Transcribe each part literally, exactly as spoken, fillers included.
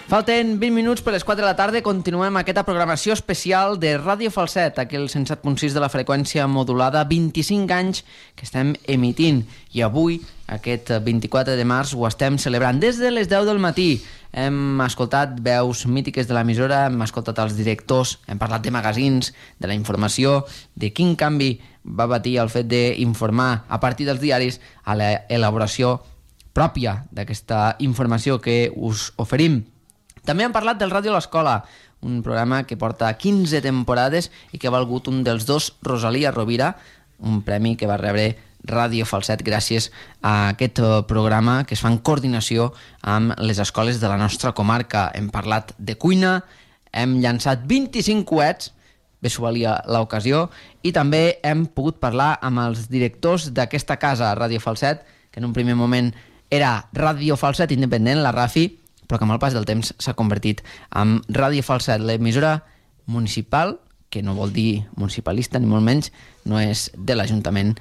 Falten vint minuts per les quatre de la tarda. Continuem aquesta programació especial de Ràdio Falset, aquí al cent set punt sis de la freqüència modulada, vint-i-cinc anys que estem emitint. I avui, aquest vint-i-quatre de març, ho estem celebrant des de les deu del matí. Hem escoltat veus mítiques de l'emissora, hem escoltat els directors, hem parlat de magazins, de la informació, de quin canvi va patir el fet d'informar a partir dels diaris a l'elaboració pròpia d'aquesta informació que us oferim. També hem parlat del Ràdio a l'Escola, un programa que porta quinze temporades i que ha valgut un dels dos Rosalia Rovira, un premi que va rebre Ràdio Falset gràcies a aquest programa que es fa en coordinació amb les escoles de la nostra comarca. Hem parlat de cuina, hem llançat vint-i-cinc coets, bé s'ho valia l'ocasió, i també hem pogut parlar amb els directors d'aquesta casa, Ràdio Falset, que en un primer moment era Ràdio Falset Independent, la Rafi, però que amb el pas del temps s'ha convertit en Ràdio Falset, l'emissora municipal, que no vol dir municipalista, ni molt menys, no és de l'Ajuntament,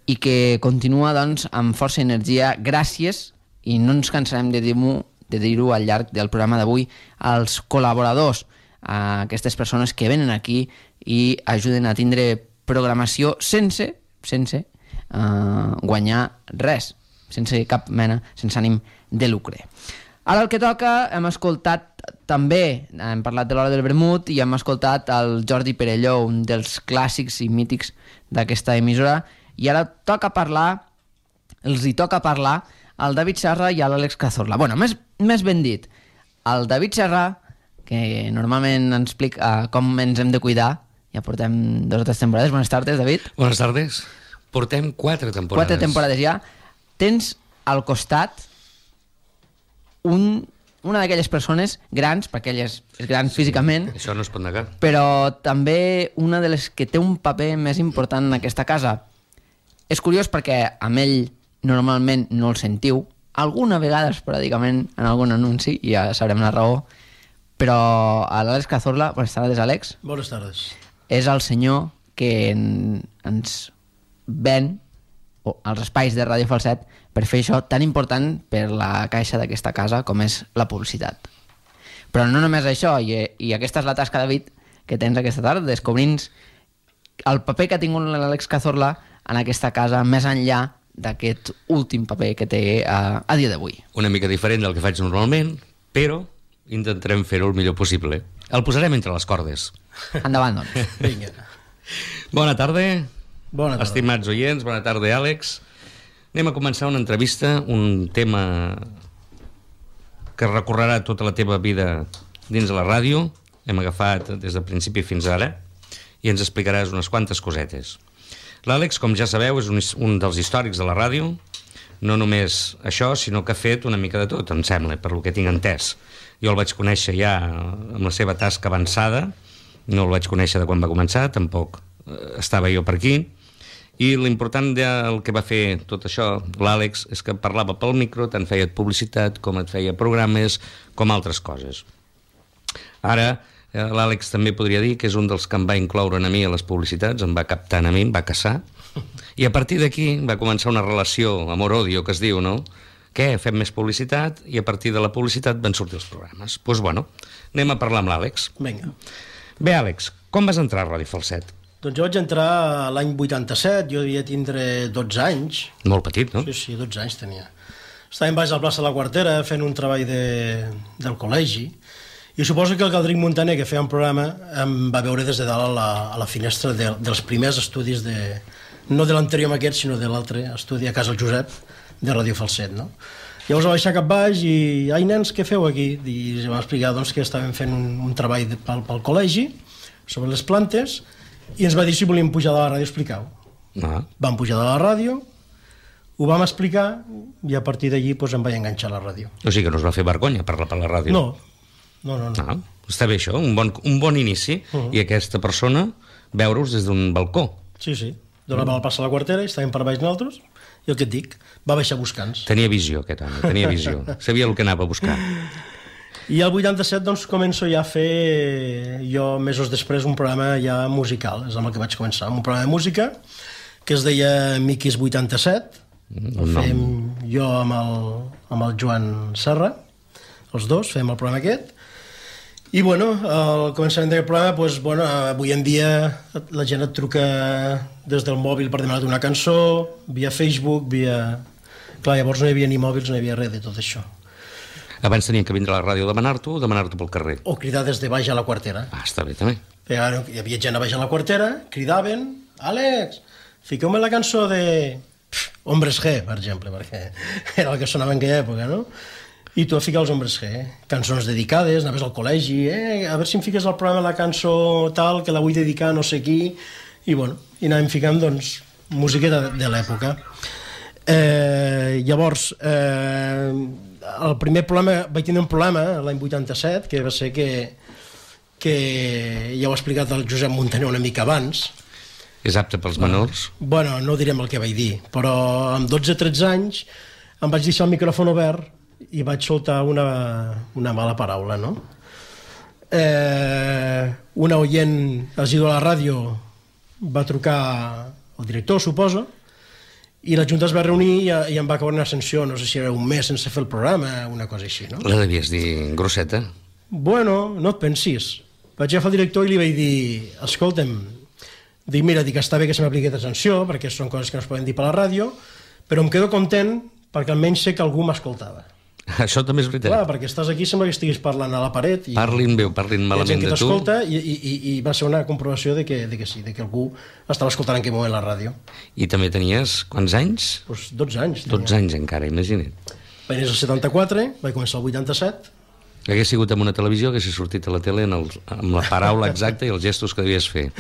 i que continua doncs, amb força energia gràcies, i no ens cansarem de dir-ho de dir-ho al llarg del programa d'avui, als col·laboradors, a aquestes persones que venen aquí i ajuden a tindre programació sense, sense uh, guanyar res, sense cap mena, sense ànim de lucre. Ara el que toca, hem escoltat també, hem parlat de l'Hora del Vermut i hem escoltat el Jordi Perelló, un dels clàssics i mítics d'aquesta emissora, i ara toca parlar, els hi toca parlar al David Serra i a l'Àlex Cazorla. Bueno, més, més ben dit, el David Serra, que normalment ens explica com ens hem de cuidar, ja portem dues o tres temporades. Buenas tardes, David. Buenas tardes. Portem quatre temporades. Quatre temporades ja. Tens al costat Un, una d'aquelles persones grans, perquè ell és, és gran sí, físicament, això no es pot negar, però també una de les que té un paper més important en aquesta casa. És curiós perquè amb ell normalment no el sentiu, alguna vegada esporàdicament en algun anunci, i ja sabrem la raó, però a l'Àlex Cazorla, bones tardes, Àlex. Bones tardes. És el senyor que en, ens ven als espais de Ràdio Falset per fer això tan important per la caixa d'aquesta casa com és la publicitat. Però no només això, i, i aquesta és la tasca, David, que tens aquesta tarda, descobrint el paper que ha tingut l'Àlex Cazorla en aquesta casa, més enllà d'aquest últim paper que té a, a dia d'avui. Una mica diferent del que faig normalment, però intentarem fer-ho el millor possible. El posarem entre les cordes. Endavant, doncs. Vinga. Bona tarda. Bona tarda. Estimats oients, bona tarda, Àlex. Anem a començar una entrevista, un tema que recorrerà tota la teva vida dins de la ràdio. Hem agafat des del principi fins ara i ens explicaràs unes quantes cosetes. L'Àlex, com ja sabeu, és un, un dels històrics de la ràdio. No només això, sinó que ha fet una mica de tot, em sembla, per lo que tinc entès. Jo el vaig conèixer ja amb la seva tasca avançada, no el vaig conèixer de quan va començar, tampoc estava jo per aquí. I l'important del que va fer tot això, l'Àlex, és que parlava pel micro, tant feia publicitat com et feia programes, com altres coses. Ara, l'Àlex també podria dir que és un dels que em va incloure a mi a les publicitats, em va captar a mi, em va caçar, i a partir d'aquí va començar una relació amor-odio, que es diu, no? Què? Fem més publicitat, i a partir de la publicitat van sortir els programes. Doncs pues bueno, anem a parlar amb l'Àlex. Vinga. Bé, Àlex, com vas entrar a Ràdio Falset? Doncs jo vaig entrar l'any vuitanta-set, jo devia tindre dotze anys. Molt petit, no? Sí, sí, dotze anys tenia. Estàvem baix a la plaça de la Quartera fent un treball de, del col·legi, i suposo que el Galdric Montaner, que feia un programa, em va veure des de dalt a la, a la finestra de, dels primers estudis, de, no de l'anterior amb aquest, sinó de l'altre estudi a Casa el Josep, de Ràdio Falset, no? Llavors va baixar cap baix i, ai nens, què feu aquí? I em va explicar doncs, que estàvem fent un, un treball de, pel, pel col·legi sobre les plantes, i ens va dir si volíem pujar de la ràdio a explicar-ho. Ah. Vam pujar de la ràdio, ho vam explicar, i a partir d'allí doncs, em vaig enganxar a la ràdio. O sigui que no us va fer vergonya parlar per la ràdio? No, no, no. no. Ah, està bé això, un bon, un bon inici, uh-huh. I aquesta persona veure-us des d'un balcó. Sí, sí, donava uh-huh. la plaça a la Quartera, i estàvem per baix nosaltres, i el que et dic, va baixar buscant-nos. Tenia visió, aquest home, tenia visió. Sabia el que anava a buscar. I al vuitanta-set doncs, començo ja a fer, jo mesos després, un programa ja musical, és amb el que vaig començar, un programa de música que es deia Miquis vuitanta-set, el fèiem jo amb el, amb el Joan Serra, els dos, fèiem el programa aquest, I, bueno, al començament d'aquest programa, doncs, bueno, avui en dia la gent et truca des del mòbil per demanar una cançó, via Facebook, via... Clar, llavors no hi havia ni mòbils, no hi havia res de tot això. Abans tenien que vindre a la ràdio a demanar-t'ho o demanar-t'ho pel carrer? O cridar des de baix a la quartera. Ah, està bé, també. Hi havia gent a baix a la quartera, cridaven, Àlex, fiqueu-me la cançó de Hombres G, per exemple, perquè era el que sonava en aquella època, no? I tu a ficar els Hombres G, eh? Cançons dedicades, anaves al col·legi, eh? A veure si em fiques al programa la cançó tal, que la vull dedicar a no sé qui, i bueno, i anàvem ficant, doncs, música de, de l'època. Eh, llavors, eh, el primer problema, vaig tenir un problema l'any vuitanta-set, que va ser que, que ja ho ha explicat el Josep Muntaner una mica abans. És apte pels menors? Bueno, no direm el que vaig dir, però amb dotze o tretze anys em vaig deixar el micròfon obert i vaig soltar una, una mala paraula, no? Eh, una oient assídua a la ràdio va trucar al director, suposo, i la Junta es va reunir i, i em va caure una sanció, no sé si era un mes sense fer el programa, una cosa així, no? La devies dir grosseta? Bueno, no et pensis. Vaig agafar el director i li vaig dir, escolta'm, dic, mira, dic, està bé que se m'apliqui aquesta sanció, perquè són coses que no es poden dir per la ràdio, però em quedo content perquè almenys sé que algú m'escoltava. Això també és veritat. Clar, perquè estàs aquí, sembla que estiguis parlant a la paret. I parlin bé o parlin malament de tu. I, i, i va ser una comprovació de que, de que sí, de que algú estava escoltant en aquell moment la ràdio. I també tenies quants anys? Pues dotze anys. dotze anys encara, imagina't. Vaig néixer el setanta-quatre, vaig començar el vuitanta-set. Hagués sigut en una televisió, hagués sortit a la tele en el, amb la paraula exacta i els gestos que devies fer.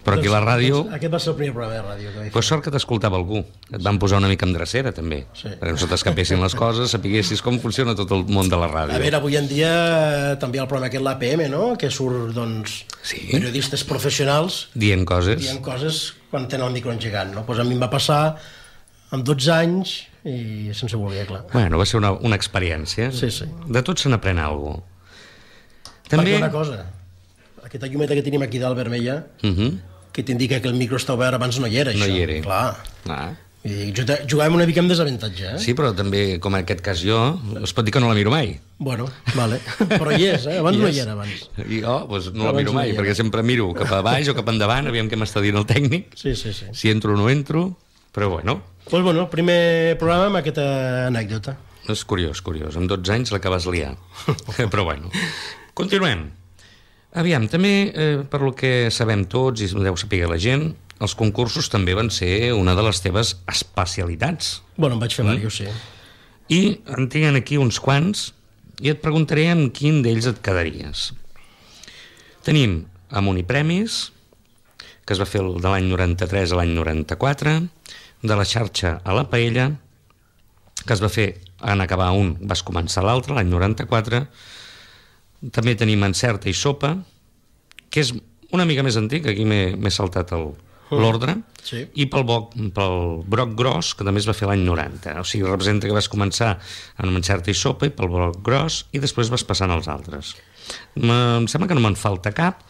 Però aquí a la ràdio... Aquest va ser el primer programa de ràdio que vaig fer. Pues sort que t'escoltava algú. Et van posar una mica en drecera, també. Sí. Perquè no se t'escapessin les coses, sapiguessis com funciona tot el món de la ràdio. A veure, avui en dia també hi ha el programa aquest, l'A P M, no? Que surt, doncs, sí, periodistes professionals... Dient coses. Dient coses quan tenen el micro engegant, no? Pues a mi em va passar amb dotze anys i sense voler, clar. Bueno, va ser una, una experiència. Sí, sí. De tot se n'aprèn alguna cosa. També... una cosa, aquesta llumeta que tenim aquí dalt vermella... Uh -huh. que t'indica que el micro està obert, abans no hi era, això. No hi era. Clar. Ah. I jugàvem una mica amb desavantatge, eh? Sí, però també, com en aquest cas jo, es pot dir que no la miro mai. Bueno, vale. Però hi és, eh? Abans yes. no hi era, abans. I jo, doncs no la miro mai, no perquè sempre miro cap a baix o cap endavant, aviam què m'està dient el tècnic. Sí, sí, sí. Si entro o no entro, però bueno. Doncs pues bueno, primer programa amb aquesta anècdota. És curiós, curiós. Amb dotze anys la que vas liar. Però bueno. Continuem. Aviam, també, eh, per lo que sabem tots i deu saber la gent, els concursos també van ser una de les teves especialitats. Bueno, em vaig fer mm. diversos, sí. I en tinc aquí uns quants i et preguntaré amb quin d'ells et quedaries. Tenim Amunipremis, que es va fer de l'any noranta-tres a l'any noranta-quatre, de la xarxa a la paella, que es va fer en acabar un, vas començar l'altre, l'any noranta-quatre. També tenim Encerta i Sopa, que és una mica més antic, aquí m'he saltat l'ordre, sí. I pel, bo, pel Broc Gros, que també es va fer l'any noranta. O sigui, representa que vas començar amb Encerta i Sopa i pel Broc Gros, i després vas passant als altres. Em sembla que no me'n falta cap,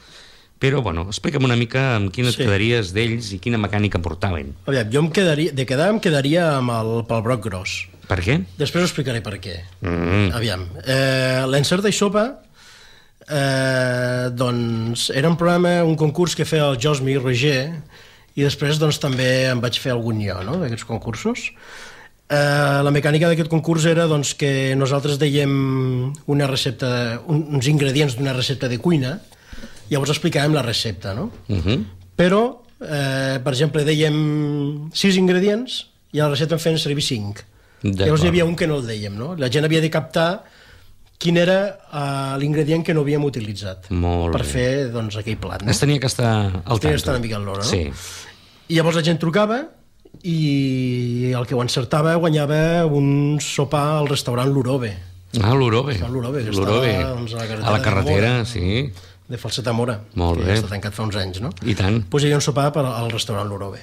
però, bueno, explica'm una mica amb quina et sí. quedaries d'ells i quina mecànica portaven. Aviam, jo em quedaria, de quedar em quedaria amb el, pel Broc Gros. Per què? Després ho explicaré per què. Mm. Aviam, eh, l'Encerta i Sopa, eh, doncs, era un programa, un concurs que feia el Josmi i Roger, i després doncs, també em vaig fer algun jo, no?, d'aquests concursos. Eh, la mecànica d'aquest concurs era doncs, que nosaltres dèiem una recepta, un, uns ingredients d'una recepta de cuina, llavors explicàvem la recepta, no? Uh-huh. Però, eh, per exemple, dèiem sis ingredients i a la recepta en feien servir cinc. Llavors hi havia un que no el dèiem, no? La gent havia de captar quin era uh, l'ingredient que no havíem utilitzat per fer doncs, aquell plat. No? Es tenia que estar al tanto. Tenia que estar una mica a l'hora, no? Sí. I llavors la gent trucava i el que ho encertava guanyava un sopar al restaurant L'Urove. Ah, l'Urove. L'Urove, que estava doncs, a la carretera, a la carretera de, Mora, sí. de Falset a Mora. Molt bé. Que està tancat fa uns anys, no? I tant. Pues hi havia un sopar per, al restaurant L'Urove.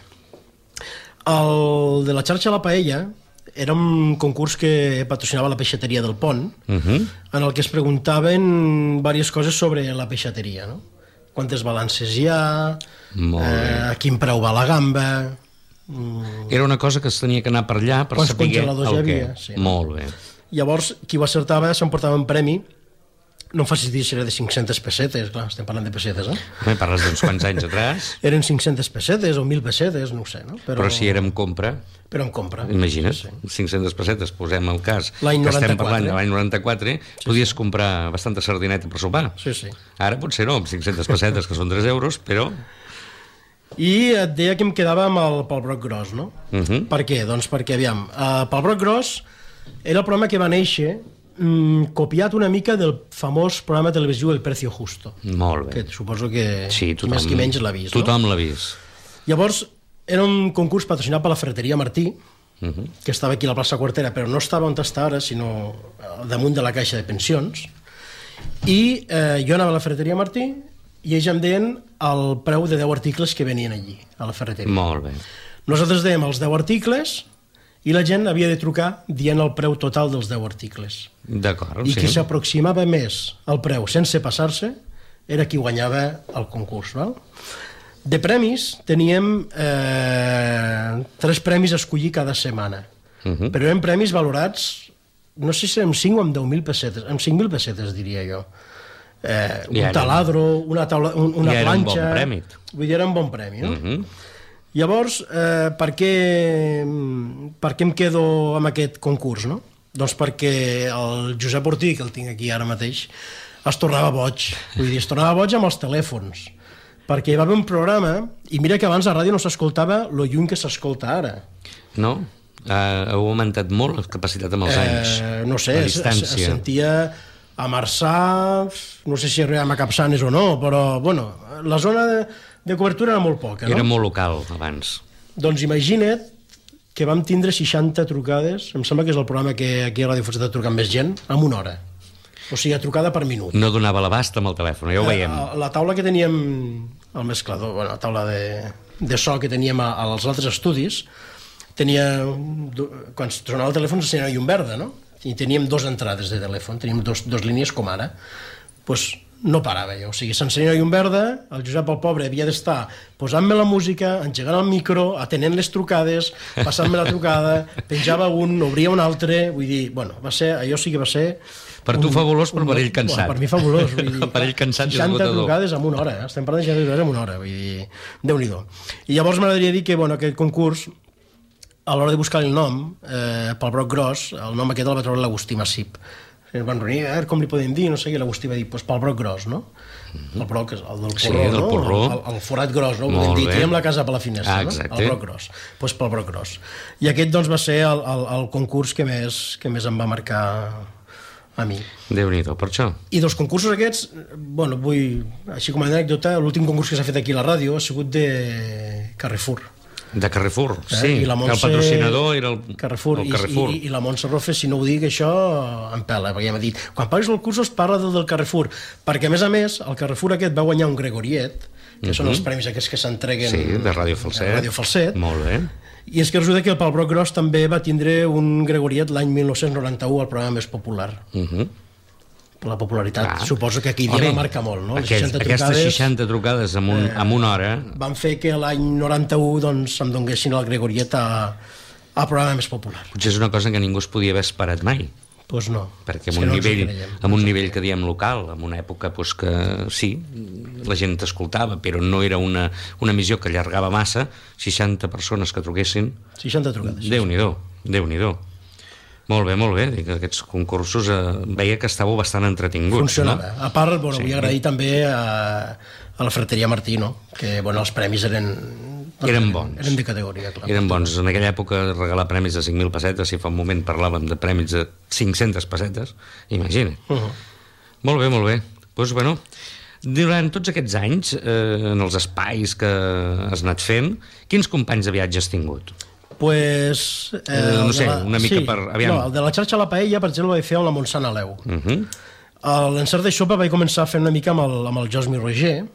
El de la xarxa La Paella era un concurs que patrocinava la peixateria del Pont, uh-huh. en el que es preguntaven diverses coses sobre la peixateria, no? Quantes balances hi ha, eh, a quin preu va la gamba... Mm. Era una cosa que es tenia que anar per allà per saber el què. Sí, molt bé. Llavors, qui ho acertava s'emportava un premi no em facis dir si era de cinc-centes pessetes, clar, estem parlant de pessetes, eh? Me parles d'uns quants anys atrás. Eren cinc-centes pessetes o mil pessetes, no ho sé, no? Però, Però si érem compra... Però en compra. Imagina't, sí. cinc-centes pessetes, posem el cas l'any que estem noranta-quatre. parlant de l'any noranta-quatre, sí, podies sí. comprar bastanta sardineta per sopar. Sí, sí. Ara potser no, amb cinc-centes pessetes, que són tres euros, però... I et deia que em quedava amb el pel broc gros, no? Uh -huh. Per què? Doncs perquè, aviam, uh, pel broc gros era el programa que va néixer mm, copiat una mica del famós programa televisiu El Precio Justo. Molt bé. Que suposo que sí, tothom, més que menys l'ha vist, tothom no? l'ha vist. Llavors, era un concurs patrocinat per la Ferreteria Martí, uh -huh. que estava aquí a la plaça Quartera, però no estava on està ara, sinó damunt de la caixa de pensions. I eh, jo anava a la Ferreteria Martí i ells em deien el preu de deu articles que venien allí, a la ferreteria. Molt bé. Nosaltres dèiem els deu articles i la gent havia de trucar dient el preu total dels deu articles. D'acord, I sí. qui s'aproximava més al preu sense passar-se era qui guanyava el concurs, val? De premis teníem eh, tres premis a escollir cada setmana, uh -huh. però eren premis valorats, no sé si amb cinc o amb deu mil pessetes, amb cinc mil pessetes diria jo. Eh, un era, taladro, una, taula, un, una ja era planxa... un bon premi. Vull dir, era un bon premi, no? Uh -huh. Llavors, eh, per, què, per què em quedo amb aquest concurs, no? Doncs perquè el Josep Ortí, que el tinc aquí ara mateix, es tornava boig. Vull dir, es tornava boig amb els telèfons. Perquè hi va haver un programa, i mira que abans a ràdio no s'escoltava lo lluny que s'escolta ara. No? Uh, heu augmentat molt la capacitat amb els anys. Eh, no sé, la es, distància. es sentia a Marçà, no sé si arribàvem a Capçanes o no, però, bueno, la zona de, de cobertura era molt poca, no? Era molt local, abans. Doncs imagina't que vam tindre seixanta trucades, em sembla que és el programa que aquí a Ràdio Falset ha trucat més gent, en una hora. O sigui, a trucada per minut. No donava l'abast amb el telèfon, ja ho veiem. La, la taula que teníem, el mesclador, bueno, la taula de, de so que teníem a, als altres estudis, tenia, quan sonava el telèfon s'encenia llum verda, no? I teníem dos entrades de telèfon, teníem dos, dos línies com ara. Doncs pues no parava jo, o sigui, s'encenia llum verda, el Josep, el pobre, havia d'estar posant-me la música, engegant el micro, atenent les trucades, passant-me la trucada, penjava un, obria un altre, vull dir, bueno, va ser, allò sí que va ser... Per tu fabulós, però per ell cansat. Bueno, per mi fabulós, vull dir, per ell cansat i seixanta esgotador. trucades en una hora, eh? Estem parlant de seixanta trucades en una hora, vull dir, Déu-n'hi-do. I llavors m'agradaria dir que, bueno, aquest concurs, a l'hora de buscar el nom, eh, pel broc gros, el nom aquest el va treure l'Agustí Massip. Ens van reunir, eh, com li podem dir, no sé, i l'Agustí va dir, doncs pel broc gros, no? El broc, el del porró, sí, del no? porró. El, el forat gros, no? Podem dir, tirem la casa per la finestra, ah, no? El broc gros. Doncs pel broc gros. I aquest, doncs, va ser el, el, el concurs que més, que més em va marcar a mi. Déu-n'hi-do, per això. I dels concursos aquests, bueno, vull, així com a anècdota, l'últim concurs que s'ha fet aquí a la ràdio ha sigut de Carrefour. De Carrefour, eh? sí, I la Montse... que el patrocinador era el Carrefour. el Carrefour. I, i, i la Montse Rofe, si no ho dic, això em pela, perquè ja m'ha dit, quan paguis el cursos parla del del Carrefour, perquè a més a més, el Carrefour aquest va guanyar un Gregoriet, que uh-huh. són els premis aquests que s'entreguen sí, de Ràdio Falset. de Ràdio Falset. Molt bé. I és que resulta que el Pal Broc Gros també va tindre un Gregoriet l'any mil nou-cents noranta-u, el programa més popular. Uh -huh. La popularitat, ah. suposo que aquí Home, va marcar molt, no? Les Aquests, seixanta aquestes trucades, seixanta trucades en, un, eh, en una hora... van fer que l'any noranta-u doncs, em donguessin el Gregoriet a, a programa més popular. Potser és una cosa que ningú es podia haver esperat mai. Doncs pues no. Perquè amb és un, no nivell, creiem, amb un nivell que diem local, en una època pues, que sí, la gent t'escoltava, però no era una, una emissió que allargava massa, seixanta persones que truquessin... seixanta trucades. Déu-n'hi-do, Déu-n'hi-do. Molt bé, molt bé. Dic, aquests concursos eh, veia que estàveu bastant entretinguts. Funcionava. No? A part, bueno, sí. vull agrair també a, a la Ferreteria Martí, no? Que bueno, els premis eren... Eren bons. Eren de categoria, clar. Eren bons. En aquella època regalar premis de cinc mil pessetes, si fa un moment parlàvem de premis de cinc-centes pessetes, imagina't. Uh -huh. Molt bé, molt bé. Doncs, pues, bueno, durant tots aquests anys, eh, en els espais que has anat fent, quins companys de viatge has tingut? Pues, eh, eh, no sé, la... una mica sí. per... Aviam. No, el de la xarxa a la paella, per exemple, vaig fer amb la Montsant Aleu. Uh -huh. L'encert de xopa vaig començar a fer una mica amb el, amb el Josmi Roger.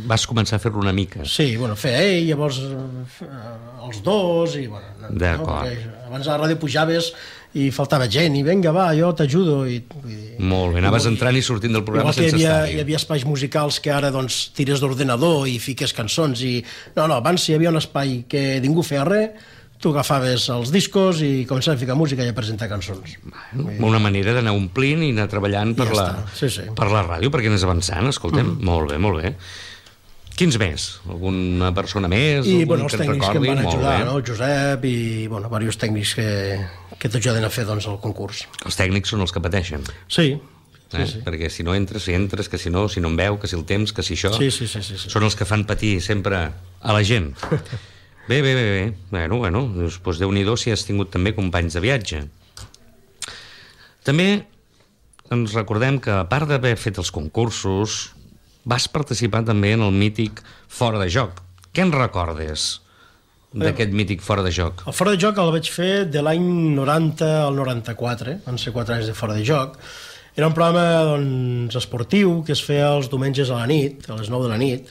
Vas començar a fer-lo una mica. Sí, bueno, feia ell, llavors eh, els dos, i bueno... No, d'acord. No? Abans a la ràdio pujaves i faltava gent, i vinga, va, jo t'ajudo. I, i, Molt bé, anaves entrant i sortint del programa sense estar-hi. estar-hi. Hi havia espais musicals que ara doncs, tires d'ordenador i fiques cançons. I... No, no, abans hi havia un espai que ningú feia res, tu agafaves els discos i començaves a ficar música i a presentar cançons. Bueno, una manera d'anar omplint i anar treballant per, ja la, sí, sí. per la ràdio, perquè anés avançant, escoltem, mm. molt bé, molt bé. Quins més? Alguna persona més? I, algun bueno, els que tècnics recordi? que em van ajudar, no? el Josep i, bueno, diversos tècnics que, que t'ajuden a fer, doncs, el concurs. Els tècnics són els que pateixen. Sí, sí, eh? sí. Perquè si no entres, si entres, que si no, si no em veu, que si el temps, que si això... Sí, sí, sí, sí, sí. Són els que fan patir sempre a la gent. Bé, bé, bé, bé. Bueno, bueno, doncs Déu-n'hi-do si has tingut també companys de viatge. També ens recordem que, a part d'haver fet els concursos, vas participar també en el mític Fora de Joc. Què en recordes d'aquest mític Fora de Joc? El Fora de Joc el vaig fer de l'any noranta al noranta-quatre, van ser quatre anys de Fora de Joc. Era un programa, doncs, esportiu que es feia els diumenges a la nit, a les nou de la nit.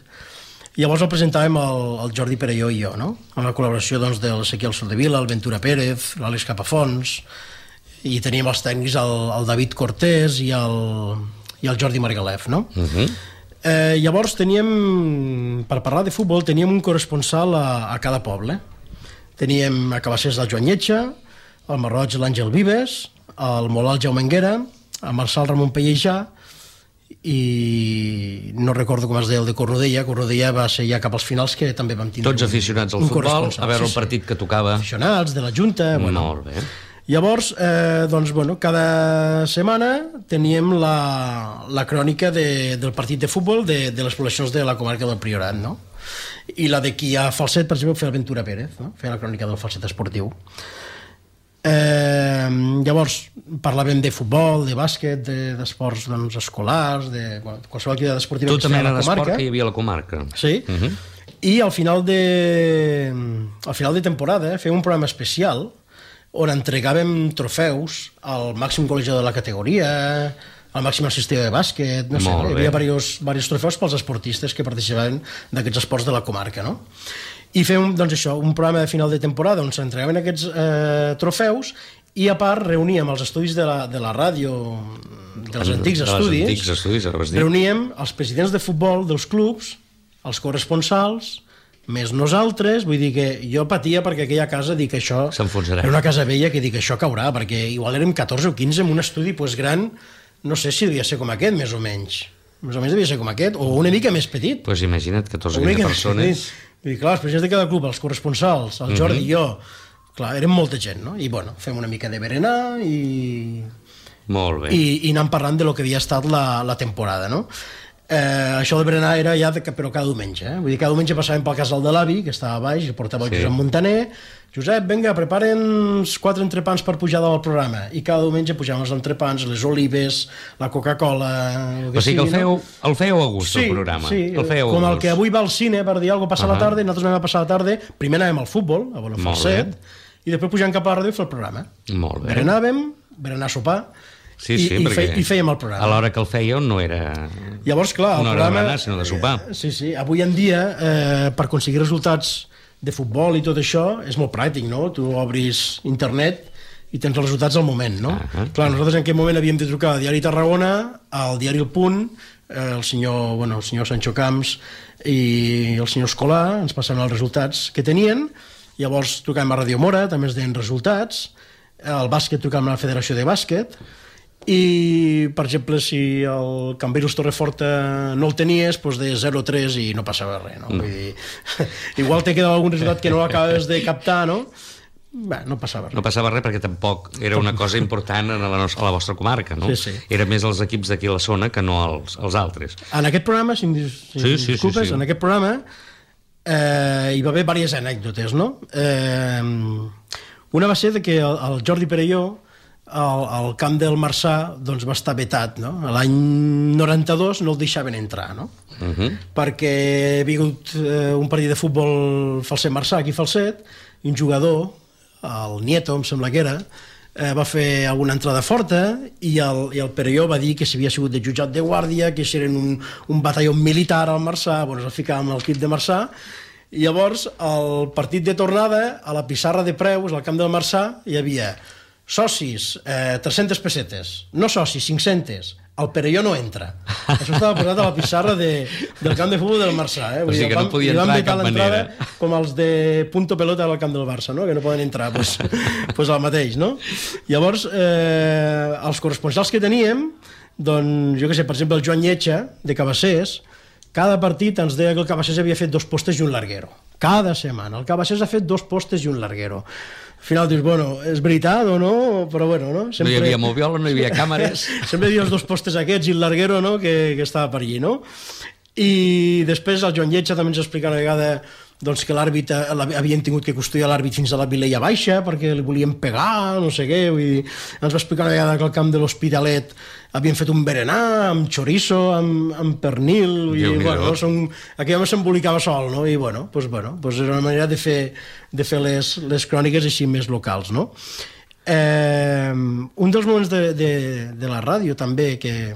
I llavors el presentàvem el, el Jordi Perelló i jo, no? Amb la col·laboració, doncs, de l'Ezequiel Soldevila, el Ventura Pérez, l'Àlex Capafons, i teníem els tècnics el, el David Cortés i el, i el Jordi Margalef, no? Uh -huh. eh, llavors teníem, per parlar de futbol, teníem un corresponsal a, a cada poble. Teníem a Cabassers el Joan Lletja, al Marroig l'Àngel Vives, al Molà el Jaume Enguera, a Marçal Ramon Pellejà, i no recordo com es deia el de Cornudella. Cornudella va ser ja cap als finals, que també vam tindre tots aficionats al futbol, a veure el partit que tocava. Aficionats de la Junta, bueno. Molt bé. Llavors, eh, doncs, bueno, cada setmana teníem la, la crònica de, del partit de futbol de, de les poblacions de la comarca del Priorat, no? I la d'aquí a Falset, per exemple, feia el Ventura Pérez, no? Feia la crònica del Falset esportiu. Eh, llavors parlàvem de futbol, de bàsquet, d'esports de, doncs, escolars, de bueno, qualsevol activitat esportiva tota mena d'esport que hi havia a la comarca. Sí, uh -huh. I al final de al final de temporada eh, fèiem un programa especial on entregàvem trofeus al màxim golejador de la categoria, al màxim assistent de bàsquet, no sé, no? Hi havia diversos, diversos trofeus pels esportistes que participaven d'aquests esports de la comarca, no? I fem, doncs això, un programa de final de temporada on s'entregaven aquests eh, trofeus, i a part reuníem els estudis de la, de la ràdio, dels antics estudis, antics estudis reuníem els presidents de futbol dels clubs, els corresponsals, més nosaltres. Vull dir que jo patia perquè aquella casa, dic, això era una casa vella, que dic, això caurà, perquè igual érem catorze o quinze en un estudi pues, gran, no sé si devia ser com aquest, més o menys. Més o menys devia ser com aquest, o una mica més petit. Doncs pues imagina't, catorze o quinze persones... Vull dir, clar, els presidents de cada club, els corresponsals, el Jordi i jo, clar, érem molta gent, no? I, bueno, fem una mica de berenar i... Molt bé. I, i anant parlant de lo que havia estat la, la temporada, no? Eh, això de berenar era ja, de, però cada diumenge, eh? Vull dir, cada diumenge passàvem pel casal de l'avi, que estava a baix, i portava el sí. Josep Montaner. Josep, vinga, preparen quatre entrepans per pujar del programa. I cada diumenge pujàvem els entrepans, les olives, la Coca-Cola... O sigui que el fèieu, no? el fèieu a gust, sí, el programa. Sí, el fèieu com el que avui va al cine per dir alguna cosa passa uh -huh. a la tarda, nosaltres anem a passar la tarda, primer anàvem al futbol, a Bona Falset, i després pujant cap a la ràdio i fer el programa. Molt bé. Berenàvem, berenar a sopar, Sí, sí, I, i, fe, i fèiem el programa. A l'hora que el fèieu no era Llavors, clar, una el hora programa, de berenar, sinó de sopar. Eh, sí, sí. Avui en dia, eh, per aconseguir resultats de futbol i tot això, és molt pràctic, no? Tu obris internet i tens els resultats al moment, no? Uh -huh. Clar, nosaltres en aquell moment havíem de trucar al Diari Tarragona, al Diari El Punt, eh, el senyor, bueno, el senyor Sancho Camps i el senyor Escolà, ens passaven els resultats que tenien. Llavors trucàvem a Radio Mora, també ens deien resultats. Al bàsquet trucàvem a la Federació de Bàsquet. I, per exemple, si el Cambrils Torreforta no el tenies, doncs de zero a tres i no passava res, no? Mm. Vull dir, igual t'he quedat algun resultat que no l'acabes de captar, no? Bé, no passava res. No passava res perquè tampoc era una cosa important a la, nostra, a la vostra comarca, no? Sí, sí. Era més els equips d'aquí a la zona que no els, els altres. En aquest programa, si em, si sí, sí, disculpes, sí, sí. en aquest programa eh, hi va haver diverses anècdotes, no? Eh, una va ser de que el, el Jordi Perelló al, al camp del Marçà doncs, va estar vetat, no? L'any noranta-dos no el deixaven entrar, no? Uh -huh. Perquè havia hagut eh, un partit de futbol Falset-Marçà, aquí a Falset, i un jugador, el Nieto, em sembla que era, eh, va fer alguna entrada forta i el, i el Perelló va dir que s'havia sigut de jutjat de guàrdia, que si eren un, un batalló militar al Marçà, bueno, es ficava amb el equip de Marçà, i llavors el partit de tornada, a la pissarra de preus, al camp del Marçà, hi havia socis, eh, tres-centes pessetes, no socis, cinc-centes, el Perelló no entra. Això estava posat a la pissarra de, del camp de futbol del Marçà. Eh? O sigui que no podia entrar de cap manera. Com els de punto pelota al camp del Barça, no? Que no poden entrar, doncs pues, pues el mateix, no? Llavors, eh, els corresponsals que teníem, doncs, jo què sé, per exemple, el Joan Lletja, de Cabassers, cada partit ens deia que el Cabassers havia fet dos postes i un larguero. Cada setmana. El Cabassers ha fet dos postes i un larguero. Al final dius, bueno, és veritat o no? Però bueno, no? Sempre... No hi havia moviola, no hi havia càmeres. Sempre hi havia els dos postes aquests i el larguero, no?, que, que estava per allí, no? I després el Joan Lletja també ens explica una vegada doncs, que l'àrbit havien tingut que custodiar l'àrbit fins a la Vilella Baixa perquè li volien pegar, no sé què. Vull dir, ens va explicar una vegada que al camp de l'Hospitalet havien fet un berenar amb chorizo, amb, amb pernil, i bueno, no, som, aquí home s'embolicava sol, no? I bueno, pues, bueno, pues era una manera de fer, de fer les, les cròniques així més locals, no? Eh, un dels moments de, de, de la ràdio també que,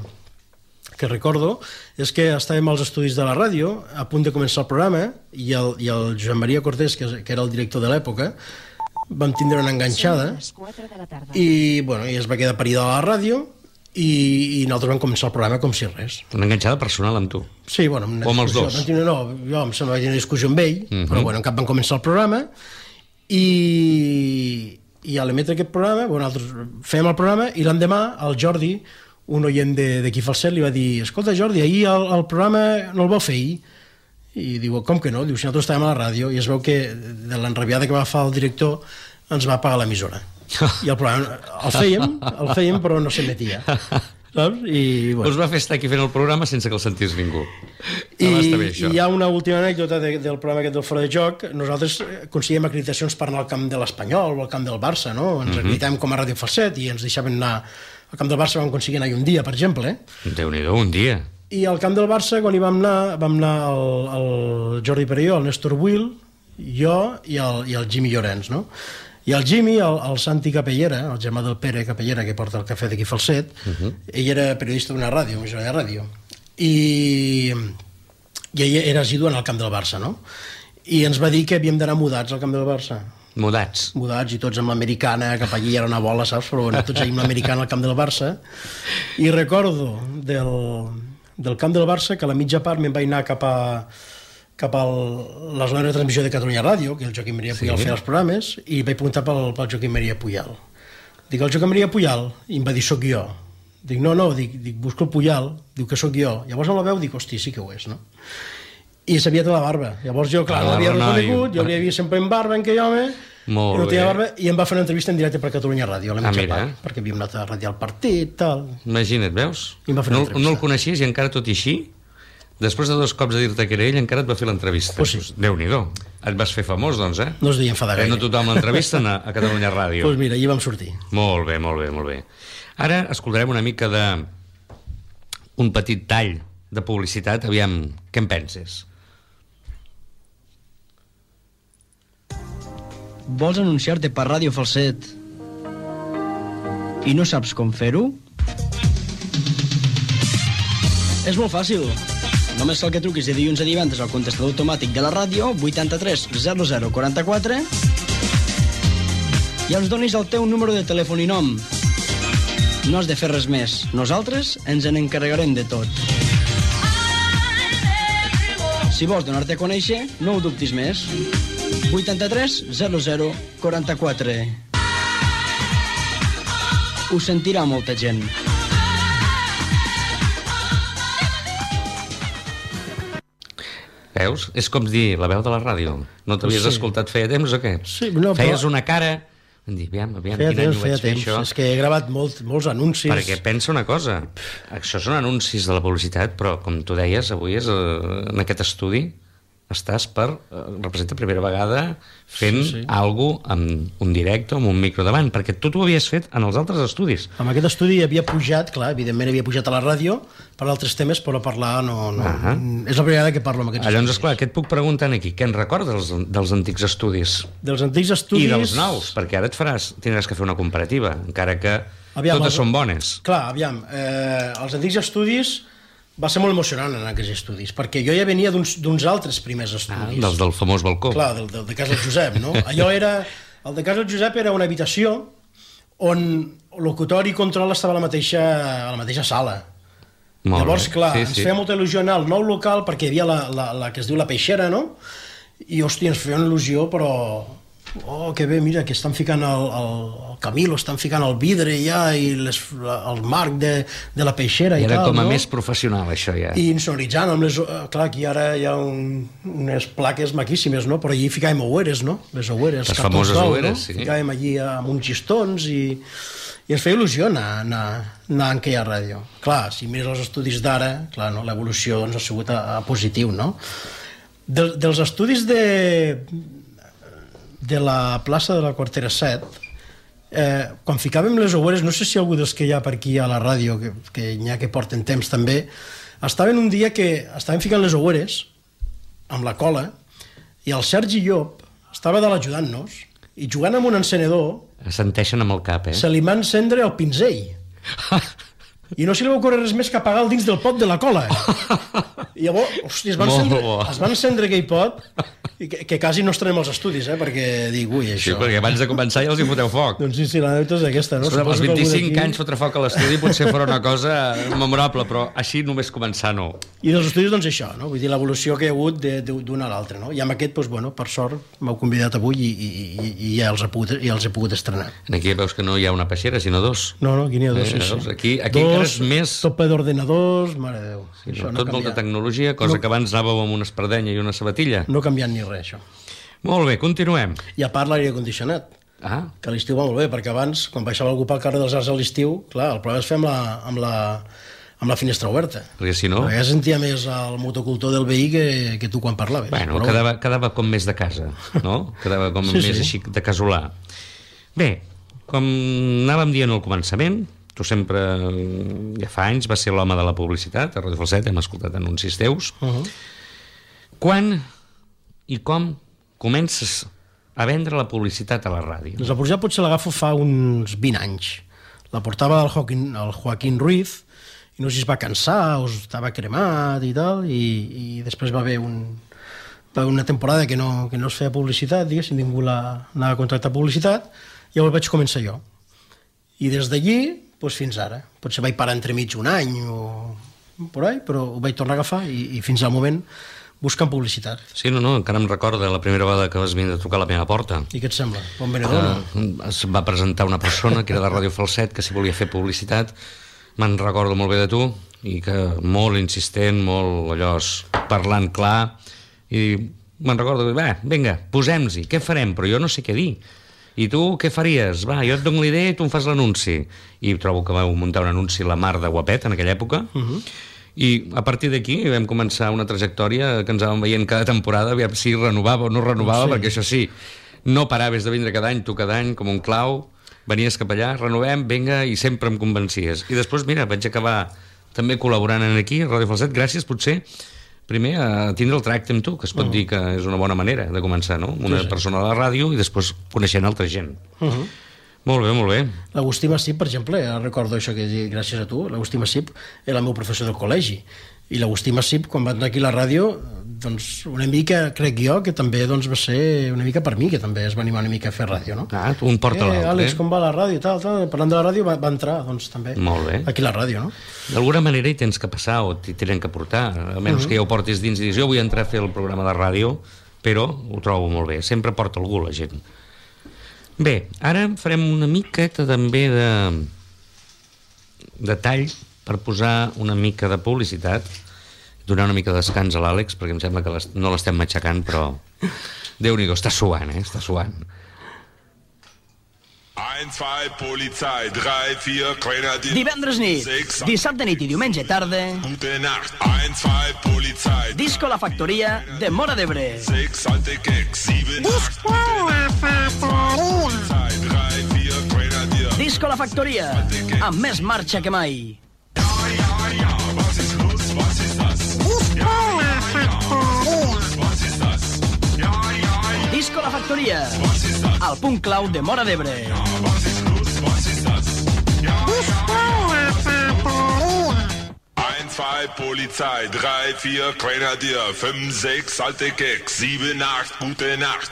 que recordo és que estàvem als estudis de la ràdio a punt de començar el programa i el, i el Joan Maria Cortés, que, que era el director de l'època, vam tindre una enganxada i, bueno, i es va quedar parida a la ràdio i, i nosaltres vam començar el programa com si res. Una enganxada personal amb tu? Sí, bueno, amb o amb els dos? Tenir, no, jo em sembla que vaig tenir una discussió amb ell, uh -huh. però bueno, en cap vam començar el programa i, i a l'emetre aquest programa, bueno, nosaltres fèiem el programa i l'endemà el Jordi, un oient d'aquí Falset, li va dir, escolta Jordi, ahir el, el programa no el vau fer ahir? I diu, com que no? Diu, si nosaltres estàvem a la ràdio, i es veu que de l'enrabiada que va fer el director ens va pagar l'emissora. I el programa el fèiem, el fèiem però no s'emetia, saps? I, bueno. Us va fer estar aquí fent el programa sense que el sentís ningú. I, i hi ha una última anècdota de, del programa aquest del Fora de Joc. Nosaltres aconseguíem acreditacions per anar al camp de l'Espanyol o al camp del Barça, no? Ens acreditàvem com a Ràdio Falset i ens deixaven anar al camp del Barça. Vam aconseguir anar un dia, per exemple, eh? Déu-n'hi-do, un dia. I al camp del Barça, quan hi vam anar, vam anar el, el Jordi Perelló, el Néstor Will, jo i el, i el Jimmy Llorenç, no? I el Jimmy, el, el Santi Capellera, el germà del Pere Capellera, que porta el cafè d'aquí Falset, uh -huh. ell era periodista d'una ràdio, una emissora de ràdio, i, i ell era assidu en el camp del Barça, no? I ens va dir que havíem d'anar mudats al camp del Barça. Mudats? Mudats, i tots amb l'americana, cap allí era una bola, saps? Però bueno, tots allí amb l'americana al camp del Barça. I recordo del, del camp del Barça que a la mitja part me'n vaig anar cap a cap a la zona de transmissió de Catalunya Ràdio, que el Joaquim Maria Puyal sí. feia els programes, i vaig preguntar pel, pel Joaquim Maria Puyal. Dic, el Joaquim Maria Puyal? I em va dir, soc jo. Dic, no, no, dic, dic busco el Puyal. Diu que sóc jo. Llavors em la veu, dic, hosti, sí que ho és, no? I s'havia tota la barba. Llavors jo, clar, no l'havia reconegut, jo l'havia vist sempre en barba, en aquell home, molt no tenia bé. Barba, i em va fer una entrevista en directe per Catalunya Ràdio, a la mitja ah, part, perquè havíem anat a radiar el partit, tal. Imagina't, veus? No, no el coneixies i encara tot i així, després de dos cops de dir-te que era ell, encara et va fer l'entrevista. Pues sí. Déu-n'hi-do. Et vas fer famós, doncs, eh? No es deia enfadar gaire. No tothom l'entrevisten a, a Catalunya Ràdio. Doncs pues mira, allí vam sortir. Molt bé, molt bé, molt bé. Ara escoltarem una mica de... un petit tall de publicitat. Aviam, què en penses? Vols anunciar-te per Ràdio Falset i no saps com fer-ho? És molt fàcil. Només cal que truquis de dilluns a divendres al contestador automàtic de la ràdio vuitanta-tres zero zero quaranta-quatre i ens donis el teu número de telèfon i nom. No has de fer res més. Nosaltres ens en encarregarem de tot. Si vols donar-te a conèixer, no ho dubtis més. vuitanta-tres zero zero quaranta-quatre. Ho sentirà molta gent. Veus? És com dir la veu de la ràdio. No t'havies sí. escoltat feia temps o què? Sí, no, Feies però... una cara... Em dir, aviam, aviam, feia quin any temps, ho vaig fer temps. això? És que he gravat molt, molts anuncis. Perquè pensa una cosa, això són anuncis de la publicitat, però com tu deies, avui és, eh, en aquest estudi estàs per, eh, representa primera vegada fent sí, sí. alguna cosa amb un directe, amb un micro davant, perquè tu t'ho havies fet en els altres estudis. Amb aquest estudi havia pujat, clar, evidentment havia pujat a la ràdio per altres temes, però parlar no... no uh -huh. És la primera vegada que parlo amb aquests Llavors, estudis. esclar, què et puc preguntar aquí? Què en recordes dels, dels antics estudis? Dels antics estudis... I dels nous, perquè ara et faràs, tindràs que fer una comparativa, encara que aviam, totes els... són bones. Clar, aviam, eh, els antics estudis... Va ser molt emocionant en aquests estudis, perquè jo ja venia d'uns altres primers estudis. Ah, dels del famós balcó. Clar, del, del de casa del Josep, no? Allò era... El de casa del Josep era una habitació on locutori i control estava a la mateixa, a la mateixa sala. Molt Llavors, bé. clar, Sí, ens sí. feia molta il·lusió anar al nou local perquè hi havia la, la, la que es diu la Peixera, no? I, hòstia, ens feia una il·lusió, però... Oh, que bé, mira, que estan ficant el, el, el Camilo, estan ficant el vidre ja i les, la, el marc de, de la Peixera i, I era tal, com a no? més professional, això, ja. I insonoritzant amb les... Clar, aquí ara hi ha un, unes plaques maquíssimes, no? Però allí ficàvem oueres, no? Les oueres. Les cartons famoses d'ou, oueres, no? sí. Ficàvem allí amb uns xistons i, i ens feia il·lusió anar, anar, anar en aquella ràdio. Clar, si mires els estudis d'ara, clar, no? L'evolució doncs, ha sigut a, a positiu, no? Del, dels estudis de de la plaça de la Quartera set, eh, quan ficàvem les oueres, no sé si algú dels que hi ha per aquí a la ràdio, que, que n'hi ha que porten temps també, estaven un dia que estaven ficant les oueres amb la cola i el Sergi Llop estava dalt ajudant-nos i jugant amb un encenedor Assenteixen amb el cap, eh? se li va encendre el pinzell i no se li va ocórrer res més que apagar el dins del pot de la cola. I llavors, hòstia, es va Molt encendre, bo. es va encendre aquell pot i que, que quasi no estrenem els estudis, eh? Perquè dic, ui, Sí, això... perquè abans de començar ja els hi foteu foc. Doncs sí, sí, l'anècdota és aquesta, no? Escolta, als Suposo que algú vint-i-cinc d'aquí- anys fotre foc a l'estudi potser farà una cosa memorable, però així només començar no. I dels estudis, doncs això, no? Vull dir, l'evolució que hi ha hagut de- de- d'un a l'altre, no? I amb aquest, doncs, bueno, per sort, m'heu convidat avui i, i, i, i ja, els he pogut, ja els he pogut estrenar. Aquí veus que no hi ha una peixera, sinó dos. No, no, aquí n'hi ha dos, Eh, sí, veus? sí. Aquí- aquí encara és més- Tot ple d'ordenadors, mare de Déu. Sí, Això no, no tot ha molta canviat. tecnologia, cosa No. que abans anàveu amb una espardenya i una sabatilla. No ha canviat ni res, això. Molt bé, continuem. I a part l'aire condicionat, Ah, que a l'estiu va molt bé, perquè abans, quan baixava algú pel carrer dels Arts a l'estiu, clar, el problema és fer amb la, amb la, amb la finestra oberta. perquè si no... Perquè ja sentia més el motocultor del veí que, que tu quan parlaves. Bueno, Però quedava, quedava com més de casa, no? Quedava com Sí, més sí. així de casolà. Bé, com anàvem dient al començament, tu sempre, ja fa anys, vas ser l'home de la publicitat, a Ràdio Falset hem escoltat anuncis teus. Uh -huh. Quan i com comences a vendre la publicitat a la ràdio? Doncs la publicitat potser l'agafo fa uns vint anys. La portava el Joaquín, el Joaquín Ruiz, i no sé si es va cansar o estava cremat i tal, i, i després va haver un, va haver una temporada que no, que no es feia publicitat, diguéssim, ningú la, anava a contractar publicitat, i llavors vaig començar jo. I des d'allí, doncs fins ara. Potser vaig parar entremig un any o por ahí, però ho vaig tornar a agafar i, i fins al moment buscant publicitat. Sí, no, no, encara em recorda la primera vegada que vas venir a trucar a la meva porta. I què et sembla? Bon venedor, no? Uh, es va presentar una persona que era de Ràdio Falset que si volia fer publicitat, me'n recordo molt bé de tu, i que molt insistent, molt allò parlant clar, i me'n recordo que, va, vinga, posem-nos-hi, què farem? Però jo no sé què dir. I tu què faries? Va, jo et dono l'idea i tu em fas l'anunci. I trobo que vau muntar un anunci la mar de guapet en aquella època, uh -huh. i a partir d'aquí vam començar una trajectòria que ens anàvem veient cada temporada, aviam si renovava o no renovava, Sí. perquè això sí, no paraves de vindre cada any, tu cada any, com un clau, venies cap allà, renovem, vinga, i sempre em convencies. I després, mira, vaig acabar també col·laborant aquí, a Ràdio Falset, gràcies, potser, primer, a tindre el tracte amb tu, que es pot uh -huh. dir que és una bona manera de començar, no? Una Sí, sí. persona a la ràdio i després coneixent altra gent. Uh -huh. Molt bé, molt bé. L'Agustí Massip, per exemple, ara recordo això que dic, gràcies a tu, l'Agustí Massip era el meu professor del col·legi, i l'Agustí Massip, quan va entrar aquí a la ràdio, doncs una mica, crec jo, que també doncs, va ser una mica per mi, que també es va animar una mica a fer ràdio, no? Ah, un porta eh, l'altre. Àlex, com va la ràdio i tal, tal, parlant de la ràdio, va, va entrar, doncs, també, Molt bé. aquí a la ràdio, no? D'alguna manera hi tens que passar o t'hi tenen que portar, almenys uh -huh. que ja ho portis dins i dius, jo vull entrar a fer el programa de ràdio, però ho trobo molt bé, sempre porta algú la gent. Bé, ara farem una miqueta també de, de tall per posar una mica de publicitat, donar una mica de descans a l'Àlex, perquè em sembla que les, no l'estem matxacant, però Déu-n'hi-do, està suant, eh? Està suant. eins, zwei, Polizei, drei, vier, Grenadier. Divendres nit, sechs, dissabte nit i diumenge tarda, Gute Nacht, eins, zwei, Polizei, Disco La Factoria de Móra d'Ebre. sechs, alte Gags, sieben, acht, Polizei, drei, vier, Grenadier. Disco La Factoria, amb més marxa que mai. Ja, ja, ja, was ist los, was ist das? Ja, ja, ja, was ist das? Ja, ja, ja, Disco La Factoria, was ist das? al punt clau de Móra d'Ebre. Was ist los, was ist das? Ja, ja, eins, zwei, Polizei, drei, vier, Grenadier, fünf, sechs, alte Gags, sieben, acht, Gute Nacht.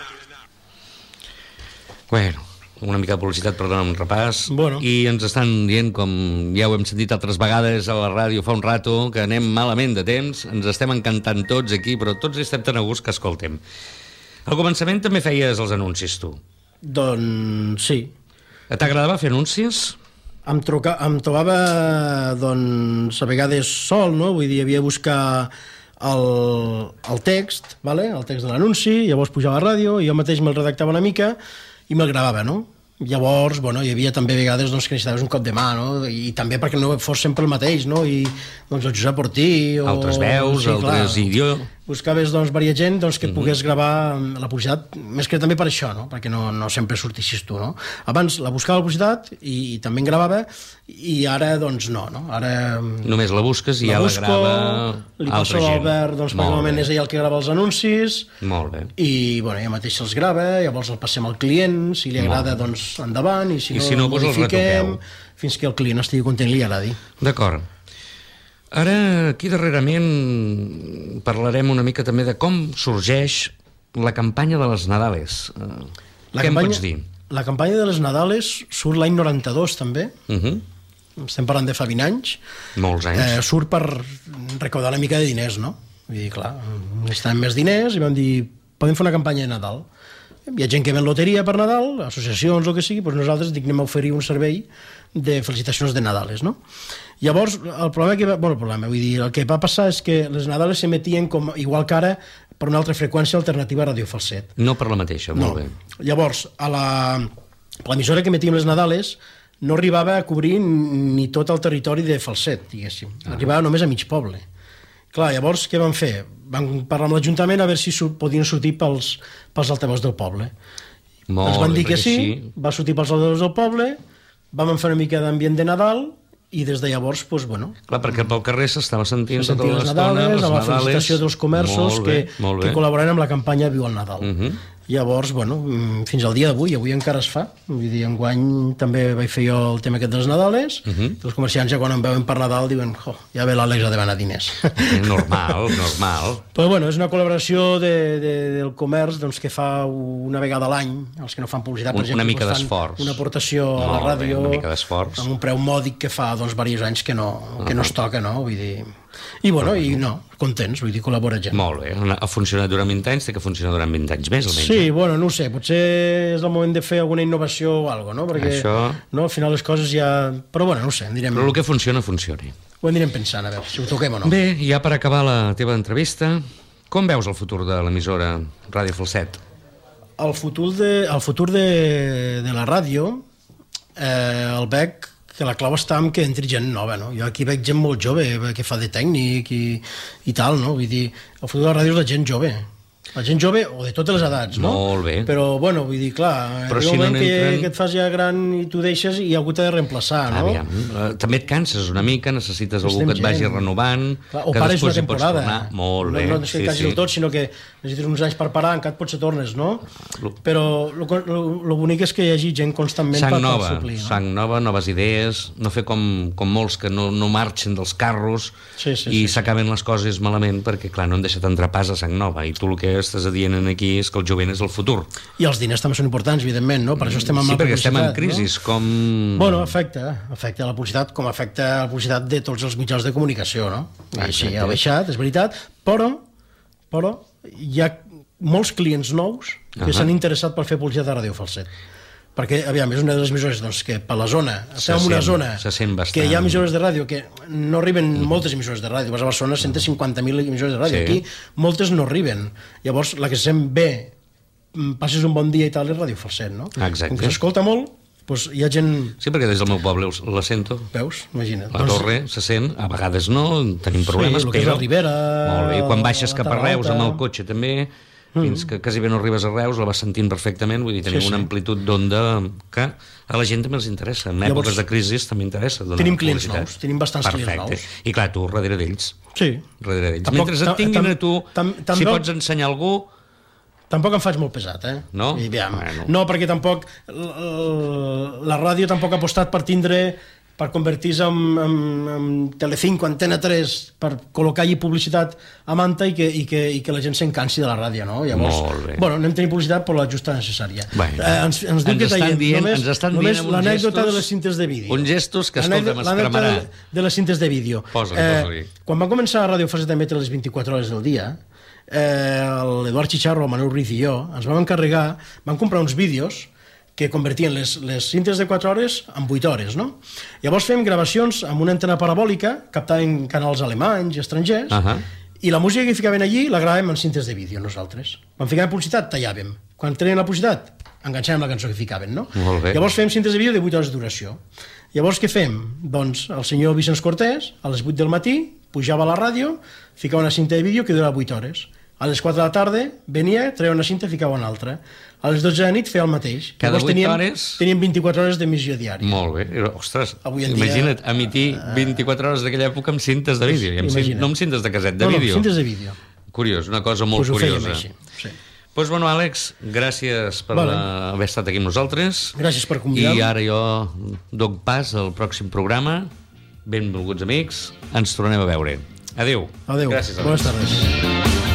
Bueno, una mica de publicitat per donar un repàs. Bueno. I ens estan dient, com ja ho hem sentit altres vegades a la ràdio fa un rato, que anem malament de temps, ens estem encantant tots aquí, però tots estem tan a gust que escoltem. Al començament també feies els anuncis, tu. Doncs sí. T'agradava fer anuncis? Em, truca, em trobava, doncs, a vegades sol, no? Vull dir, havia de buscar el, el text, vale? El text de l'anunci, llavors pujava a la ràdio, i jo mateix me'l redactava una mica i me'l gravava, no? Llavors, bueno, hi havia també vegades doncs, que necessitaves un cop de mà, no? I també perquè no fos sempre el mateix, no? I doncs el Josep Ortí o... Altres veus, sí, altres idiomes... Buscaves doncs, varia gent doncs, que et pogués gravar la publicitat, més que també per això, no? Perquè no, no sempre sortissis tu, no? Abans la buscava la publicitat i, i també en gravava, i ara doncs no, no? Ara només la busques i la ja busco, la grava li passo a l'Albert, doncs, perquè normalment és ell el que grava els anuncis. Molt bé. I bueno, ella mateix els grava, llavors el passem al client, si li agrada, doncs endavant, i si I no, si no, doncs el modifiquem retoqueu. Fins que el client estigui content i li agradi. D'acord. Ara, aquí darrerament, parlarem una mica també de com sorgeix la campanya de les Nadales. La Què campanya, em pots dir? La campanya de les Nadales surt l'any noranta-dos, també. Uh -huh. Estem parlant de fa vint anys. Molts anys. Eh, surt per recaudar una mica de diners, no? Vull dir, clar, necessitàvem més diners i vam dir, podem fer una campanya de Nadal. Hi ha gent que ven loteria per Nadal, associacions o el que sigui, doncs nosaltres dic, anem a oferir un servei de felicitacions de Nadales, no? Llavors, el problema que va, bueno, el problema, vull dir, el que va passar és que les Nadales s'emetien com, igual que ara, per una altra freqüència alternativa a Radio Falset. No per la mateixa, molt no. bé. Llavors, a la l'emissora que emetíem les Nadales no arribava a cobrir ni tot el territori de Falset, diguéssim. Ah. Arribava només a mig poble. Clar, llavors, què van fer? Van parlar amb l'Ajuntament a veure si su podien sortir pels, pels altaveus del poble. Molt Ens van dir bé, que sí, així... va sortir pels altaveus del poble, vam fer una mica d'ambient de Nadal, i des de llavors, doncs, bueno... Clar, perquè pel carrer s'estava sentint Se tota sentia les l'estona, Nadales, les amb la Nadales... felicitació dels comerços Molt bé, que, molt bé. que col·laboraran amb la campanya Viu el Nadal. Uh -huh. Llavors, bueno, fins al dia d'avui, avui encara es fa. Vull dir, enguany també vaig fer jo el tema aquest de les Nadales, uh -huh. Els comerciants ja quan em veuen per Nadal diuen, oh, ja ve l'Àlex a demanar diners. Normal, normal. Però bueno, és una col·laboració de, de, del comerç doncs, que fa una vegada a l'any, els que no fan publicitat, per Un, exemple, una mica doncs, fan d'esforç. una aportació a la Molt bé, ràdio, una mica d'esforç. amb un preu mòdic que fa doncs, diversos anys que no, que no es toca, no? Vull dir... I bueno, i no, contents, vull dir, col·labora gent. Molt bé, ha funcionat durant vint anys, té que funcionar durant vint anys més, almenys. Sí, bueno, no ho sé, potser és el moment de fer alguna innovació o alguna cosa, no? Perquè Això... no, al final les coses ja... Però bueno, no ho sé, anirem... Però el que funciona, funcioni. Ho anirem pensant, a veure si ho toquem o no. Bé, ja per acabar la teva entrevista, com veus el futur de l'emissora Ràdio Falset? El futur de, el futur de, de la ràdio eh, el veig que la clau està en que entri gent nova, no? Jo aquí veig gent molt jove que fa de tècnic i, i tal, no? Vull dir, el futur de la ràdio és la gent jove. La gent jove o de totes les edats, no? Molt bé. Però, bueno, vull dir, clar, Però hi ha si un moment no que, n'entren- que et fas ja gran i tu deixes i algú t'ha de reemplaçar, no? Aviam, eh, també et canses una mica, necessites algú Necessitem que et vagi gent. renovant, Clar, o que pares una després hi pots temporada. tornar. Molt bé. No, no necessites sí, sí. del tot, sinó que necessites uns anys per parar, encara potser tornes, no? Lo- Però el bonic és que hi hagi gent constantment Sang per, per nova, suplir, no? sang nova, noves idees, no fer com, com molts que no, no marxen dels carros Sí, sí, i sí, s'acaben les coses malament perquè, clar, no han deixat entrar pas a sang nova i tu el que estàs dient aquí és que el jovent és el futur. I els diners també són importants, evidentment, no? Per això estem amb Sí, la perquè estem en publicitat, crisi, no? com... Bueno, afecta, afecta la publicitat com afecta la publicitat de tots els mitjans de comunicació, no? I sí, ha baixat, és veritat, però, però hi ha molts clients nous que Ahà. s'han interessat per fer publicitat a Ràdio Falset. Perquè, aviam, és una de les emissores doncs, que per la zona, Se estem en una sent, zona se sent bastant. que hi ha emissores de ràdio que no arriben mm. moltes emissores de ràdio. Vas a Barcelona, cent cinquanta mil emissores de ràdio. Sí. Aquí moltes no arriben. Llavors, la que se sent bé, passes un bon dia i tal, és Ràdio Falset, no? Exacte. Com que s'escolta molt, doncs hi ha gent... Sí, perquè des del meu poble us- la sento. Veus? Imagina't. La torre se sent, a vegades no, tenim problemes, el que és però... la Ribera, Molt bé, i quan baixes la cap a Reus Terra amb el Alta. cotxe també, fins que quasi bé no arribes a Reus, la vas sentint perfectament, vull dir, tenim Sí, sí. una amplitud d'onda que a la gent també els interessa. En Llavors, èpoques de crisi també interessa donar tenim clients publicitat. nous, tenim bastants clients Perfecte. nous. I clar, tu darrere d'ells. Sí. Darrere d'ells. Tampoc- Mentre et tam- tinguin tam- a tu, tam- tam- si tampoc- pots ensenyar algú... Tampoc em faig molt pesat, eh? No? I, aviam, Bueno. no, perquè tampoc l- l- la ràdio tampoc ha apostat per tindre per convertir-se en, en, en Telecinco, Antena tres, per col·locar allí publicitat a manta i que, i que, i que la gent s'encansi de la ràdio, no? Llavors, Molt bé. bueno, anem tenint publicitat per la justa necessària. Bueno, eh, ens, ens diu ens que estan tallem dient- només, ens estan només dient amb uns l'anècdota gestos- de les cintes de vídeo. uns gestos que, escolta, L'anècdota m'escremarà. de, de les cintes de vídeo. Posa-li, posa-li. Quan va començar a Ràdio Falset a emetre les vint-i-quatre hores del dia, eh, l'Eduard Chicharro, el Manuel Ruiz i jo ens vam encarregar, vam comprar uns vídeos que convertien les, les cintes de quatre hores en vuit hores, no? Llavors fem gravacions amb una antena parabòlica, captaven canals alemanys i estrangers, Ahà. i la música que ficaven allí la gravàvem en cintes de vídeo nosaltres. Quan ficàvem publicitat, tallàvem. Quan tenien la publicitat, enganxàvem la cançó que ficaven, no? Molt bé. Llavors fem cintes de vídeo de vuit hores de duració. Llavors què fem? Doncs el senyor Vicenç Cortés, a les vuit del matí, pujava a la ràdio, ficava una cinta de vídeo que durava vuit hores. A les quatre de la tarda venia, treia una cinta i ficava una altra. A les dotze de la nit feia el mateix. Cada Llavors vuit teníem, hores? Teníem vint-i-quatre hores d'emissió diària. Molt bé. Ostres, Avui en dia- imagina't, emitir vint-i-quatre hores d'aquella època amb cintes de vídeo, i amb cin- Imagina't. no amb cintes de caset, de no, vídeo. No, cintes de vídeo. Curiós, una cosa molt Pues ho fèiem curiosa. així. Sí. Doncs, bueno, Àlex, gràcies per Vale. vale. haver estat aquí amb nosaltres. Gràcies per convidar-me. I ara jo doc pas al pròxim programa. Benvolguts amics, ens tornem a veure. Adéu. Adéu. Gràcies, Àlex. Bones tardes.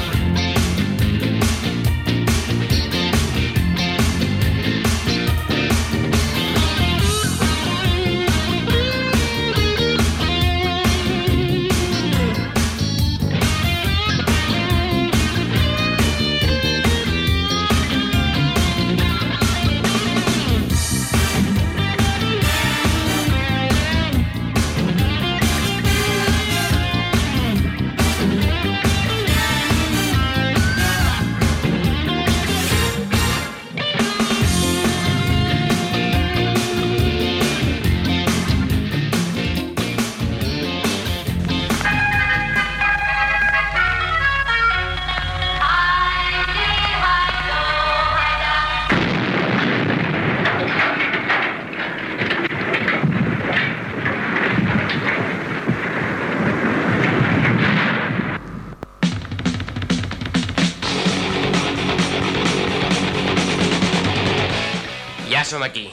Ja som aquí.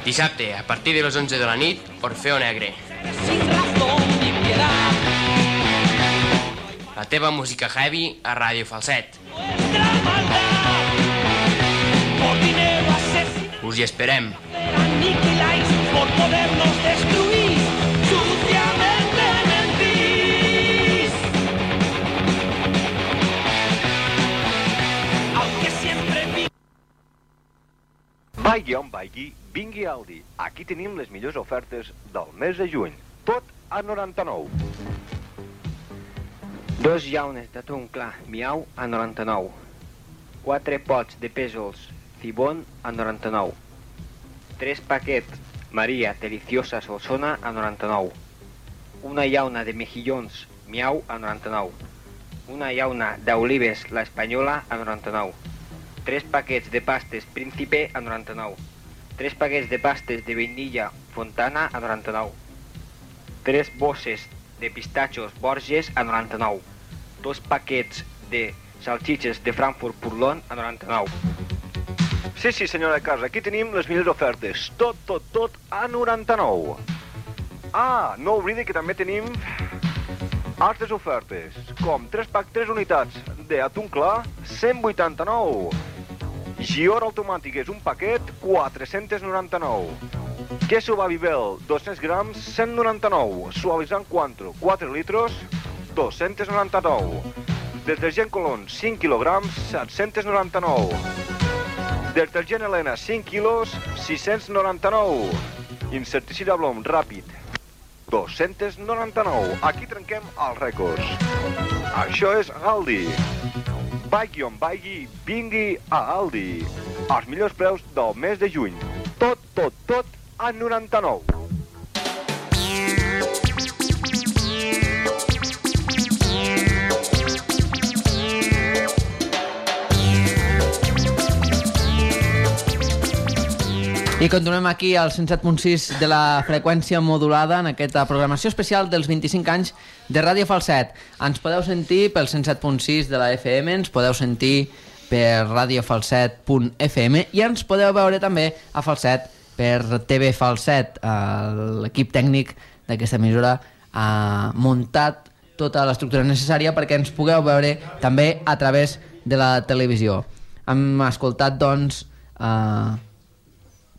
Dissabte, a partir de les onze de la nit, Orfeo Negre. La teva música heavy a Ràdio Falset. Us hi esperem. Aniquiláis por podernos destruir, suciamente mentís. Aunque siempre vi... Vaigui on vaigui, vingui a Aldi. Aquí tenim les millors ofertes del mes de juny. Tot a noranta-nou. Dos llaunes d'atún clar, miau, a noranta-nou. Quatre pots de pèsols, cibón, a noranta-nou. Tres paquets Maria Deliciosa Solsona, a noranta-nou. Una llauna de mejillons, miau, a noranta-nou. Una llauna d'olives, la espanyola, a noranta-nou. Tres paquets de pastes Príncipe, a noranta-nou. Tres paquets de pastes de vainilla Fontana, a noranta-nou. Tres bosses de pistatxos Borges, a noranta-nou. Dos paquets de salchiches de Frankfurt Purlón, a noranta-nou. Sí, sí, senyora de casa, aquí tenim les millors ofertes. Tot, tot, tot a noranta-nou. Ah, no oblidi que també tenim altres ofertes, com tres pack tres unitats d'atún clar, cent vuitanta-nou. Gior automàtic és un paquet, quatre-cents noranta-nou. Queso Babybel, dos-cents grams, cent noranta-nou. Suavitzant Cointreau, quatre litros, dos-cents noranta-nou. Detergent Colón, cinc quilograms, set-cents noranta-nou. Detergent Helena, cinc quilos, sis-cents noranta-nou. Insecticida Blom ràpid, dos-cents noranta-nou. Aquí trenquem els rècords. Això és Aldi. Vaigui on vaigui, vingui a Aldi. Els millors preus del mes de juny. Tot, tot, tot a noranta-nou. I continuem aquí al cent set punt sis de la freqüència modulada en aquesta programació especial dels vint-i-cinc anys de Ràdio Falset. Ens podeu sentir pel cent set punt sis de la F M, ens podeu sentir per radio falset punt f m i ens podeu veure també a Falset per T V Falset. L'equip tècnic d'aquesta emissora ha muntat tota l'estructura necessària perquè ens pugueu veure també a través de la televisió. Hem escoltat, doncs, eh,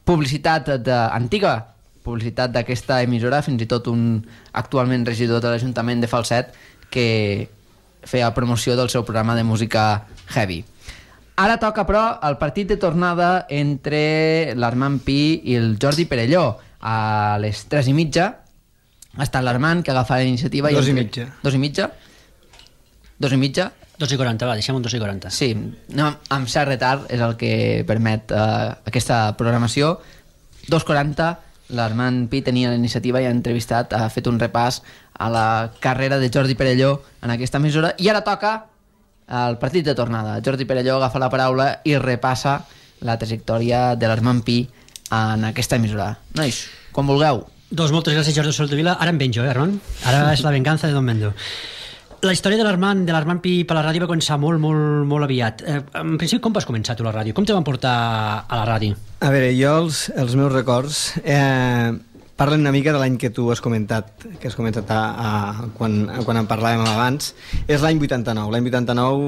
publicitat de, antiga publicitat d'aquesta emissora, fins i tot un actualment regidor de l'Ajuntament de Falset que feia promoció del seu programa de música heavy. Ara toca, però, el partit de tornada entre l'Armand Pi i el Jordi Perelló. A les tres i mitja ha estat l'Armand que agafa la iniciativa. Dos i, i entre... mitja. Dos i mitja? Dos i mitja? Dos i quaranta, va, deixem un dos i quaranta. Sí, no, amb cert retard és el que permet eh, aquesta programació. Dos quaranta, l'Armand Pi tenia la iniciativa i ha entrevistat, ha fet un repàs a la carrera de Jordi Perelló en aquesta emissora, i ara toca el partit de tornada. Jordi Perelló agafa la paraula i repassa la trajectòria de l'Armand Pi en aquesta emissora. Nois, quan vulgueu. Doncs moltes gràcies, Jordi Soldevila. Ara em venjo, eh, Armand? Ara és la venganza de Don Mendo. La història de l'Armand de l'Armand Pi per la ràdio va començar molt, molt, molt aviat. Eh, en principi, com vas començar tu la ràdio? Com te van portar a la ràdio? A veure, jo els, els meus records eh, parlen una mica de l'any que tu has comentat, que has comentat a, a, quan, quan en parlàvem abans. És l'any vuitanta-nou. L'any vuitanta-nou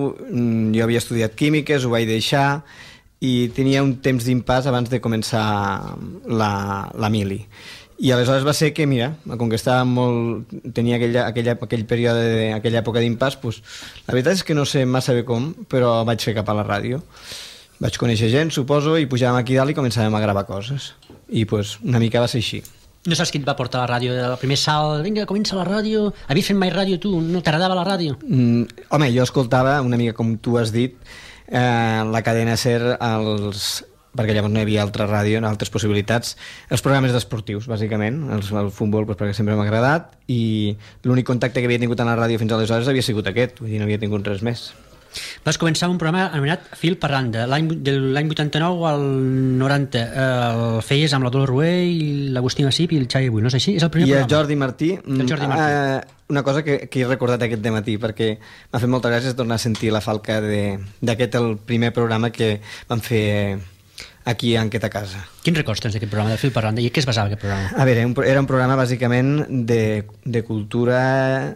jo havia estudiat químiques, ho vaig deixar i tenia un temps d'impàs abans de començar la, la mili. I aleshores va ser que, mira, com que estava molt... tenia aquella, aquella, aquell període, de, aquella època d'impàs, pues, la veritat és que no sé massa bé com, però vaig fer cap a la ràdio. Vaig conèixer gent, suposo, i pujàvem aquí dalt i començàvem a gravar coses. I pues, una mica va ser així. No saps qui et va portar a la ràdio? El primer salt, vinga, comença la ràdio. Havies fet mai ràdio tu? No t'agradava la ràdio? Mm, home, jo escoltava, una mica com tu has dit, eh, la cadena SER, els... perquè llavors no hi havia altra ràdio, altres possibilitats, els programes d'esportius, bàsicament, el, el futbol, doncs, perquè sempre m'ha agradat, i l'únic contacte que havia tingut en la ràdio fins aleshores havia sigut aquest, vull dir, no havia tingut res més. Vas començar un programa anomenat Fil per randa, l'any, de l'any vuitanta-nou al noranta. El feies amb la Dolor Rué i l'Agustí Massip i el Xavi Bull, no és així? És el primer I programa. el Jordi Martí. El Jordi Martí. Eh, una cosa que, que he recordat aquest dematí, perquè m'ha fet molta gràcia tornar a sentir la falca d'aquest, el primer programa que vam fer aquí a Enquesta a Casa. Quins records tens d'aquest programa, del Fil per randa, i què es basava aquest programa? A veure, era un programa bàsicament de, de cultura,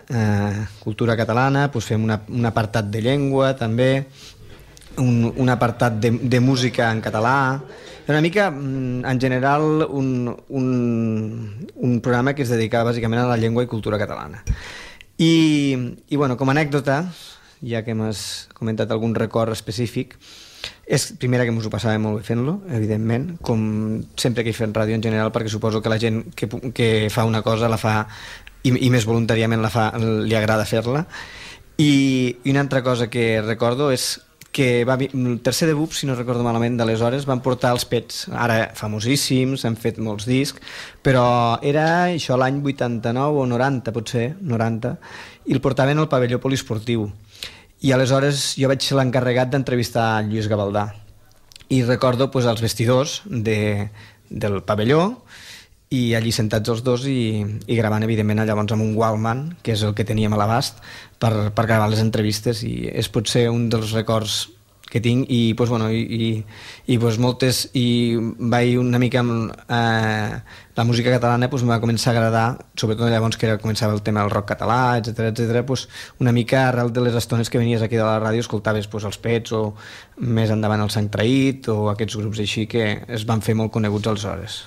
eh, cultura catalana, doncs fem una, un apartat de llengua també, un, un apartat de, de música en català. Era una mica, en general, un, un, un programa que es dedicava bàsicament a la llengua i cultura catalana. I, i bueno, com a anècdota, ja que m'has comentat algun record específic, és primera que ens ho passàvem molt bé fent-lo, evidentment, com sempre que he fet ràdio en general, perquè suposo que la gent que, que fa una cosa la fa, i, i més voluntàriament la fa, li agrada fer-la. I, i una altra cosa que recordo és que va, el tercer de B U P, si no recordo malament, d'aleshores van portar els Pets, ara famosíssims, han fet molts discs, però era això l'any vuitanta-nou o noranta, potser, noranta, i el portaven al pavelló poliesportiu. I aleshores jo vaig ser l'encarregat d'entrevistar Lluís Gavaldà i recordo pues, els vestidors de, del pavelló i allí sentats els dos i, i gravant evidentment llavors amb un Walkman, que és el que teníem a l'abast per, per gravar les entrevistes, i és potser un dels records que tinc, i pues, bueno, i, i, i pues, moltes, i vaig una mica amb eh, la música catalana pues, em va començar a agradar, sobretot llavors que era, començava el tema del rock català, etcètera, etcètera, pues, una mica arrel de les estones que venies aquí de la ràdio, escoltaves pues, els Pets o més endavant el Sang Traït o aquests grups així que es van fer molt coneguts aleshores.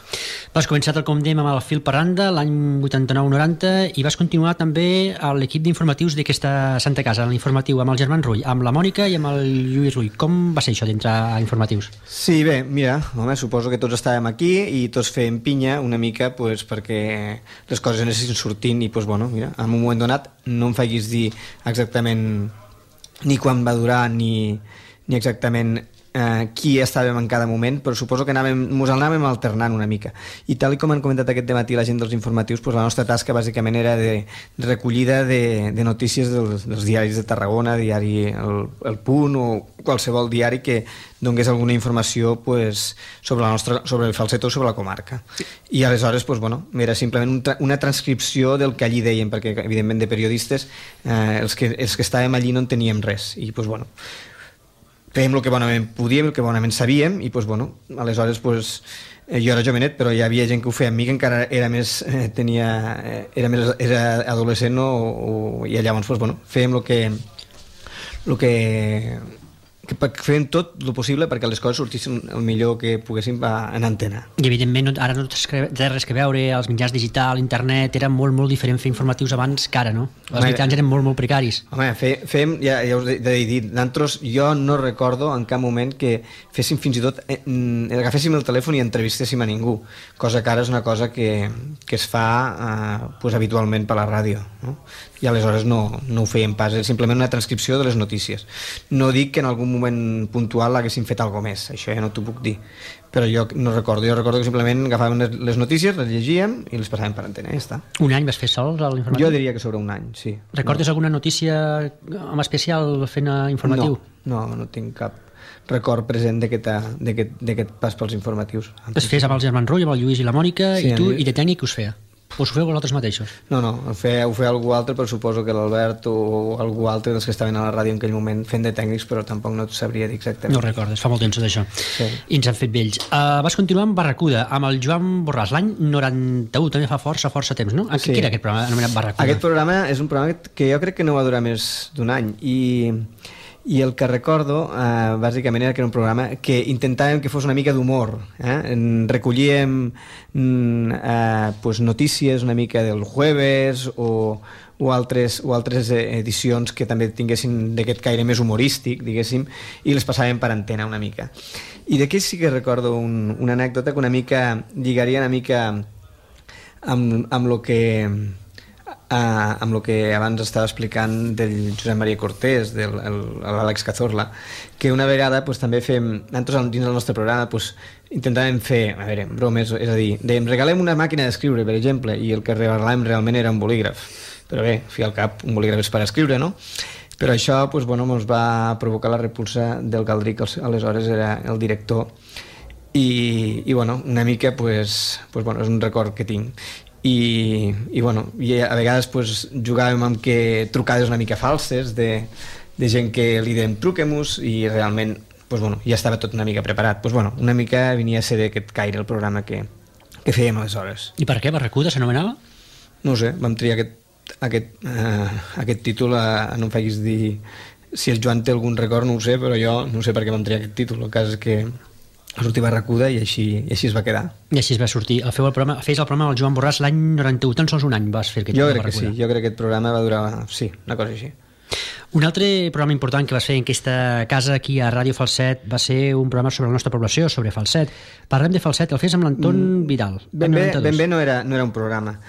Vas començar, tal com dèiem, amb el Fil per randa l'any vuitanta-nou noranta i vas continuar també a l'equip d'informatius d'aquesta Santa Casa, l'informatiu amb el Germán Rull, amb la Mònica i amb el Lluís Rull. Com va ser això d'entrar a informatius? Sí, bé, mira, home, suposo que tots estàvem aquí i tots fèiem pinya una mica pues, perquè les coses anessin sortint i pues, bueno, mira, en un moment donat no em facis dir exactament ni quan va durar ni, ni exactament eh, qui estàvem en cada moment, però suposo que anàvem, mos anàvem alternant una mica. I tal com han comentat aquest dematí la gent dels informatius, pues, la nostra tasca bàsicament era de, de recollida de, de notícies dels, dels diaris de Tarragona, diari el, el Punt o qualsevol diari que donés alguna informació pues, sobre, la nostra, sobre el Falset o sobre la comarca. I aleshores pues, bueno, era simplement un tra una transcripció del que allí deien, perquè evidentment de periodistes eh, els, que, els que estàvem allí no en teníem res. I pues, bueno, fèiem el que bonament podíem, el que bonament sabíem, i pues, bueno, aleshores pues, eh, jo era jovenet, però hi havia gent que ho feia amb mi, que encara era més, eh, tenia, eh, era més era adolescent, no? o, o, i llavors pues, bueno, fèiem el que, el que que fèiem tot el possible perquè les coses sortissin el millor que poguéssim en antena. I evidentment ara no té res que veure, els mitjans digital, internet, era molt, molt diferent fer informatius abans que ara, no? Els home, mitjans eren molt, molt precaris. Home, fe, fem, ja, ja us he de dir, nosaltres, jo no recordo en cap moment que féssim fins i tot, eh, agaféssim el telèfon i entrevistéssim a ningú, cosa que ara és una cosa que, que es fa eh, pues, habitualment per la ràdio, no? I aleshores no, no ho fèiem pas, és simplement una transcripció de les notícies. No dic que en algun moment puntual haguéssim fet alguna més, això ja no t'ho puc dir, però jo no recordo, jo recordo que simplement agafàvem les notícies, les llegíem i les passàvem per antena, ja està. Un any vas fer sols a l'informatiu? Jo diria que sobre un any, sí. Recordes no. alguna notícia en especial fent informatiu? No, no, no tinc cap record present d'aquest pas pels informatius. Es fes amb el Germán Rull, amb el Lluís i la Mònica, sí, i tu, i de tècnic us feia? O us ho feu vosaltres mateixos? No, no, ho feia, ho feia algú altre, però suposo que l'Albert o algú altre dels que estaven a la ràdio en aquell moment fent de tècnics, però tampoc no sabria dir exactament. No recordes, fa molt temps d'això. Sí. I ens han fet vells. Uh, vas continuar amb Barracuda, amb el Joan Borràs, l'any noranta-u, també fa força, força temps, no? Sí. Què era aquest programa anomenat Barracuda? Aquest programa és un programa que jo crec que no va durar més d'un any, i... I el que recordo, eh, bàsicament, era que era un programa que intentàvem que fos una mica d'humor. Eh? Recollíem eh, pues, notícies una mica del jueves o, o, altres, o altres edicions que també tinguessin d'aquest caire més humorístic, diguéssim, i les passàvem per antena una mica. I d'aquí sí que recordo un, una anècdota que una mica lligaria una mica amb, amb lo que... Uh, amb el que abans estava explicant del Josep Maria Cortés, de l'Àlex Cazorla, que una vegada pues, també fem, nosaltres dins del nostre programa pues, intentàvem fer, a veure, bromes, és a dir, de, regalem una màquina d'escriure, per exemple, i el que regalàvem realment era un bolígraf, però bé, fi al cap, un bolígraf és per escriure, no? Però això pues, bueno, ens va provocar la repulsa del Galdric, que aleshores era el director, i, i bueno, una mica pues, pues, bueno, és un record que tinc. I, i, bueno, i a vegades pues, jugàvem amb que trucades una mica falses de, de gent que li dèiem truquem-nos i realment pues, bueno, ja estava tot una mica preparat. Pues, bueno, una mica venia a ser d'aquest caire el programa que, que fèiem aleshores. I per què? Barracuda s'anomenava? No ho sé, vam triar aquest, aquest, uh, aquest títol, uh, no em facis dir si el Joan té algun record, no ho sé, però jo no sé per què vam triar aquest títol. El cas és que va sortir Barracuda i així, i així es va quedar. I així es va sortir. El feu el programa, fes el programa del Joan Borràs l'any noranta-u, tan sols un any vas fer aquest jo programa. Jo crec que sí, jo crec que aquest programa va durar, sí, una cosa així. Un altre programa important que vas fer en aquesta casa aquí a Ràdio Falset va ser un programa sobre la nostra població, sobre Falset. Parlem de Falset, el fes amb l'Anton mm, Vidal. Ben bé, ben bé no era, no era un programa.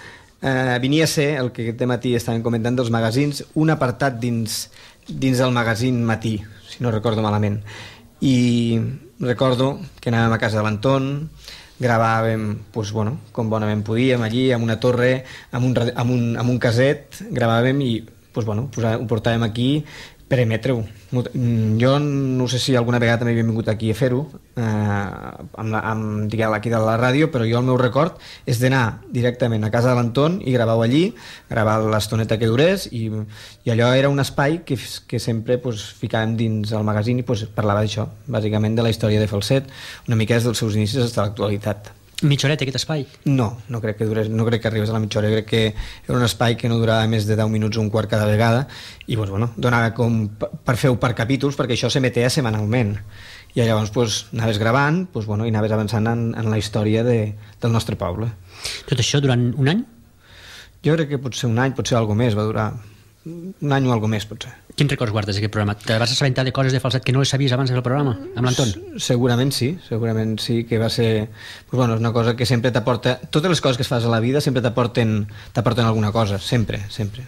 Uh, venia a ser, el que aquest matí estàvem comentant dels magazins, un apartat dins, dins del magazín Matí, si no recordo malament. I recordo que anàvem a casa de l'Anton, gravàvem pues, bueno, com bonament podíem allí, amb una torre, amb un, amb un, amb un caset, gravàvem i pues, bueno, ho portàvem aquí per emetre-ho. Jo no sé si alguna vegada també havia vingut aquí a fer-ho, eh, amb, amb, diguem, aquí de la ràdio, però jo el meu record és d'anar directament a casa de l'Anton i gravar-ho allí, gravar l'estoneta que durés, i, i allò era un espai que, que sempre pues, ficàvem dins el magazín i pues, parlava d'això, bàsicament de la història de Falset, una mica des dels seus inicis fins a l'actualitat. Mitja horeta, aquest espai? No, no crec que durés, no crec que arribés a la mitja hora. Crec que era un espai que no durava més de deu minuts o un quart cada vegada i pues, bueno, donava com per fer-ho per capítols perquè això s'emetia setmanalment i llavors pues, anaves gravant pues, bueno, i anaves avançant en, en la història de, del nostre poble. Tot això durant un any? Jo crec que potser un any, potser alguna més va durar, un any o alguna més potser. Quins records guardes d'aquest programa? Te vas assabentar de coses de Falset que no les sabies abans del programa, amb l'Anton? Segurament sí, segurament sí, que va ser pues bueno, és una cosa que sempre t'aporta, totes les coses que es fas a la vida sempre t'aporten t'aporten alguna cosa, sempre, sempre.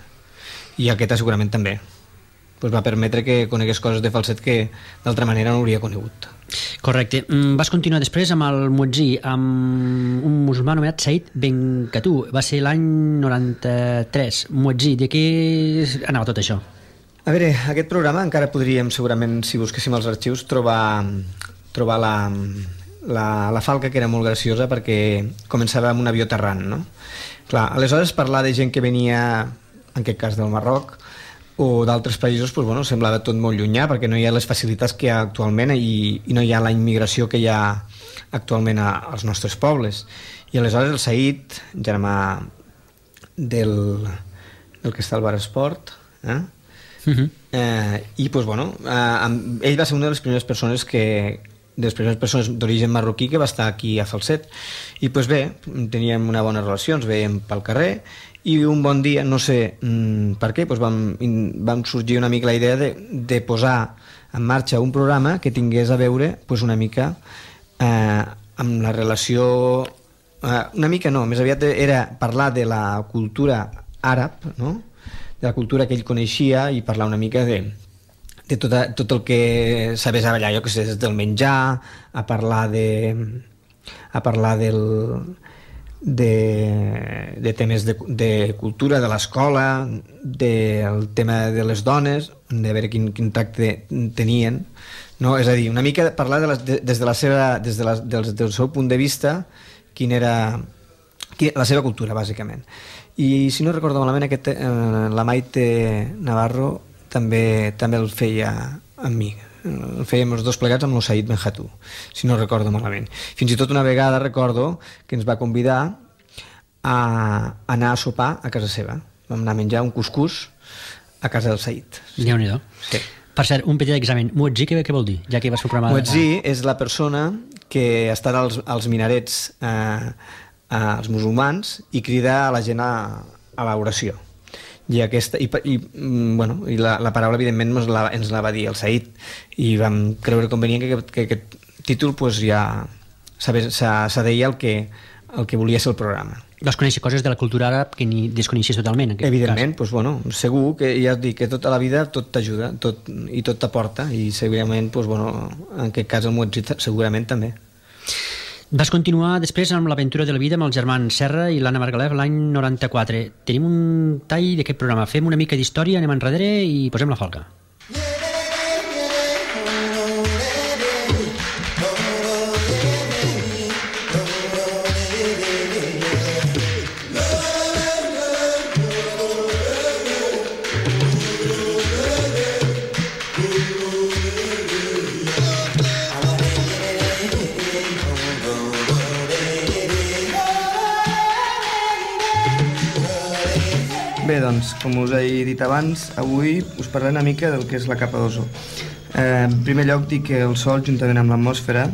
I aquesta segurament també. Pues va permetre que conegués coses de Falset que d'altra manera no hauria conegut. Correcte. Vas continuar després amb el Muetzí, amb un musulmà anomenat Said Benkatu. Va ser l'any noranta-tres. Muetzí, de què anava tot això? A veure, aquest programa encara podríem segurament, si busquéssim els arxius, trobar, trobar la, la, la falca, que era molt graciosa perquè començava amb un avió aterrant, no? Clar, aleshores parlar de gent que venia, en aquest cas del Marroc, o d'altres països pues, bueno, semblava tot molt llunyà perquè no hi ha les facilitats que hi ha actualment i, i no hi ha la immigració que hi ha actualment a, als nostres pobles. I aleshores el Said, germà del, del que està al Bar Esport, eh? Uh-huh. eh, i pues, bueno, eh, ell va ser una de les primeres persones que de les primeres persones d'origen marroquí que va estar aquí a Falset i pues bé, teníem una bona relació, ens veiem pel carrer i un bon dia, no sé mmm, per què, pues vam, vam sorgir una mica la idea de, de posar en marxa un programa que tingués a veure pues, una mica eh, amb la relació eh, una mica no, més aviat era parlar de la cultura àrab, no? De la cultura que ell coneixia i parlar una mica de de tot, tot el que sabés a ballar, jo que sé, des del menjar, a parlar de a parlar del de, de temes de, de cultura, de l'escola, del tema de les dones, de veure quin, quin tracte tenien, no? És a dir, una mica parlar de les, de, des de la seva, des de la, del, del seu punt de vista, quin era quin, la seva cultura, bàsicament. I si no recordo malament, aquest, eh, la Maite Navarro també, també el feia amb mi, el fèiem els dos plegats amb el Said Benhatou, si no recordo malament. Fins i tot una vegada recordo que ens va convidar a anar a sopar a casa seva. Vam anar a menjar un cuscús a casa del Said. Déu-n'hi-do. Sí. Per cert, un petit examen. Muetzí, què, què vol dir? Ja que vas fer el programa... Muetzí és la persona que està als, als minarets eh, als musulmans i crida a la gent a, a l'oració. I, aquesta, i, i, bueno, i la, la paraula evidentment ens la, ens la va dir el Said i vam creure convenient que, que, que aquest títol pues, ja s'adeia el que, el que volia ser el programa. Vas conèixer coses de la cultura àrab que ni desconeixies totalment, en evidentment, pues, bueno, segur que ja et dic que tota la vida tot t'ajuda tot, i tot t'aporta i segurament pues, bueno, en aquest cas el Muetzí segurament també. Vas continuar després amb l'aventura de la vida amb els germans Serra i l'Anna Margalef l'any noranta-quatre. Tenim un tall d'aquest programa. Fem una mica d'història, anem enrere i posem la falca. Bé, doncs, com us he dit abans, avui us parlaré una mica del que és la capa d'ozó. Eh, en primer lloc, dic que el Sol, juntament amb l'atmosfera,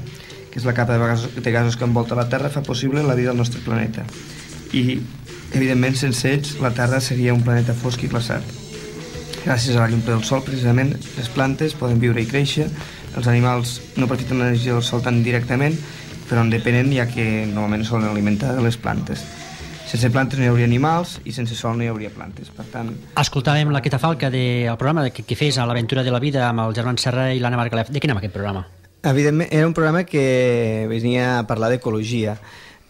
que és la capa de gasos, de gasos que envolta la Terra, fa possible la vida al nostre planeta. I, evidentment, sense ells, la Terra seria un planeta fosc i glaçat. Gràcies a la llum del Sol, precisament, les plantes poden viure i créixer, els animals no aprofiten l'energia del Sol tan directament, però en depenen, ja que normalment solen alimentar de les plantes. Sense plantes no hi hauria animals i sense sol no hi hauria plantes. Per tant... Escoltàvem la Queta Falca del programa que, que fes a l'aventura de la vida amb el germán Serra i l'Anna Margalef. De què anava aquest programa? Evidentment, era un programa que venia a parlar d'ecologia.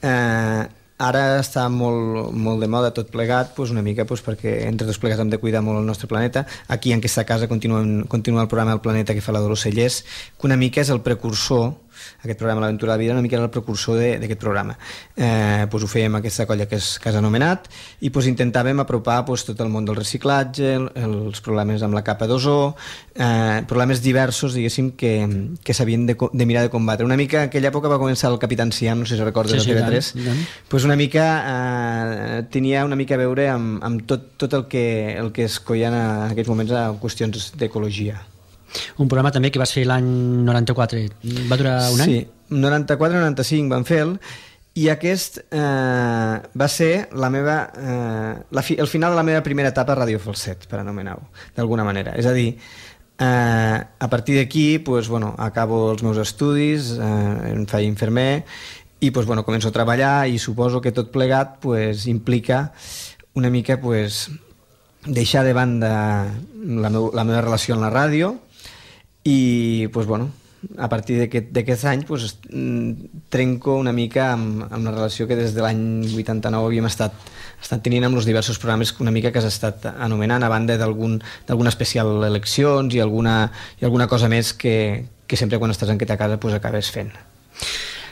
Eh, ara està molt, molt de moda tot plegat, doncs una mica doncs perquè entre tots plegats hem de cuidar molt el nostre planeta. Aquí en aquesta casa continua, continua el programa El Planeta que fa la Dolors Cellers, que una mica és el precursor, aquest programa L'Aventura de la Vida una mica era el precursor d'aquest programa. Eh, doncs ho fèiem aquesta colla que és Casa Anomenat i doncs intentàvem apropar doncs, tot el món del reciclatge, el, els problemes amb la capa d'ozó, eh, problemes diversos, diguéssim, que, que s'havien de, de mirar de combatre. Una mica, en aquella època va començar el Capitán Siam, no sé si recordes, sí, sí, de T V tres, doncs una mica eh, tenia una mica a veure amb, amb tot, tot el que, el que es coien en aquests moments a qüestions d'ecologia. Un programa també que vas fer l'any noranta-quatre. Va durar un any? Sí, noranta-quatre noranta-cinc van fer-lo i aquest eh, va ser la meva, eh, la fi, el final de la meva primera etapa a Ràdio Falset, per anomenar-ho, d'alguna manera. És a dir, eh, a partir d'aquí pues, bueno, acabo els meus estudis, eh, em faig infermer i pues, bueno, començo a treballar i suposo que tot plegat pues, implica una mica pues, deixar de banda la, meu, la meva relació amb la ràdio i pues, bueno, a partir d'aquest any pues, trenco una mica amb, amb la relació que des de l'any vuitanta-nou havíem estat, estat tenint amb els diversos programes una mica que has estat anomenant a banda d'alguna especial eleccions i alguna, i alguna cosa més que, que sempre quan estàs en aquesta casa pues, acabes fent.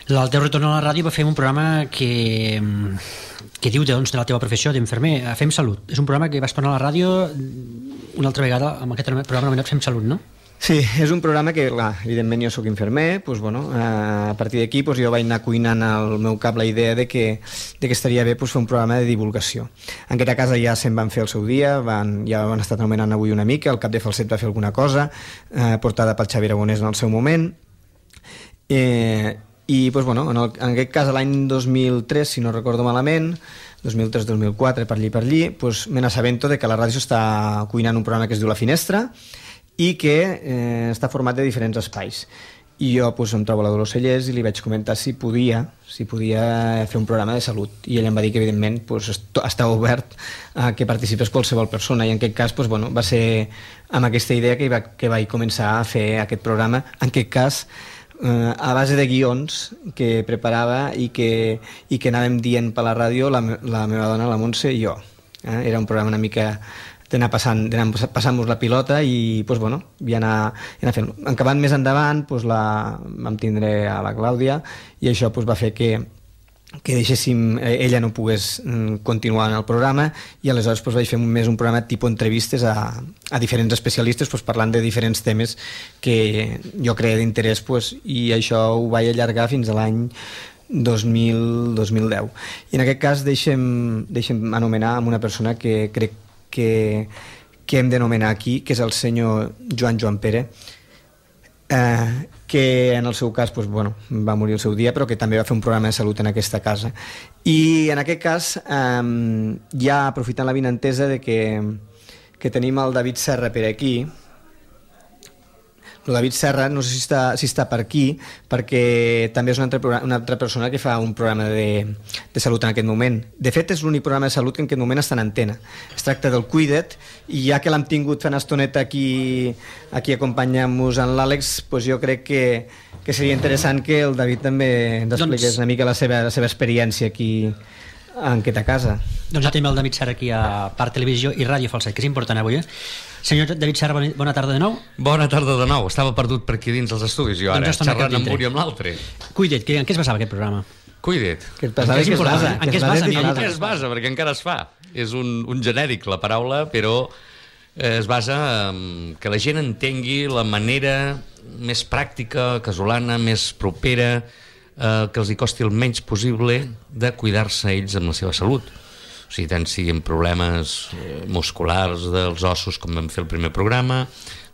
El teu retorn a la ràdio va fer un programa que, que diu doncs, de la teva professió d'infermer, Fem Salut. És un programa que vas tornar a la ràdio una altra vegada amb aquest programa anomenat Fem Salut, no? Sí, és un programa que, clar, evidentment jo sóc infermer, doncs, bueno, a partir d'aquí doncs, jo vaig anar cuinant al meu cap la idea de que, de que estaria bé doncs, fer un programa de divulgació. En aquesta casa ja se'n van fer el seu dia, van, ja van estar anomenant avui una mica, el cap de Falset va fer alguna cosa, eh, portada pel Xavi Aragonès en el seu moment, eh, i doncs, bueno, en, el, en aquest cas l'any dos mil tres, si no recordo malament, dos mil tres dos mil quatre, per allí per allí, doncs, me n'assabento de que la ràdio està cuinant un programa que es diu La Finestra, i que eh, està format de diferents espais. I jo pues, em trobo a la Dolors Cellers i li vaig comentar si podia si podia fer un programa de salut, i ell em va dir que evidentment pues, està obert a que participés qualsevol persona, i en aquest cas pues, bueno, va ser amb aquesta idea que, va, que vaig començar a fer aquest programa, en aquest cas eh, a base de guions que preparava i que, i que anàvem dient per la ràdio la, la meva dona, la Montse i jo. Eh? Era un programa una mica d'anar passant, passant-nos la pilota i pues, bueno, i anar, anar fent. Acabant més endavant pues, la, vam tindre a la Clàudia i això pues, va fer que, que deixéssim, ella no pogués continuar en el programa, i aleshores pues, vaig fer més un programa tipus entrevistes a, a diferents especialistes pues, parlant de diferents temes que jo creia d'interès, pues, i això ho vaig allargar fins a l'any dos mil deu. I en aquest cas deixem, deixem anomenar amb una persona que crec que, que hem d'anomenar aquí, que és el senyor Joan Joan Pere, eh, que en el seu cas pues, bueno, va morir el seu dia, però que també va fer un programa de salut en aquesta casa. I en aquest cas, eh, ja aprofitant l'avinentesa de que, que tenim el David Serra per aquí, el David Serra, no sé si està, si està per aquí, perquè també és una altra, una altra persona que fa un programa de, de salut en aquest moment. De fet, és l'únic programa de salut que en aquest moment està en antena. Es tracta del Cuida't, i ja que l'hem tingut fent estoneta aquí, aquí acompanyant-nos en l'Àlex, doncs jo crec que, que seria interessant que el David també ens expliqués doncs... una mica la seva, la seva experiència aquí en aquesta casa. Doncs ja tenim el David Serra aquí a Parc Televisió i Ràdio Falset, que és important avui, eh? Senyor David Serra, bona tarda de nou. Bona tarda de nou. Estava perdut per aquí dins els estudis, jo ara, doncs xerrant amb un i amb l'altre. Cuida't, en què es basava aquest programa? Cuida't. Que es basava, que es basa. En què es basa? En què es basa, perquè encara es fa. És un, un genèric, la paraula, però es basa en que la gent entengui la manera més pràctica, casolana, més propera, eh, que els hi costi el menys possible de cuidar-se ells amb la seva salut. O sigui, tant siguin problemes musculars dels ossos, com vam fer el primer programa,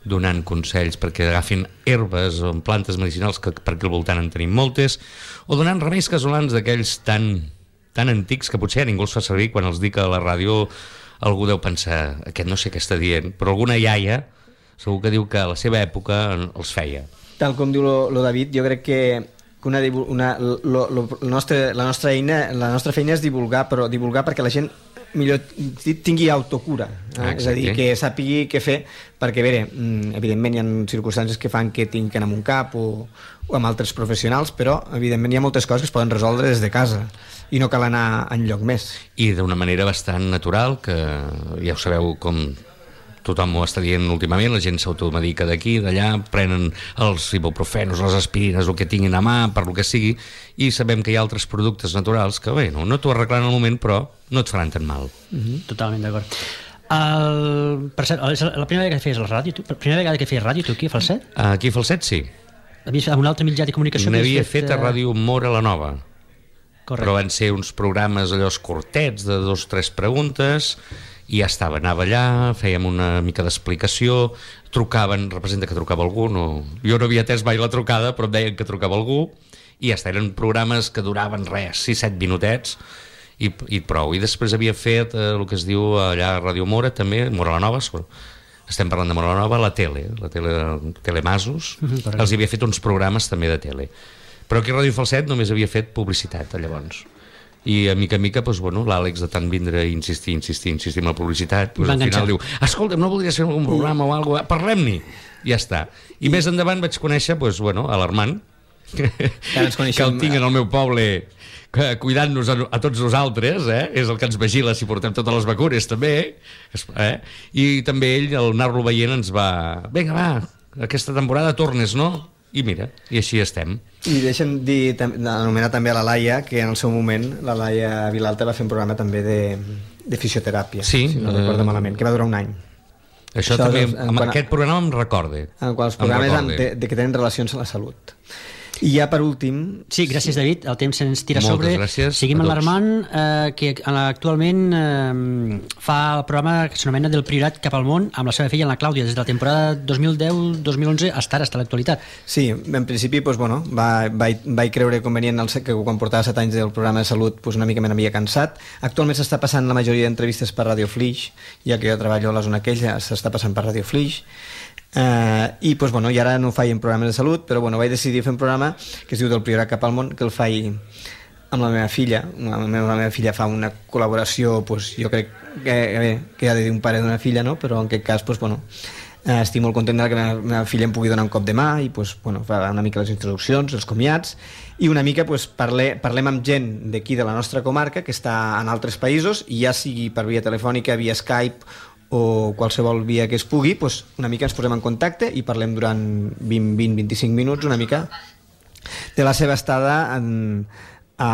donant consells perquè agafin herbes o plantes medicinals, que per aquí al voltant en tenim moltes, o donant remeis casolans d'aquells tan, tan antics que potser ningú els fa servir. Quan els dic a la ràdio algú deu pensar, aquest no sé què està dient, però alguna iaia segur que diu que a la seva època els feia. Tal com diu lo, lo David, jo crec que Una, una, lo, lo, la, nostra, la, nostra eina, la nostra feina és divulgar, però divulgar perquè la gent millor tingui autocura, eh? Ah, és a dir, que sàpigui què fer, perquè bé, evidentment hi ha circumstàncies que fan que tinguin que anar amb un cap o, o amb altres professionals, però evidentment hi ha moltes coses que es poden resoldre des de casa i no cal anar enlloc més. I d'una manera bastant natural, que ja ho sabeu com tothom ho està dient últimament, la gent s'automedica d'aquí, d'allà, prenen els ibuprofenos, les aspirines, el que tinguin a mà, per lo que sigui, i sabem que hi ha altres productes naturals que, bé, no, no t'ho arreglen al moment, però no et faran tan mal. Mm-hmm. Totalment d'acord. El... Per cert, la primera vegada que feies la ràdio, tu, la primera vegada que feies ràdio tu aquí a Falset? Aquí a Falset, sí. Havies un altre mitjà de comunicació? N'havia fet, fet a Ràdio Mora la Nova. Correcte. Però van ser uns programes allò curtets de dos o tres preguntes, i ja estava, anava allà, fèiem una mica d'explicació, trucaven, representa que trucava algú, no... jo no havia atès mai la trucada, però em deien que trucava algú, i ja està, eren programes que duraven res, sis set minutets, i, i prou. I després havia fet eh, el que es diu allà a Ràdio Mora, també, Mora la Nova, estem parlant de Mora la Nova, la tele, la tele de Telemasos, mm-hmm, els havia fet uns programes també de tele. Però aquí a Ràdio Falset només havia fet publicitat, llavors. I a mica a mica, doncs, bueno, l'Àlex de tant vindre i insistir, insistir, insistir amb la publicitat, doncs, al final diu, escolta'm, no voldries fer algun programa o alguna cosa? Parlem-n'hi! I ja està. I, I més endavant vaig conèixer, doncs, bueno, a l'Armand, que, que el tinc en el meu poble cuidant-nos a, a tots nosaltres, eh? És el que ens vigila si portem totes les vacunes, també, eh? I també ell, al anar-lo veient, ens va... Vinga, va, aquesta temporada tornes, no? I mira, i així estem. I deixa'm dir, anomenar també a la Laia, que en el seu moment la Laia Vilalta va fer un programa també de, de fisioteràpia, sí, si no eh... recordo malament, que va durar un any. Això, Això també, amb quan, aquest programa em recorde. En quals programes amb, de, de que tenen relacions a la salut. I ja per últim... Sí, gràcies David, el temps se'ns tira Moltes sobre. Gràcies Seguim amb l'Armand, eh, que actualment eh, fa el programa que s'anomena Del Priorat cap al món amb la seva filla, la Clàudia, des de la temporada dos mil deu dos mil onze fins ara, fins a l'actualitat. Sí, en principi doncs, bueno, va, vaig, vaig creure convenient el, que quan portava set anys del programa de salut doncs, una mica me n'havia cansat. Actualment s'està passant la majoria d'entrevistes per Radio Flix, ja que jo treballo a la zona aquella, s'està passant per Radio Flix. Uh, i pues, bueno, i ara no faig en programes de salut, però bueno, vaig decidir fer un programa que es diu Del Priorat cap al món, que el faig amb la meva filla. La meva, la meva filla fa una col·laboració, pues, jo crec que, bé, que ha de dir un pare d'una filla, no? Però en aquest cas pues, bueno, uh, estic molt content que la meva, meva filla em pugui donar un cop de mà i pues, bueno, fa una mica les introduccions, els comiats, i una mica pues, parle, parlem amb gent d'aquí de la nostra comarca que està en altres països, i ja sigui per via telefònica, via Skype o qualsevol via que es pugui, doncs una mica ens posem en contacte i parlem durant vint a vint-vint-i-cinc minuts una mica de la seva estada en, a,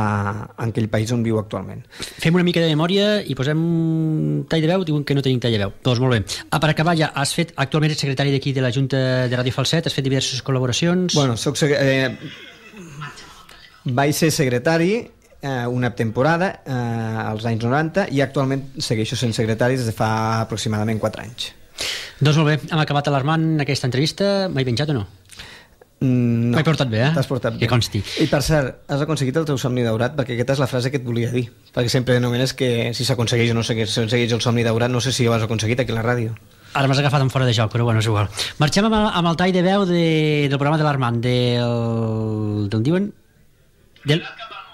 en aquell país on viu actualment. Fem una mica de memòria i posem un tall de veu, diuen que no tenim tall de veu. Doncs molt bé. Ah, per acabar ja, has fet, actualment ets secretari d'aquí de la Junta de Ràdio Falset, has fet diverses col·laboracions... Bueno, soc eh, vaig ser secretari una temporada eh, als anys noranta i actualment segueixo sent secretari des de fa aproximadament quatre anys. Doncs molt bé, hem acabat l'Armand aquesta entrevista. M'he penjat o no? Mm, no. M'he portat bé, eh? T'has portat bé. Que consti. I per cert, has aconseguit el teu somni daurat, perquè aquesta és la frase que et volia dir, perquè sempre anomenes que si s'aconsegueix o no s'aconsegueix el somni daurat, no sé si ho has aconseguit aquí a la ràdio. Ara m'has agafat en fora de joc, però bueno, és igual. Marxem amb el, amb el tall de veu de, del programa de l'Armand, del... d'on diuen? Del...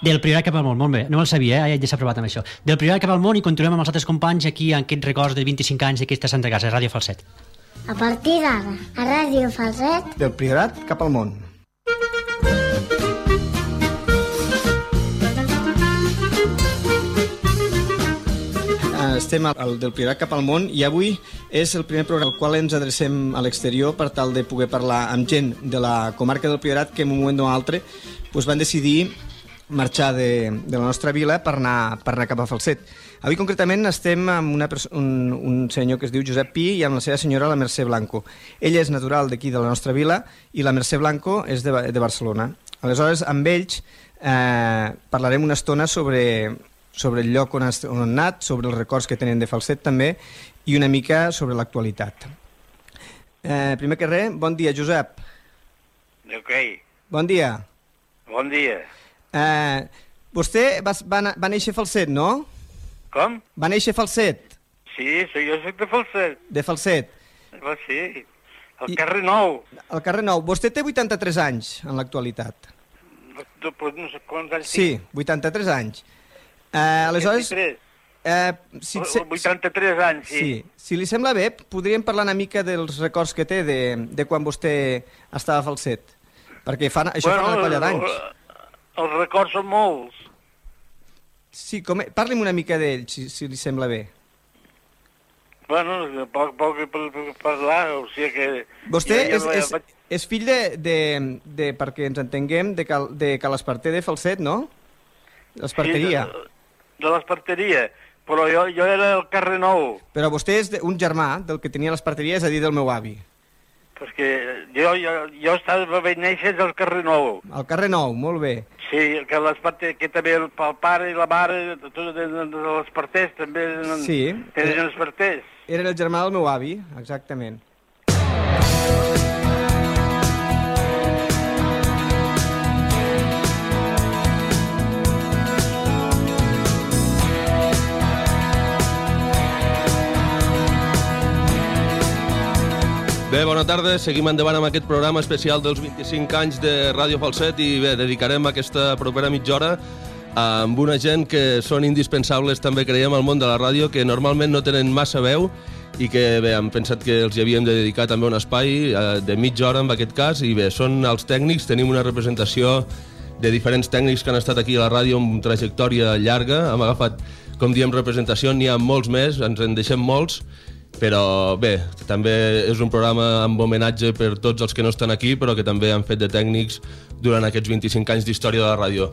Del Priorat cap al món, molt bé, no me'l sabia, eh? Ja s'ha provat amb això. Del Priorat cap al món, i continuem amb els altres companys aquí en aquests records de vint-i-cinc anys d'aquesta Santa Casa, Ràdio Falset. A partir d'ara, a Ràdio Falset... Del Priorat cap al món. Estem al Del Priorat cap al món i avui és el primer programa al qual ens adrecem a l'exterior per tal de poder parlar amb gent de la comarca del Priorat que en un moment o altre doncs van decidir marxar de, de la nostra vila per anar, per anar cap a Falset. Avui concretament estem amb una un, un senyor que es diu Josep Pi i amb la seva senyora, la Mercè Blanco. Ella és natural d'aquí de la nostra vila i la Mercè Blanco és de, de Barcelona. Aleshores, amb ells eh, parlarem una estona sobre, sobre el lloc on, has, on han anat, sobre els records que tenen de Falset també i una mica sobre l'actualitat. Eh, primer que res, bon dia, Josep. Ok. Bon dia. Bon dia. Eh, vostè va, va, va néixer a Falset, no? Com? Va néixer a Falset? Sí, sí, jo soc de Falset. De Falset? Va, sí, al I, carrer Nou. Al carrer Nou. Vostè té vuitanta-tres anys en l'actualitat. No, no sé quants anys sí, vuitanta-tres anys. Eh, aleshores... vint-i-tres. Eh, si, se, vuitanta-tres anys, sí. sí. Si li sembla bé, podríem parlar una mica dels records que té de, de quan vostè estava a Falset. Perquè fan, això bueno, fa una colla d'anys. Els records són molts. Sí, com, parli'm una mica d'ell, si, si li sembla bé. Bueno, poc, poc per, per parlar, o sigui que... Vostè ja, ja és, és, és fill de, de, de, perquè ens entenguem, de Cal, de Cal Esparter de Falset, no? L'esparteria. Sí, de, de l'esparteria, però jo, jo era al carrer Nou. Però vostè és un germà del que tenia l'esparteria, és a dir, del meu avi. Perquè jo, jo, jo estava ben néixer al carrer Nou. Al carrer Nou, molt bé. Sí, que, que també el, el pare i la mare, tots de, de, de l'esparters, també sí, tenen esparters. Era el germà del meu avi, exactament. Bé, bona tarda. Seguim endavant amb aquest programa especial dels vint-i-cinc anys de Ràdio Falset i bé, dedicarem aquesta propera mitja hora amb una gent que són indispensables també, creiem, al món de la ràdio, que normalment no tenen massa veu i que bé, hem pensat que els hi havíem de dedicar també un espai de mitja hora en aquest cas i bé, són els tècnics, tenim una representació de diferents tècnics que han estat aquí a la ràdio amb trajectòria llarga, hem agafat, com diem, representació, n'hi ha molts més, ens en deixem molts Però bé, també és un programa amb homenatge per tots els que no estan aquí, però que també han fet de tècnics durant aquests vint-i-cinc anys d'història de la ràdio.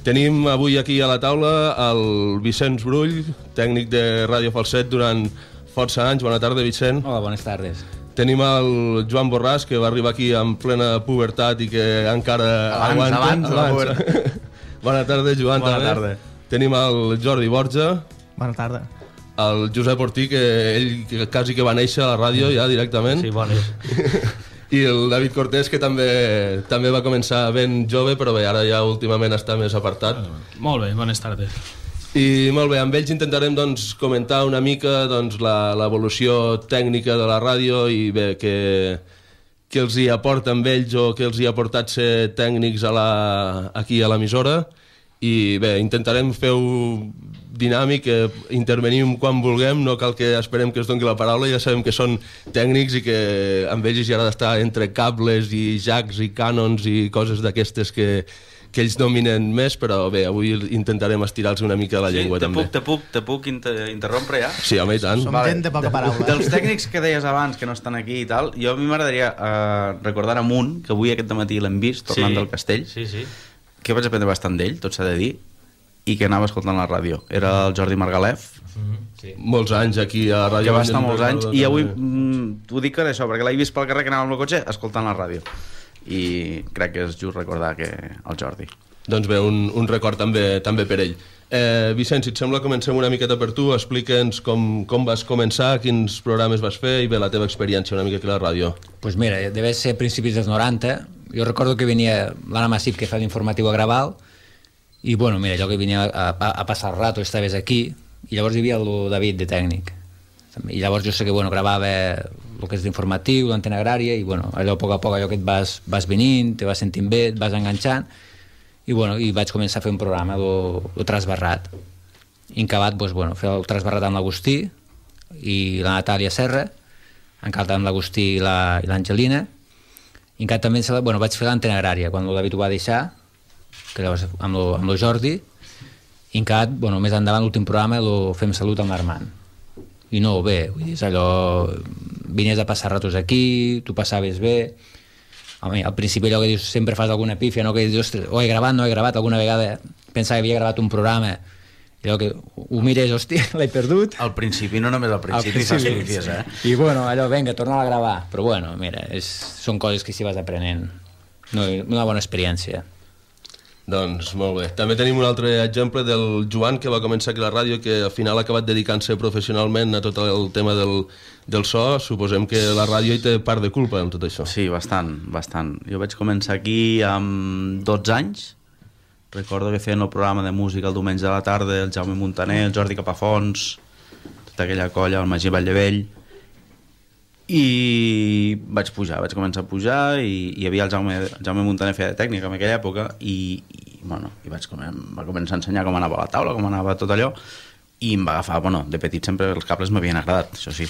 Tenim avui aquí a la taula el Vicenç Brull, tècnic de Ràdio Falset durant força anys. Bona tarda, Vicent. Hola, bones tardes. Tenim el Joan Borràs, que va arribar aquí en plena pubertat i que encara abans, aguanta. Abans, abans, pubertat. Bona tarda, Joan. Bona també. tarda. Tenim el Jordi Borja. Bona tarda. El Josep Ortí, que ell quasi que va néixer a la ràdio ja directament. Sí, bones. I el David Cortés, que també també va començar ben jove, però bé, ara ja últimament està més apartat. Molt bé, bones tardes. I molt bé, amb ells intentarem doncs, comentar una mica doncs, l'evolució tècnica de la ràdio i bé, que, que els hi aporta amb ells o que els hi ha portat ser tècnics a la, aquí a l'emissora. I bé, intentarem fer-ho dinàmic, eh, intervenim quan vulguem, no cal que esperem que es doni la paraula, ja sabem que són tècnics i que amb ells hi ha d'estar entre cables i jacks i cànons i coses d'aquestes que, que ells dominen més, però bé, avui intentarem estirar-los una mica la llengua sí, te també. Puc, te puc, te puc inter interrompre ja? Sí, home, i tant. Som vale. Gent de poca paraula. Dels tècnics que deies abans, que no estan aquí i tal, jo a mi m'agradaria uh, recordar a un, que avui aquest matí l'hem vist, tornant sí. del castell, sí, sí. que vaig aprendre bastant d'ell, tot s'ha de dir, i que anava escoltant la ràdio. Era el Jordi Margalef, mm-hmm. sí. molts anys aquí a la ràdio. Que va estar molts anys, i avui mm, t'ho dic per això, perquè l'he vist pel carrer que anava amb el cotxe escoltant la ràdio. I crec que és just recordar que el Jordi. Doncs bé, un, un record també, també per ell. Eh, Vicenç, si et sembla, comencem una miqueta per tu. Explica'ns com, com vas començar, quins programes vas fer i bé, la teva experiència una mica aquí a la ràdio. Pues mira, deve ser principis dels noranta. Jo recordo que venia l'Anna Massip, que fa l'informatiu a Graval, i bueno, mira, jo que venia a, a, a passar el rato, estaves aquí, i llavors hi havia el David de tècnic. I llavors jo sé que bueno, gravava el que és d'informatiu, l'antena agrària, i bueno, allò a poc a poc allò que et vas, vas venint, te vas sentint bé, et vas enganxant, i bueno, i vaig començar a fer un programa, el Trasbarrat. I encabat, doncs, bueno, fer el Trasbarrat amb l'Agustí i la Natàlia Serra, encabat amb l'Agustí i l'Angelina, i encara també bueno, vaig fer l'antena agrària, quan el David ho va deixar, que llavors amb el, amb el Jordi, i encara, bueno, més endavant l'últim programa el Fem Salut amb l'Armand. I no, bé, vull dir, és allò, vinies a passar ratos aquí, tu passaves bé. Home, al principi allò que dius, sempre fas alguna pífia, no? Que dius, ostres, oh, he gravat, no he gravat, alguna vegada pensava que havia gravat un programa, i allò que ho mires, hòstia, l'he perdut. Al principi, no només al principi, fas pífies, eh? I bueno, allò, vinga, torna a gravar. Però bueno, mira, és, són coses que s'hi vas aprenent. No, una bona experiència. Doncs molt bé. També tenim un altre exemple del Joan, que va començar aquí a la ràdio, que al final ha acabat dedicant-se professionalment a tot el tema del, del so. Suposem que la ràdio hi té part de culpa en tot això. Sí, bastant, bastant. Jo vaig començar aquí amb dotze anys. Recordo que feien el programa de música el diumenge de la tarda, el Jaume Montaner, el Jordi Capafons, tota aquella colla, el Magí Valldevell. I vaig pujar, vaig començar a pujar i hi havia el Jaume, el Jaume Montaner feia de tècnica en aquella època i, i, bueno, i vaig com, va començar a ensenyar com anava la taula, com anava tot allò, i em va agafar, bueno, de petit sempre els cables m'havien agradat, això sí,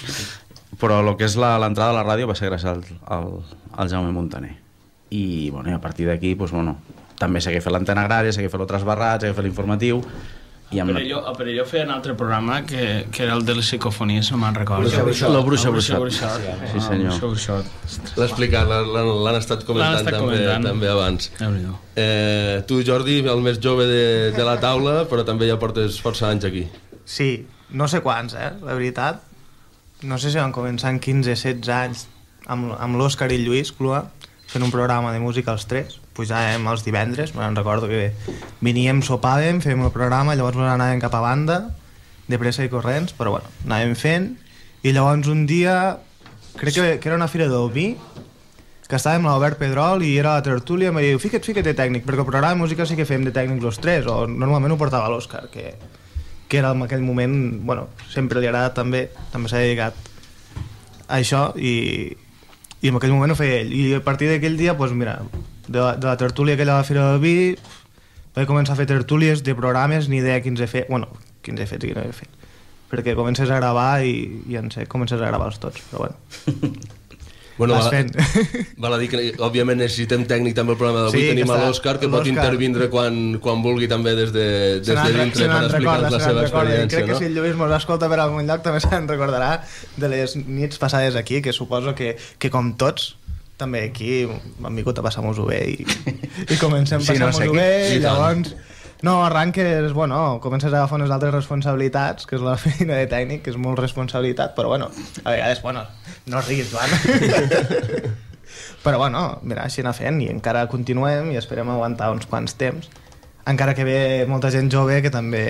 però el que és l'entrada a la ràdio va ser gràcies al, al, al Jaume Montaner. I, bueno, i a partir d'aquí, doncs, bueno, també seguia fent l'antena agrària, seguia fent el Trasbarrat, seguia fent l'informatiu. A Perelló, a Perelló feia un altre programa que, que era el de les psicofonies, no me'n recordo. La Bruixa Bruixot. Sí, senyor. L'ha explicat, l'han estat comentant, estat també, comentant també abans. Eh, tu, Jordi, el més jove de, de la taula, però també ja portes força anys aquí. Sí, no sé quants, eh, la veritat. No sé si van començar en quinze setze anys amb, amb l'Òscar i el Lluís Clua, fent un programa de música els tres. Pujàvem els divendres, me'n recordo que veníem, sopàvem, fèiem el programa, llavors anàvem cap a banda, de pressa i corrents, però bueno, anàvem fent, i llavors un dia, crec que, que era una fira del vi, que estàvem a l'Albert Pedrol i era la tertúlia, i em va dir, fica't, fica't de tècnic, perquè el programa de música sí que fem de tècnic els tres, o normalment ho portava l'Òscar, que, que era en aquell moment, bueno, sempre li agrada també, també s'ha dedicat a això, i, i en aquell moment ho feia ell, i a partir d'aquell dia, doncs mira, de la, de la tertúlia aquella de la Fira del Vi vaig començar a fer tertúlies de programes, ni idea quins he fet, bueno, quins he fet i quins no he fet, perquè comences a gravar i, i en sé, comences a gravar-los tots, però bueno. Bueno, vas val, fent. Val a dir que, òbviament, necessitem tècnic també al programa d'avui. Sí, Tenim que a està- l'Òscar, que pot l'Òscar. intervindre quan, quan vulgui també des de, des Se de n'en- dintre se per n'en explicar-nos recorda, la se n'en seva recorda. I experiència. crec que No? si el Lluís mos escolta per algun lloc també se'n recordarà de les nits passades aquí, que suposo que, que com tots, també aquí hem vingut a passar-nos-ho bé i, i comencem Sí, no, passar-nos-ho sé bé qui- i sí, llavors... No, arranques, bueno, comences a agafar unes altres responsabilitats, que és la feina de tècnic, que és molt responsabilitat, però bueno, a vegades, bueno, no riguis, Joan. Però bueno, mira, així anar fent i encara continuem i esperem aguantar uns quants temps, encara que ve molta gent jove que també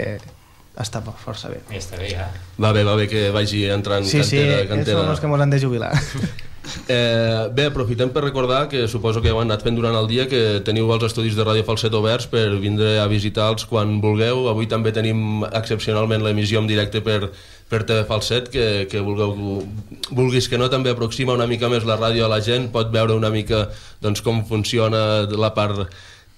està força bé. Està bé, ja. Va bé, va bé que vagi entrant Sí, sí, cantera, ells cantera. són els que mos han de jubilar. Eh, bé, aprofitem per recordar que suposo que heu anat fent durant el dia que teniu els estudis de Ràdio Falset oberts per vindre a visitar-los quan vulgueu. Avui també tenim excepcionalment l'emissió en directe per, per T V Falset, que, que vulgueu, vulguis que no, també aproxima una mica més la ràdio a la gent, pot veure una mica doncs, com funciona la part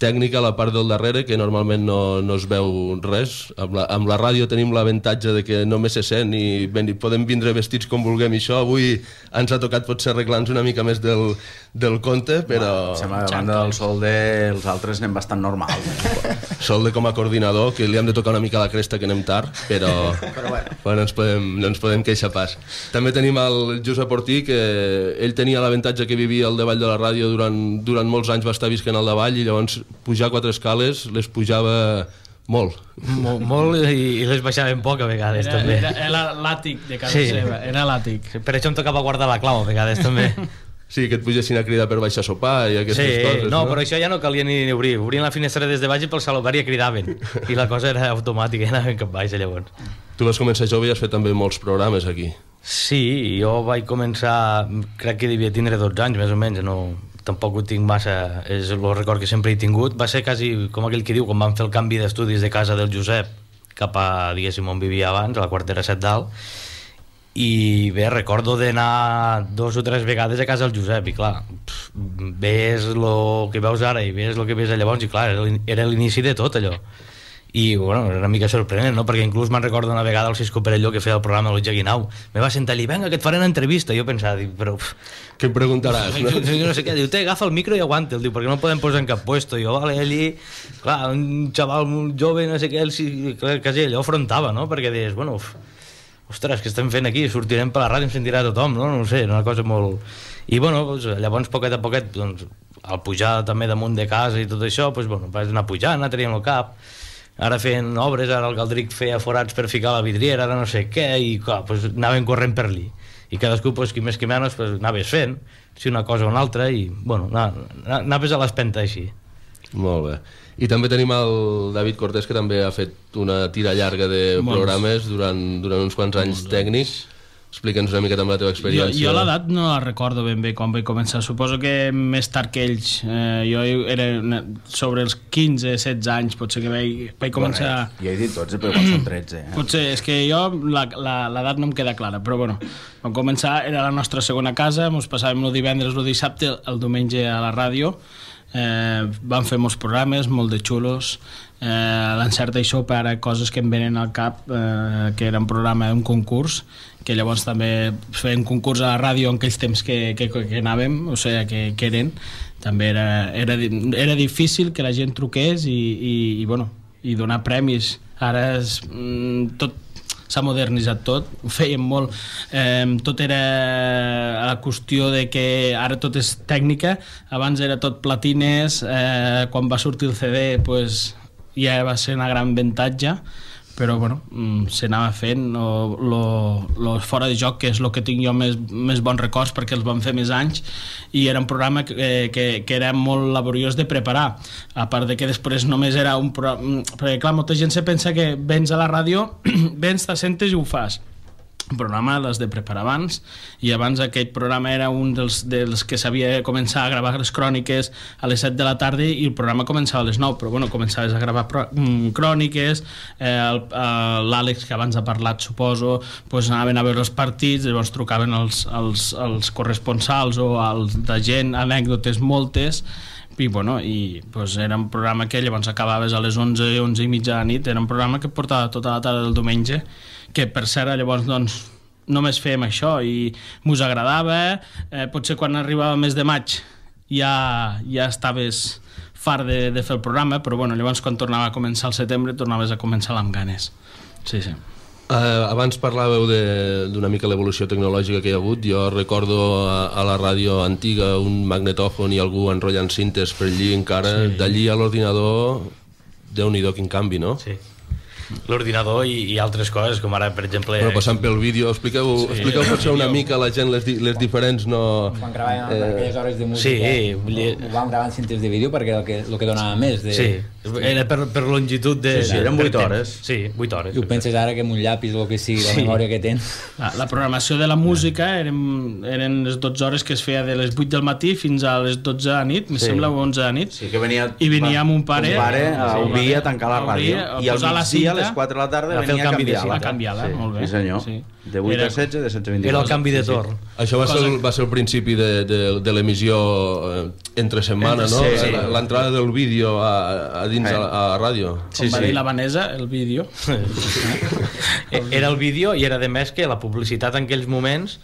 tècnica, la part del darrere, que normalment no, no es veu res. Amb la, amb la ràdio tenim l'avantatge de que només se sent i, ben, i podem vindre vestits com vulguem i això. Avui ens ha tocat potser arreglar-nos una mica més del, del compte, però... Em sembla que a banda del Solde els altres anem bastant normals. Solde com a coordinador, que li hem de tocar una mica la cresta que anem tard, però, però bueno. bueno, no, ens podem, no ens podem queixar pas. També tenim el Josep Ortí, que ell tenia l'avantatge que vivia al davall de la ràdio durant, durant molts anys, va estar visquent al davall i llavors pujar quatre escales les pujava molt. Molt, molt i, i les baixaven poc a vegades, Era, també. era, era l'àtic de casa Sí. seva, era l'àtic. Per això em tocava guardar la clau a vegades, també. Sí, que et pugessin a cridar per baixar a sopar i aquestes Sí, coses, no, no? però això ja no calia ni obrir. Obrien la finestra des de baix i pel salobari cridaven. I la cosa era automàtica, anaven cap baix, llavors. Tu vas començar jove i has fet també molts programes aquí. Sí, jo vaig començar, crec que devia tindre dotze anys, més o menys, no, tampoc ho tinc massa, és el record que sempre he tingut. Va ser quasi com aquell que diu, quan vam fer el canvi d'estudis de casa del Josep cap a, diguéssim, on vivia abans, a la quartera set dalt, i bé, recordo d'anar dos o tres vegades a casa del Josep, i clar, pff, ves el que veus ara i ves el que ves llavors, i clar, era l'in- era l'inici de tot allò. I bueno, era una mica sorprenent, no? Perquè inclús me'n recordo una vegada el Cisco Perelló, que feia el programa de l'Otja Guinau, me va sentar allí, venga, que et faré una entrevista. I jo pensava, dic, però... Pff, què em preguntaràs, no? no sé què, diu, té, agafa el micro i aguanta, diu, perquè no podem posar en cap puesto. I jo, vale, allí, clar, un xaval molt jove, no sé què, el, sí, clar, quasi allò afrontava, no? Perquè deies, bueno, uf, ostres, què estem fent aquí? Sortirem per la ràdio, em sentirà tothom, no? No ho sé, era una cosa molt... I bueno, doncs, llavors, poquet a poquet, doncs, al pujar també damunt de casa i tot això, doncs, bueno, vaig anar pujant, anar traient el cap, ara fent obres, ara el Galdric feia forats per ficar la vidriera, ara no sé què, i clar, doncs, anaven corrent per allí. I cadascú, doncs, qui més qui menys, doncs, anaves fent, si una cosa o una altra, i, bueno, anaves a l'espenta així. Molt bé. I també tenim el David Cortés, que també ha fet una tira llarga de Molts. programes durant, durant uns quants anys tècnics. Explica'ns una mica també la teva Jo, experiència. jo l'edat no la recordo ben bé quan vaig començar. Suposo que més tard que ells. Eh, jo era una- sobre els quinze setze anys, potser que vaig, vaig començar... Bueno, ja he dit dotze, però igual són tretze. Eh? Potser, és que jo la- la- l'edat no em queda clara, però bueno, vam començar, era la nostra segona casa, ens passàvem el divendres, el dissabte, el diumenge a la ràdio, eh, vam fer molts programes, molt de xulos, eh, l'encert i sopa, ara coses que em venen al cap, eh, que era un programa, un concurs, que llavors també feien concurs a la ràdio en aquells temps que, que, que anàvem, o sigui, que, que eren, també era, era, era difícil que la gent truqués i, i, i, bueno, i donar premis. Ara és, mm, tot s'ha modernitzat tot, ho fèiem molt, eh, tot era la qüestió de que ara tot és tècnica, abans era tot platines, eh, quan va sortir el C D pues, ja va ser una gran avantatge, però bueno, mm, s'anava fent lo, lo, lo fora de joc, que és el que tinc jo més, més bons records perquè els vam fer més anys, i era un programa que, que, que era molt laboriós de preparar, a part de que després només era un programa, perquè clar, molta gent se pensa que vens a la ràdio, vens, t'assentes i ho fas. Un programa l'has de preparar abans, i abans aquell programa era un dels, dels que s'havia de començar a gravar les cròniques a les set de la tarda, i el programa començava a les nou, però bueno, començaves a gravar pro, mm, cròniques, eh, l'Àlex, que abans ha parlat, suposo, pues anaven a veure els partits, llavors trucaven els, els, els corresponsals o els de gent, anècdotes moltes, i bueno, i pues, era un programa que llavors acabaves a les onze, onze i mitja de la nit, era un programa que portava tota la tarda del diumenge, que per cert llavors doncs només fèiem això i mos agradava, eh, potser quan arribava el mes de maig ja, ja estaves fart de, de fer el programa, però bueno, llavors quan tornava a començar el setembre tornaves a començar amb ganes. Sí, sí. Uh, abans parlàveu d'una mica l'evolució tecnològica que hi ha hagut. Jo recordo a, a la ràdio antiga un magnetòfon i algú enrotllant cintes per allí encara, sí. D'allí a l'ordinador, Déu-n'hi-do quin canvi, no? Sí. L'ordinador i, i altres coses, com ara, per exemple... Però passant pel vídeo, expliqueu, sí, expliqueu potser una mica a la gent les, di, les diferents, no... Quan gravàvem eh... aquelles hores de música, sí, ho, ho vam gravar en cintes de vídeo perquè era el que, el que donava més. De... Sí, era per, per longitud de... Sí, sí, eren vuit hores. Sí, vuit hores. I ho penses ara que amb un llapis o el que sigui, la sí. memòria que tens... La, la programació de la música eren, eren les dotze hores que es feia de les vuit del matí fins a les dotze de la nit, sí. Me sembla, o onze de la nit. Sí, que venia... I venia amb un pare... Un pare a obrir a tancar la ràdio. I al migdia, a les quatre de la tarda, a fer el canvi de a canviar-la, sí, molt bé. Sí, senyor. Sí. De vuit a setze, de setze a vint-i-dos. Era el canvi de torn. Sí, sí. Això va ser, el, va ser el principi de, de, de l'emissió eh, entre setmana, no? Sí, sí. L'entrada del vídeo a, a dins sí. a, a la ràdio. Com sí, va sí. dir la Vanessa, el vídeo. Era el vídeo i era de més que la publicitat en aquells moments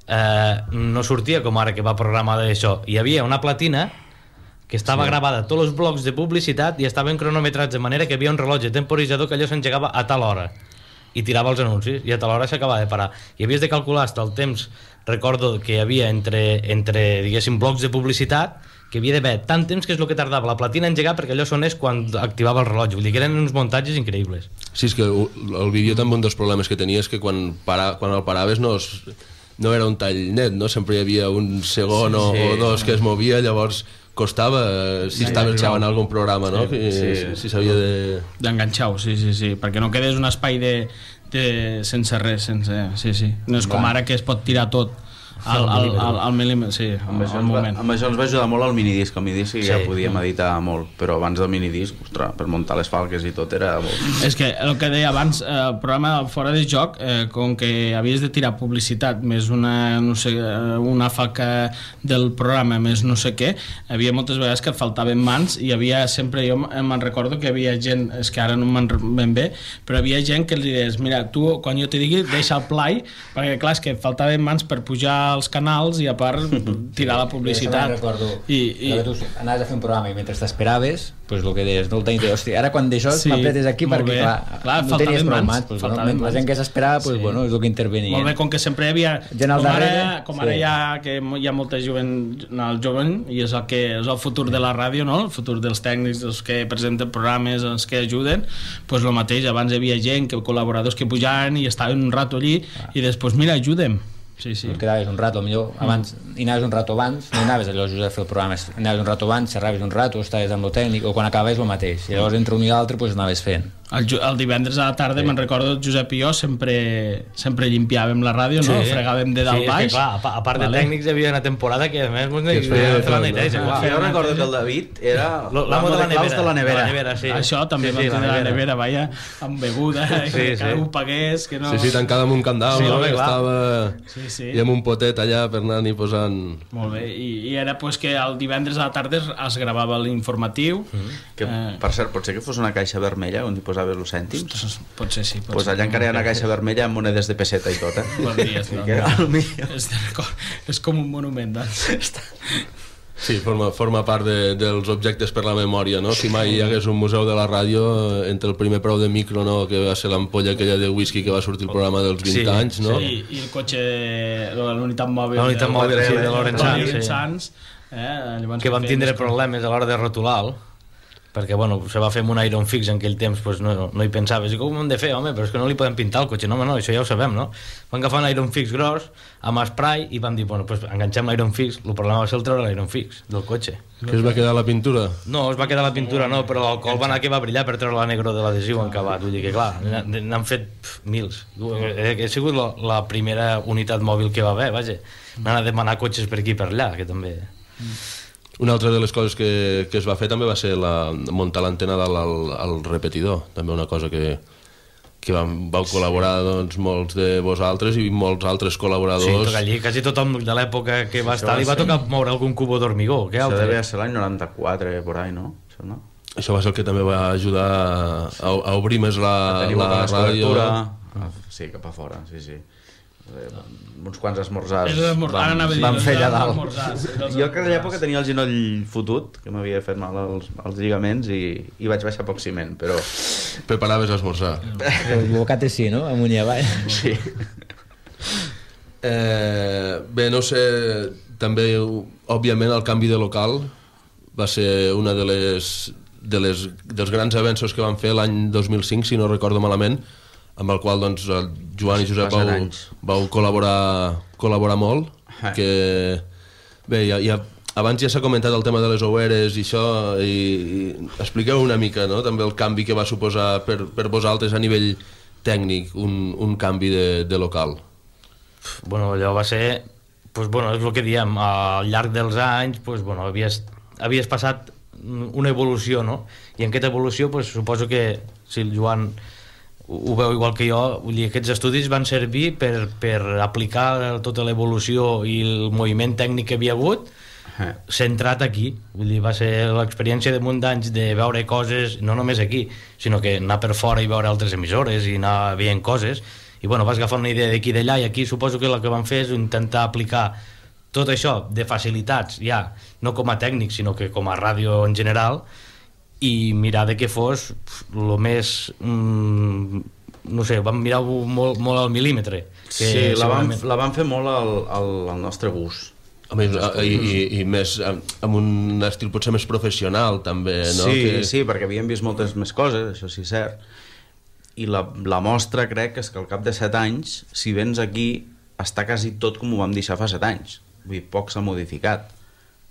eh, no sortia com ara que va programada això. Hi havia una platina que estava sí. gravada tots els blocs de publicitat i estaven cronometrats de manera que hi havia un rellotge temporitzador que allò s'engegava a tal hora i tirava els anuncis i a tal hora s'acabava de parar i havies de calcular hasta el temps, recordo que hi havia entre, entre diguéssim blocs de publicitat que havia d'haver tant temps que és el que tardava la platina a engegar perquè allò sonés quan activava el rellotge, vull dir que eren uns muntatges increïbles. Sí, és que el vídeo també un dels problemes que tenia és que quan, para, quan el paraves no, es, no era un tall net, no? Sempre hi havia un segon sí, sí. o dos que es movia, llavors costava si estaves gravant algun programa, no? Sí, sí, sí. Si s'havia de... d'enganxar-ho, sí, sí, sí, perquè no quedés un espai de, de... sense res, sense... Sí, sí. No és com ara que es pot tirar tot al, al, al, al mil·límetre, sí, amb, al, això al moment. Va, amb això ens va ajudar molt el minidisc, el minidisc sí, ja podíem editar molt, però abans del minidisc, ostres, per muntar les falques i tot era molt... És que el que deia abans, el programa Fora de Joc, eh, com que havies de tirar publicitat més una, no sé, una falca del programa més no sé què, havia moltes vegades que et faltaven mans i hi havia sempre, jo me'n recordo que hi havia gent, és que ara no me'n ben bé, però hi havia gent que els deies, mira, tu quan jo te digui deixa el play, perquè clar, és que et faltaven mans per pujar als canals i a part tirar la publicitat. Recordo i, i... que tu anaves a fer un programa i mentre t'esperaves, pues el que deies, no el tenies, hòstia, ara quan d'això sí, m'apretes aquí perquè clar, clar no tenies prou mans, pues, bueno, la gent que s'esperava, pues, sí. Bueno, és el que intervenia. Molt bé, com que sempre hi havia, gent al com darrere, ara, com ara sí. hi ha, que hi ha molta jovent, el jovent, i és el, que, és el futur de la ràdio, no? El futur dels tècnics, els que presenten programes, els que ajuden, pues el mateix, abans hi havia gent, que col·laboradors que pujaven i estaven un rato allí, ah. i després, mira, ajuda'm. Sí, sí. Et quedaves un rato, millor abans, mm. hi anaves un rato abans, no anaves allò just a fer el programa, anaves un rato abans, xerraves un rato, estaves amb el tècnic, o quan acabaves el mateix, i llavors entre un i l'altre pues, anaves fent. El, el divendres a la tarda, sí. Me'n recordo, Josep i jo sempre, sempre llimpiàvem la ràdio, sí. No? Fregàvem de dalt sí, baix. Sí, clar, a, a part vale. De tècnics hi havia una temporada que a més mos feia fer la neteja. Jo recordo que el David era l'amo de la nevera. De la nevera. nevera sí. Això també sí, sí, vam tenir la nevera, vaja, amb beguda, sí, que sí. Ho pagués, que no... Sí, sí, tancada amb un candau, sí, no? Que estava... Sí, sí. I amb un potet allà per anar-hi posant... Molt bé, i, i era pues, que el divendres a la tarda es gravava l'informatiu. Mm. Que, eh... per cert, pot ser que fos una caixa vermella on hi posaves els cèntims? Pot ser, sí. Pot pues allà encara hi ha una caixa vermella amb monedes de peseta i tot, eh? Bon dia, no, no. És, és com un monument, doncs. Sí, forma, forma part de, dels objectes per la memòria, no? Si mai hi hagués un museu de la ràdio, entre el primer preu de micro, no? Que va ser l'ampolla aquella de whisky que va sortir el programa dels vint sí, anys, no? Sí, i el cotxe, l'unitat mòbil, l'unitat mòbil sí, de Laurent Sanz, eh? Que vam tindre problemes a l'hora de rotular-lo, perquè bueno, se va fer amb un Iron Fix en aquell temps, pues no, no hi pensaves i com ho hem de fer, home, però és que no li podem pintar el cotxe, no, home, no, això ja ho sabem, no? Vam agafar un Iron Fix gros amb spray i vam dir, bueno, pues enganxem l'Iron Fix, el problema va ser el treure l'Iron Fix del cotxe. Que es va quedar la pintura? No, es va quedar la pintura no, però l'alcohol va anar que va brillar per treure la negro de l'adhesiu encabat, vull dir que clar, n'han fet pf, mils, ha sigut la, la primera unitat mòbil que va haver, vaja, anar a demanar cotxes per aquí i per allà, que també... Una altra de les coses que, que es va fer també va ser la, muntar l'antena dalt al, al repetidor, també una cosa que, que vam, vau col·laborar doncs, molts de vosaltres i molts altres col·laboradors. Sí, allí quasi tothom de l'època que va estar li va tocar moure algun cubo d'hormigó. Això devia ser l'any noranta-quatre, por ahí, no? Això, no? Això va ser el que també va ajudar a, a obrir més la, la ràdio. Sí, cap a fora, sí, sí. Eh, uns quants esmorzars Els esmor- ara anava a dir, vam els fer allà dalt. esmorzars, els Jo que a l'època tenia el genoll fotut, que m'havia fet mal als, als lligaments i, i vaig baixar poc ciment, però... Preparaves l'esmorzar. El bocate sí, no? Amunt i avall. Sí. Eh, bé, no sé, també, òbviament, el canvi de local va ser una de les, de les, dels grans avenços que van fer l'any dos mil cinc, si no recordo malament, amb el qual doncs, el Joan i Josep vau, vau col·laborar, col·laborar molt, que bé, ja, ja, abans ja s'ha comentat el tema de les oueres i això, i, i expliqueu una mica, no?, també el canvi que va suposar per, per vosaltres a nivell tècnic, un, un canvi de, de local. Bueno, allò va ser, pues, bueno, és el que diem, al llarg dels anys pues, bueno, havies, havies passat una evolució, no? I en aquesta evolució pues, suposo que si el Joan ho veu igual que jo, vull dir, aquests estudis van servir per, per aplicar tota l'evolució i el moviment tècnic que havia hagut centrat aquí, vull dir, va ser l'experiència de munt d'anys de veure coses no només aquí, sinó que anar per fora i veure altres emissores i anar veient coses i bueno, vas agafar una idea d'aquí i d'allà i aquí suposo que el que van fer és intentar aplicar tot això de facilitats ja, no com a tècnic sinó que com a ràdio en general i mirar de què fos el més mm, no sé, vam mirar molt, molt al mil·límetre que sí, la vam, segurament... la vam fer molt al, al, al nostre gust. A més, i, i, i més amb un estil potser més professional també, no? Sí, que... sí, perquè havíem vist moltes més coses, això sí és cert, i la, la mostra crec és que al cap de set anys, si vens aquí està quasi tot com ho vam deixar fa set anys, vull dir, poc s'ha modificat.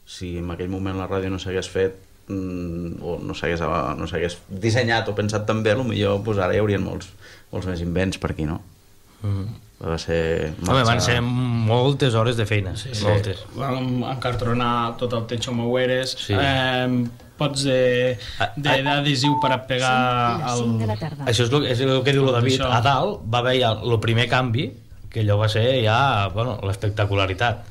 Si en aquell moment la ràdio no s'hagués fet o no s'hagués no s'hagués dissenyat o pensat tan bé, potser pues, ara hi haurien molts, molts més invents per aquí, no? Mm. Va ser... Home, van ser moltes hores de feina, sí, moltes. Sí. Vam encartronar tot el techo amb oueres, sí. eh, pots d'adhesiu per a pegar el... Això és el, és el que diu el David. A dalt va haver ja el primer canvi, que allò va ser ja bueno, l'espectacularitat,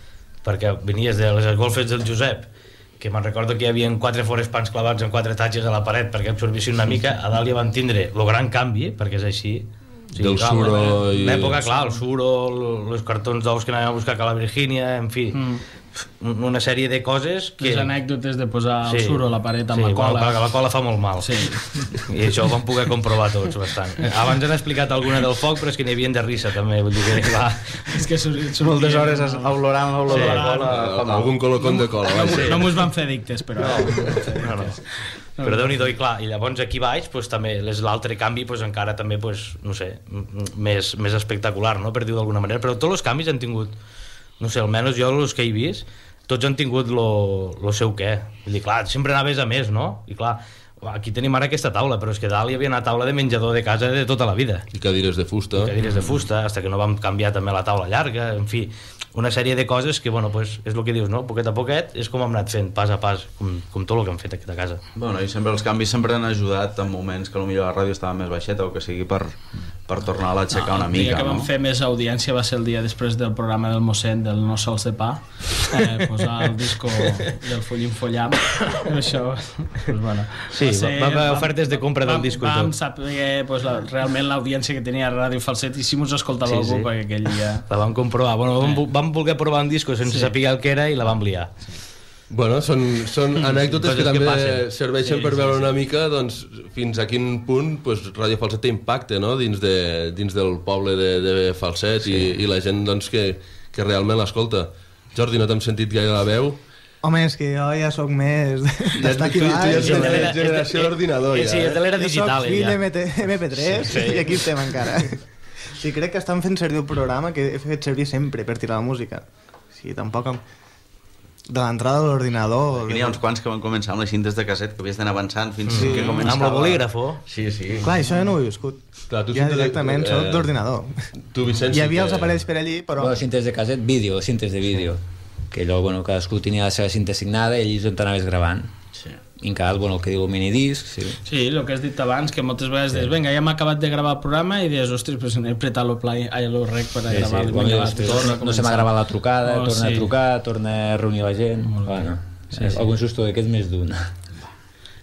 perquè venies de les golfes del Josep, que me'n recordo que hi havia quatre forespans clavats en quatre tatxes a la paret perquè absorbissin una mica, a dalt ja van tindre el gran canvi, perquè és així. Sí, del clar, suro i... L'època, clar, el suro, els cartons d'ous que anàvem a buscar a la Virgínia, en fi, mm. una sèrie de coses que... Les anècdotes de posar sí. el suro a la paret amb sí, la cola. Sí, la cola fa molt mal. Sí. I això ho vam poder comprovar tots bastant. Abans han explicat alguna del foc, però és que n'hi havien de risa també, vull dir que clar... És que sortia... Moltes hores olorant l'olor sí. de la cola. Algun colocón de cola. No, sí. no mos van fer dictes, però... No, no. no. Però Déu-n'hi-do, i clar, i llavors aquí baix pues, també l'altre canvi pues, encara també, pues, no sé, més, més espectacular, no? Per dir-ho d'alguna manera, però tots els canvis han tingut, no sé, almenys jo els que he vist, tots han tingut lo, lo seu què. Vull dir, clar, sempre anaves a més, no? I clar, aquí tenim ara aquesta taula, però és que dalt hi havia una taula de menjador de casa de tota la vida. I cadires de fusta. I cadires de fusta, fins que no vam canviar també la taula llarga, en fi, una sèrie de coses que, bueno, pues, és el que dius, no? Poquet a poquet és com hem anat fent, pas a pas, com, com tot el que hem fet aquí a casa. Bueno, i sempre els canvis sempre han ajudat en moments que potser la ràdio estava més baixeta o que sigui per, per tornar-la a aixecar no, una mica, no? El dia que vam fer més audiència va ser el dia després del programa del mossèn del No sols de pa, eh, posar el disco del Follim Follam, això, pues, bueno... Sí, va, va haver ofertes de compra del disco i tot. Vam saber pues, la, realment l'audiència que tenia Ràdio Falset i si mos escoltava sí, algú sí. perquè aquell dia... La vam comprovar, bueno, vam, vam voler provar un disco sense sí. saber el que era i la vam liar. Bueno, són, són anècdotes que també que serveixen sí, per veure sí, sí. una mica doncs, fins a quin punt pues, Ràdio Falset té impacte, no? dins, de, dins del poble de, de Falset sí. i, i la gent doncs, que, que realment l'escolta. Jordi, no t'hem sentit gaire la veu? Home, és que jo ja sóc més d'estar aquí baix. Tu ja ets generació d'ordinador, ja. Sí, és de l'era digital. Jo soc fill de eme pe tres sí, sí. i aquí estem encara. Sí, crec que estan fent servir el programa que he fet servir sempre per tirar la música. Sí, tampoc... De l'entrada de l'ordinador... N'hi ha uns quants que van començar amb les cintes de casset que havies d'anar avançant fins sí. que començava... Amb el bolígrafo. Sí, sí. Clar, això ja no ho he viscut. Clar, tu ja directament de... soc eh... d'ordinador. Tu, Vicenç, hi havia que... els aparells per allí, però... Bueno, cintes de casset, vídeo, cintes de vídeo. Que allò, bueno, cadascú tenia la seva cinta assignada i allí és on t'anaves gravant. Sí. I encara, bueno, el que diu el minidisc, sí. Sí, el que has dit abans, que moltes vegades sí. dius, vinga, ja m'ha acabat de gravar el programa i dius, ostres, pues he apretat el play, ai, el rec per a sí, gravar. Sí, sí. Vinga, ostres, torna, no se m'ha gravat la trucada, oh, torna sí. a trucar, torna a reunir la gent. Bueno, sí, sí. Algun susto d'aquests més d'un.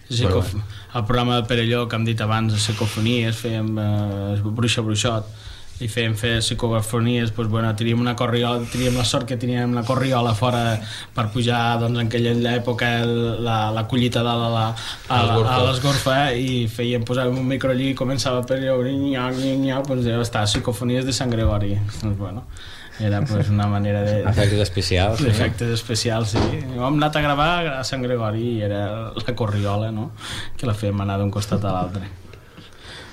Sí, bueno. El programa de Perelló, que hem dit abans, les psicofonies, fèiem eh, bruixa bruixot, i fèiem fer psicofonies, doncs, bueno, teníem una corriola, teníem la sort que teníem la corriola fora per pujar, doncs, en aquella època la, la collita de la, la, a, a l'esgorfa, i fèiem, posàvem un micro allí i començava per allò, doncs, està, psicofonies de Sant Gregori, doncs, bueno, era pues, una manera de... Efectes especials. Sí. Efectes especials, sí. Hem anat a gravar a Sant Gregori i era la corriola, no?, que la fèiem anar d'un costat a l'altre.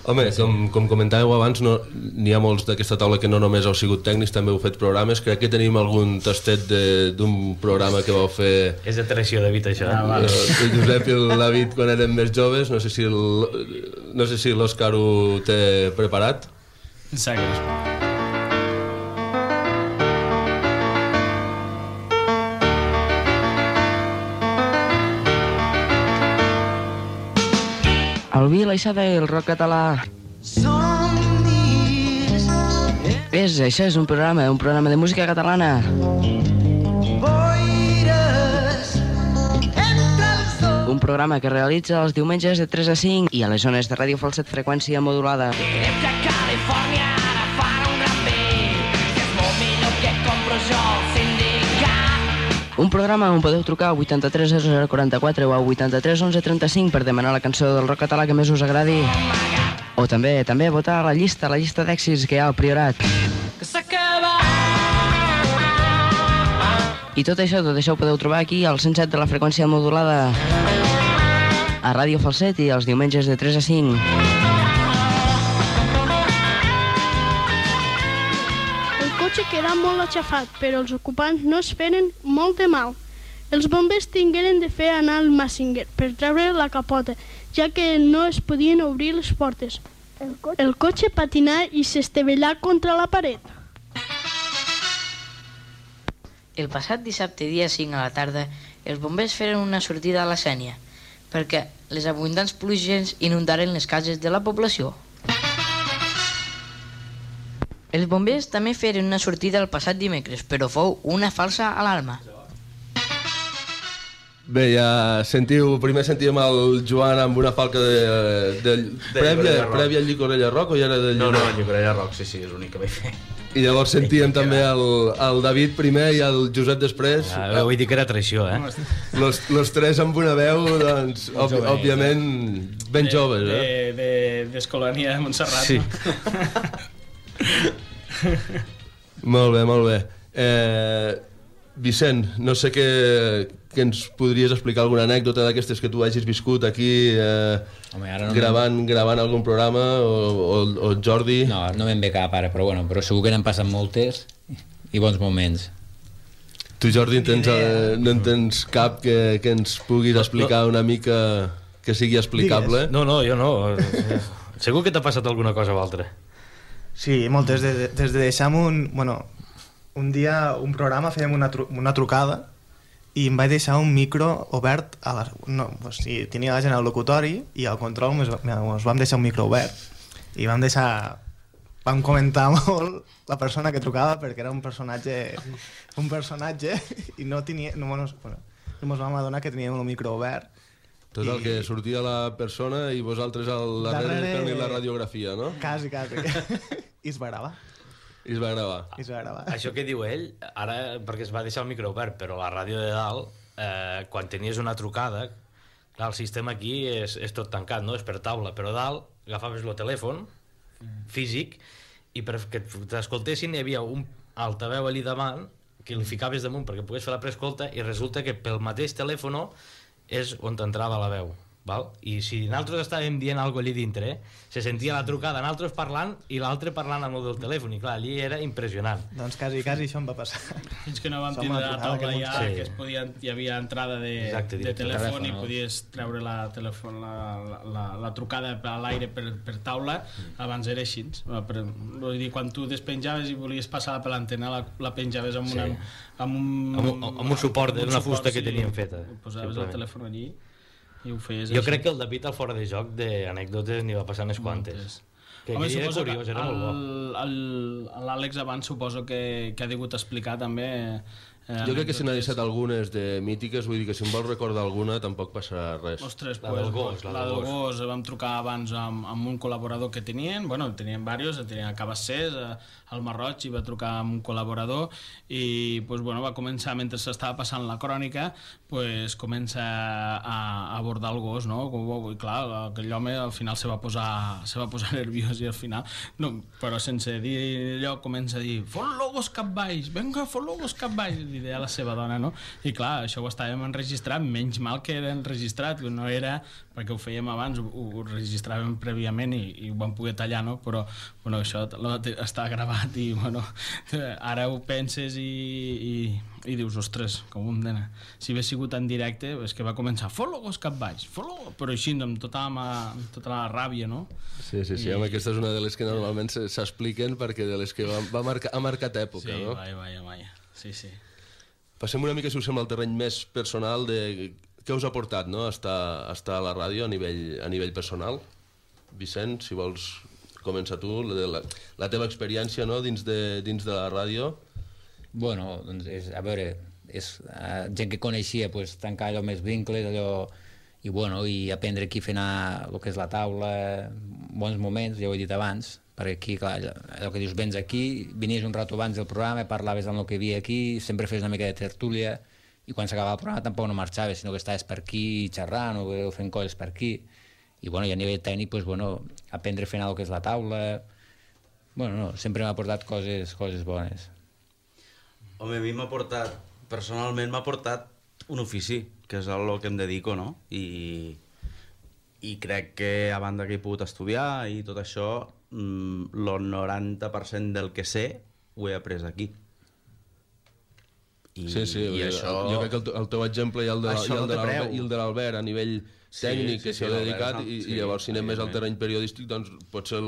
Home, com, com comentàveu abans, no, n'hi ha molts d'aquesta taula que no només heu sigut tècnics, també heu fet programes. Crec que tenim algun tastet d'un programa que vau fer... És de tradició, David, això. Ah, vale. El Josep i el David quan eren més joves. No sé si el, no sé si l'Òscar ho té preparat. Segueix. El vi, l'aixada i el rock català. És, això és un programa, un programa de música catalana. Un programa que realitza els diumenges de tres a cinc i a les zones de Ràdio Falset freqüència modulada. Un programa on podeu trucar al vuitanta-tres zero zero quaranta-quatre o al vuitanta-tres onze trenta-cinc per demanar la cançó del rock català que més us agradi. O també també votar a la llista, la llista d'èxits que hi ha al Priorat. I tot això, tot això ho podeu trobar aquí al cent set de la freqüència modulada a Ràdio Falset i els diumenges de tres a cinc. Queda molt aixafat, però els ocupants no es feren molt de mal. Els bombers tingueren de fer anar el Massinger per treure la capota, ja que no es podien obrir les portes. El cotxe, el cotxe patinà i s'estavellà contra la paret. El passat dissabte, dia cinc a la tarda, els bombers feren una sortida a la Sénia, perquè les abundants pluges inundaren les cases de la població. Els bombers també feren una sortida el passat dimecres, però fou una falsa alarma. Bé, ja sentiu, primer sentíem el Joan amb una falca de... de, de prèvia, prèvia al Llicorella Rock o ja era de No, no, Llicorella Rock, sí, sí, és l'únic que vaig fer. I llavors sentíem també el, el David primer i el Josep després. Ah, vull dir que era traició, eh? Los, los tres amb una veu, doncs, òb, òbviament, ben joves, eh? De, de, d'Escolania de Montserrat. Sí. Molt bé, molt bé. Eh, Vicent, no sé què, que ens podries explicar alguna anècdota d'aquestes que tu hagis viscut aquí eh, Home, ara no gravant, gravant algun programa o, o, o Jordi? No, no me'n ve cap ara, però, bueno, però segur que n'han passat moltes i bons moments. Tu, Jordi, tens, eh, no en tens cap que, que ens puguis explicar una mica que sigui explicable? No, no, jo no. Segur que t'ha passat alguna cosa o altra. Sí, moltes. Des de, des de deixar un... Bueno, un dia, un programa, fèiem una, tru una trucada i em vaig deixar un micro obert a la... No, o sigui, tenia la gent al locutori i al control ens vam deixar un micro obert i vam deixar... Vam comentar molt la persona que trucava perquè era un personatge un personatge i no tenia... No, no, bueno, no ens vam adonar que tenia un micro obert. Tot el que sortia la persona i vosaltres al darrere, darrere... fent-li la radiografia, no? Quasi, quasi. I es va gravar. I es va gravar. I es va gravar. Això que diu ell, ara, perquè es va deixar el micro obert, però la ràdio de dalt, eh, quan tenies una trucada, clar, el sistema aquí és, és tot tancat, no? És per taula, però dalt agafaves el telèfon físic i perquè t'escoltessin hi havia un altaveu allà davant que li ficaves damunt perquè pogués fer la preescolta i resulta que pel mateix telèfon és on t'entrava la veu, val? I si nosaltres estàvem dient alguna cosa allà dintre, se sentia la trucada, nosaltres parlant i l'altre parlant amb el del telèfon, i clar, allí era impressionant. Doncs quasi, quasi això em va passar. Fins que no vam tindre la taula ja, sí. Que es podia, hi havia entrada de, Exacte, de telèfon, telèfon i podies treure la, telèfon, la, la, la trucada a l'aire per, per taula, abans era així. Per, vull dir, quan tu despenjaves i volies passar per l'antena, la, la penjaves amb, una, sí. amb, un, amb, un, amb un suport d'una fusta que teníem feta. Posaves el telèfon allí i ho feies jo així. crec que el David al fora de joc d'anècdotes n'hi va passar unes quantes. Que Home, era curiós, era el, molt bo. L'Àlex abans suposo que, que ha degut explicar també Jo crec que se n'ha deixat algunes de mítiques, vull dir que si em vols recordar alguna tampoc passarà res. Ostres, la pues, del gos, la, la del gos. Vam trucar abans amb, amb un col·laborador que tenien, bueno, tenien diversos, tenien a Cabassers, al Marroig, i va trucar amb un col·laborador i pues, bueno, va començar, mentre s'estava passant la crònica, pues, comença a, a abordar el gos, no? I clar, aquell home al final se va posar, se va posar nerviós i al final, no, però sense dir allò, comença a dir fot-lo gos cap baix, venga, fot-lo gos cap baix, li deia a la seva dona, no? I clar, això ho estàvem enregistrat, menys mal que era enregistrat, no era perquè ho fèiem abans, ho, ho registràvem prèviament i, i ho vam poder tallar, no? Però bueno, això està gravat i bueno, ara ho penses i, i, i dius, ostres, com un nena. Si hagués sigut en directe, és que va començar fot-lo gos cap baix, fot-lo, però així amb tota la, amb tota la ràbia, no? Sí, sí, sí, I... home, aquesta és una de les que normalment s'expliquen perquè de les que va, va marcar, ha marcat època, sí, no? Sí, vaja, vaja, vaja, sí, sí. Passem una mica, si us sembla, al terreny més personal de què us ha portat, no?, estar, estar a la ràdio a nivell, a nivell personal. Vicent, si vols començar tu, la, la teva experiència, no?, dins de, dins de la ràdio. Bueno, doncs, és, a veure, és uh, gent que coneixia, pues, tancar allò més vincles, allò, i, bueno, i aprendre aquí fent el que és la taula, bons moments, ja ho he dit abans, perquè aquí, clar, allò que dius, vens aquí, vinies un rato abans del programa, parlaves del que hi havia aquí, sempre fes una mica de tertúlia, i quan s'acabava el programa tampoc no marxaves, sinó que estaves per aquí xerrant o fent coses per aquí, i, bueno, i a nivell tècnic, pues, bueno, aprendre fent el que és la taula, bueno, no, sempre m'ha portat coses, coses bones. Home, a mi m'ha portat, personalment m'ha portat un ofici, que és el que em dedico, no? I, i crec que a banda que he pogut estudiar i tot això, el noranta per cent del que sé ho he après aquí. I, sí, sí, i això... jo crec que el, el teu exemple i el de, i el de l'Albert, i el de l'Albert a nivell sí, tècnic sí, que s'ha sí, dedicat i, sí, i llavors si anem més al terreny periodístic doncs pot ser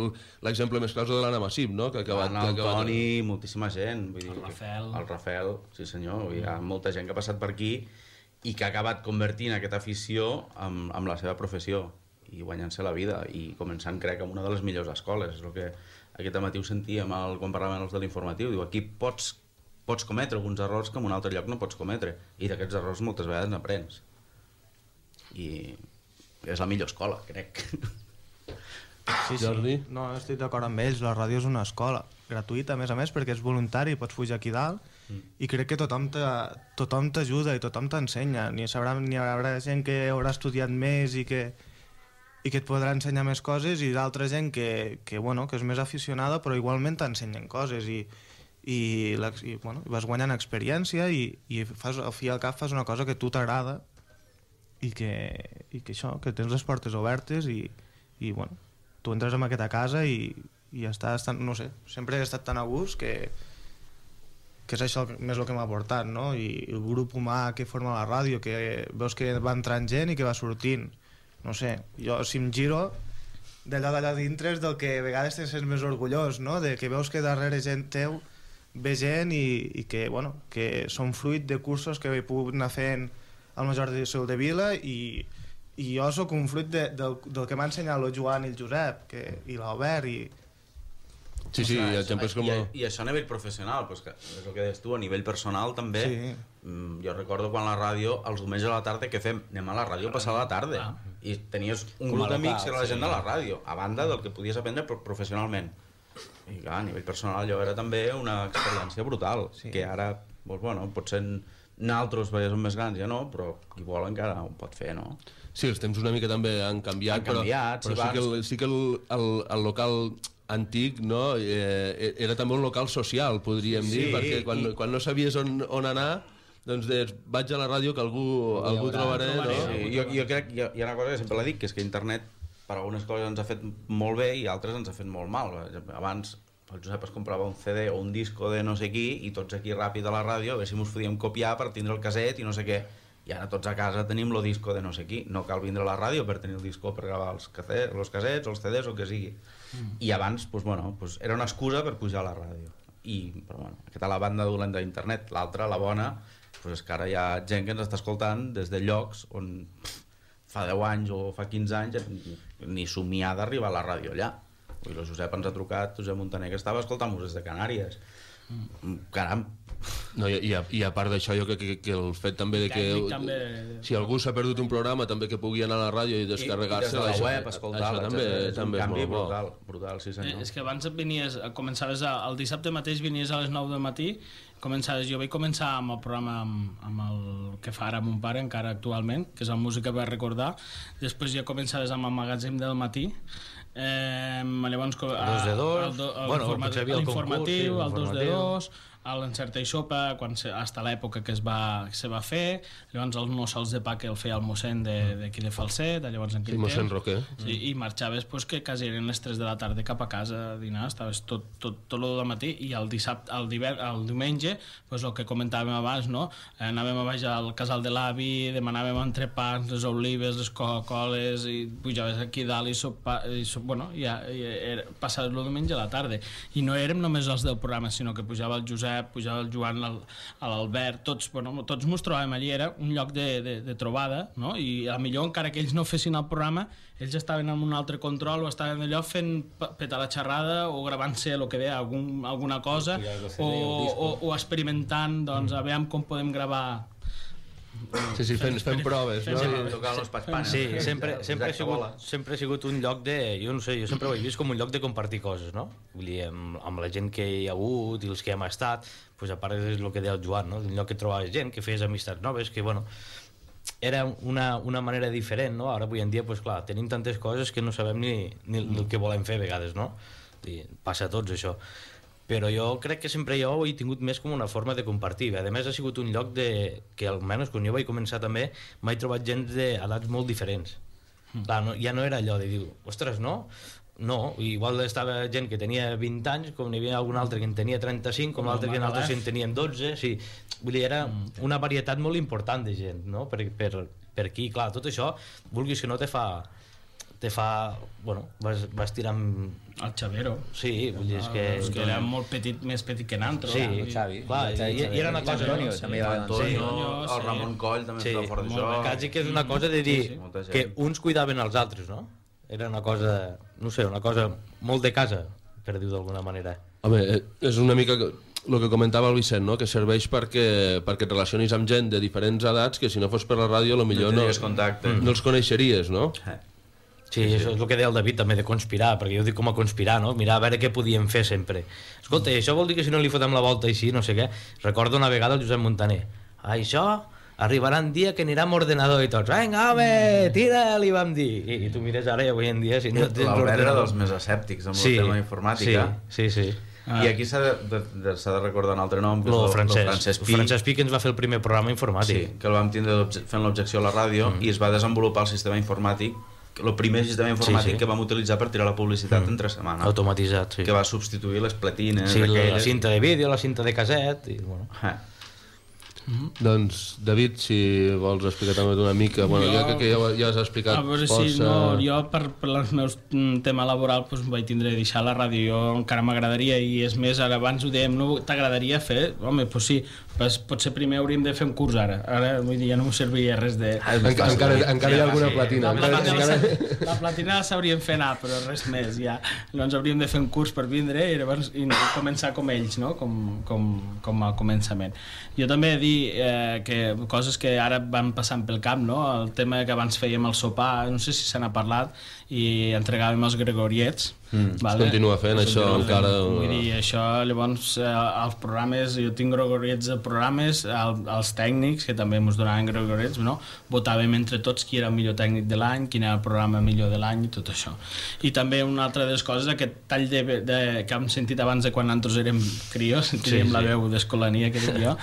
l'exemple més clar de l'Anna Massip, no? Que ha acabat, el que acabat... Toni, moltíssima gent, vull dir, el Rafael, el Rafael, sí senyor, hi ha molta gent que ha passat per aquí i que ha acabat convertint aquesta afició amb, amb la seva professió i guanyant-se la vida i començant, crec, amb una de les millors escoles. És el que aquest matí ho sentíem el, quan parlàvem els de l'informatiu. Diu, aquí pots, pots cometre alguns errors que en un altre lloc no pots cometre. I d'aquests errors moltes vegades n'aprens. I és la millor escola, crec. Sí, sí. No, estic d'acord amb ells. La ràdio és una escola gratuïta, a més a més, perquè és voluntari, pots pujar aquí dalt mm. i crec que tothom t'ajuda i tothom t'ensenya. Ni, sabrà, ni hi haurà gent que haurà estudiat més i que i que et podrà ensenyar més coses i d'altra gent que, que, bueno, que és més aficionada però igualment t'ensenyen coses i, i, i, bueno, vas guanyant experiència i, i fas, al fi i al cap fas una cosa que a tu t'agrada i que, i que això, que tens les portes obertes i, i bueno, tu entres en aquesta casa i, i estàs tan, no sé, sempre he estat tan a gust que que és això més el que m'ha portat, no? I el grup humà que forma la ràdio, que veus que va entrant gent i que va sortint. No sé, jo si em giro d'allò d'allà dintre és del que a vegades te sents més orgullós, no? De que veus que darrere gent teu ve gent i, i que, bueno, que són fruit de cursos que he pogut anar fent al Major de Sol de Vila i, i jo sóc un fruit de, del, del que m'ha ensenyat el Joan i el Josep que, i l'Albert i... Sí, sí, o sigui, exemples com... I, i això a nivell professional, pues que és el que deies tu, a nivell personal també. Sí. Mm, jo recordo quan la ràdio, els diumenges a la tarda, què fem? Anem a la ràdio a passar la tarda. Ah. I tenies un com grup d'amics que era la gent sí. de la ràdio, a banda del que podies aprendre professionalment. I clar, a nivell personal allò era també una experiència brutal, sí. que ara, doncs, bueno, potser nosaltres perquè som més grans ja no, però qui vol encara ho pot fer, no? Sí, els temps una mica també han canviat, han canviat però, però sí, que el, sí que el, el, el local antic, no? Eh, era també un local social, podríem sí, dir, perquè quan, i... quan no sabies on, on anar, doncs des, vaig a la ràdio que algú, algú trobaré, no? Sí, jo, jo crec, hi ha, hi ha una cosa que sempre la dic, que és que internet per algunes coses ens ha fet molt bé i altres ens ha fet molt mal. Abans el Josep es comprava un C D o un disco de no sé qui i tots aquí ràpid a la ràdio a veure si mos podíem copiar per tindre el caset i no sé què. I ara tots a casa tenim el disco de no sé qui. No cal vindre a la ràdio per tenir el disco per gravar els casets, els casets, els C Ds o el que sigui. Mm. I abans, pues, bueno, pues, era una excusa per pujar a la ràdio. I, però, bueno, aquesta la banda dolenta d'internet. L'altra, la bona, pues, és que ara hi ha gent que ens està escoltant des de llocs on pff, fa deu anys o fa quinze anys ni somiar d'arribar a la ràdio allà. I el Josep ens ha trucat, Josep Montaner, que estava escoltant-nos des de Canàries. Mm. Caram, No, i, i, a, I a part d'això, jo crec que, que el fet també de que Tècnic, també... si algú s'ha perdut un programa, també que pugui anar a la ràdio i descarregar-se. I, i des de la web, escoltar-la, també, és, és també un és canvi molt bo. brutal, brutal, sí senyor. Eh, és que abans et venies, començaves a, el dissabte mateix venies a les nou del matí, començaves, jo vaig començar amb el programa amb, amb el que fa ara mon pare encara actualment, que és la música per recordar, després ja començaves amb el magatzem del matí, eh, llavors el dos de dos, el, do, el, bueno, informa, el l'informatiu, concurs, sí, el dos de dos, l'encerta i sopa, quan se, hasta l'època que es va, que se va fer, llavors els no sols de pa que el feia el mossèn d'aquí de, de Falset, llavors en aquell sí, mossèn temps, Roquer. sí, i marxaves pues, que quasi eren les tres de la tarda cap a casa a dinar, estaves tot, tot, tot el matí, i el dissabte, el, diver, el diumenge, pues, el que comentàvem abans, no? Eh, anàvem a baix al casal de l'avi, demanàvem entrepans, les olives, les Coca-Coles, i pujaves aquí dalt i, sopa, i so, bueno, ja, ja era, passaves el diumenge a la tarda, i no érem només els del programa, sinó que pujava el Josep, pujava el Joan, l'Albert, tots, bueno, tots mos trobàvem allí, era un lloc de, de, de trobada, no? I a millor encara que ells no fessin el programa, ells estaven en un altre control o estaven allò fent petar la xerrada o gravant-se el que deia, algun, alguna cosa o, o, o experimentant, doncs, a veure com podem gravar. Sí, sí, fent, fent proves, no? Sí, tocant els patxpanes. Sí, sempre, sempre, ha sigut, sempre ha sigut un lloc de... Jo no sé, jo sempre ho he vist com un lloc de compartir coses, no? Vull dir, amb, amb la gent que hi ha hagut i els que hem estat, pues a part és el que deia el Joan, no? Un lloc que trobaves gent, que feies amistats noves, que, bueno, era una, una manera diferent, no? Ara, avui en dia, pues clar, tenim tantes coses que no sabem ni, ni, ni el que volem fer a vegades, no? I passa a tots, això. Però jo crec que sempre jo ho he tingut més com una forma de compartir. A més, ha sigut un lloc de, que almenys quan jo vaig començar també m'he trobat gent d'edats molt diferents. Mm. Clar, no, ja no era allò de dir, ostres, no? No, igual estava gent que tenia vint anys, com n'hi havia algun altre que en tenia trenta-cinc, com l'altre que en altres en tenien dotze, sí. Vull dir, era una varietat molt important de gent, no? Per, per, per aquí, clar, tot això, vulguis que no te fa... te fa, bueno, vas, vas tirant... El Xavero. Sí, vull dir, és que... És que era molt petit, més petit que nantro. Sí, el Xavi. Clar, i, i era una cosa... L'Antonio, també va Antonio, el Ramon Coll també estava fort d'això. Quasi que és una cosa de dir que uns cuidaven els altres, no? Era una cosa, no sé, una cosa molt de casa, per dir-ho d'alguna manera. Home, és una mica el que comentava el Vicent, no? Que serveix perquè, perquè et relacionis amb gent de diferents edats que si no fos per la ràdio potser no, no, no els coneixeries, no? Sí, això és el que deia el David també de conspirar, perquè jo dic com a conspirar, no? Mirar a veure què podíem fer sempre. Escolta, això vol dir que si no li fotem la volta així, no sé què. Recordo una vegada el Josep Montaner. Això arribarà un dia que anirà amb ordenador i tots, vinga, home, tira, li vam dir. I, i tu mires ara i avui en dia... Si no L'Albert era dels més escèptics amb sí, el tema informàtica. Sí, sí, sí. Ah. I aquí s'ha de, de, de, de recordar un altre nom, que no, és el Francesc, Francesc Pi. Francesc Pi, que ens va fer el primer programa informàtic. Sí, que el vam tindre fent l'objecció a la ràdio mm. i es va desenvolupar el sistema informàtic, el primer sistema informàtic sí, sí. que vam utilitzar per tirar la publicitat mm. entre setmana. Automatitzat, sí. Que va substituir les platines. Sí, aquelles... la cinta de vídeo, la cinta de caset... I, bueno. Eh. Mm-hmm. Doncs, David, si vols explicar també una mica, bueno, jo, ja que ja, ja has explicat a veure, força... Sí, no, jo per, per el meu tema laboral pues, vaig tindre de deixar la ràdio, jo encara m'agradaria, i és més, ara abans ho dèiem, no t'agradaria fer? Home, doncs sí, pues, potser primer hauríem de fer un curs ara, ara vull dir, ja no m'ho serviria res de... Ah, encara, encara, encara hi ha alguna platina. La platina, encara... la platina la sabríem fer anar, però res més, ja. Llavors hauríem de fer un curs per vindre i llavors i començar com ells, no? Com, com, com al començament. Jo també he dit Eh, que coses que ara van passant pel cap, no? El tema que abans fèiem el sopar, no sé si se n'ha parlat, i entregàvem els gregoriets. Mm, vale? Es continua fent es això continua encara fent. Vull dir, això llavors eh, els programes, jo tinc gregoriets de programes, el, els tècnics que també ens donaven gregoriets, no? Votàvem entre tots qui era el millor tècnic de l'any, quin era el programa millor de l'any i tot això. I també una altra de les coses, aquest tall de, de, que hem sentit abans de quan nosaltres érem crios, teníem sí, la veu d'escolania que dic jo,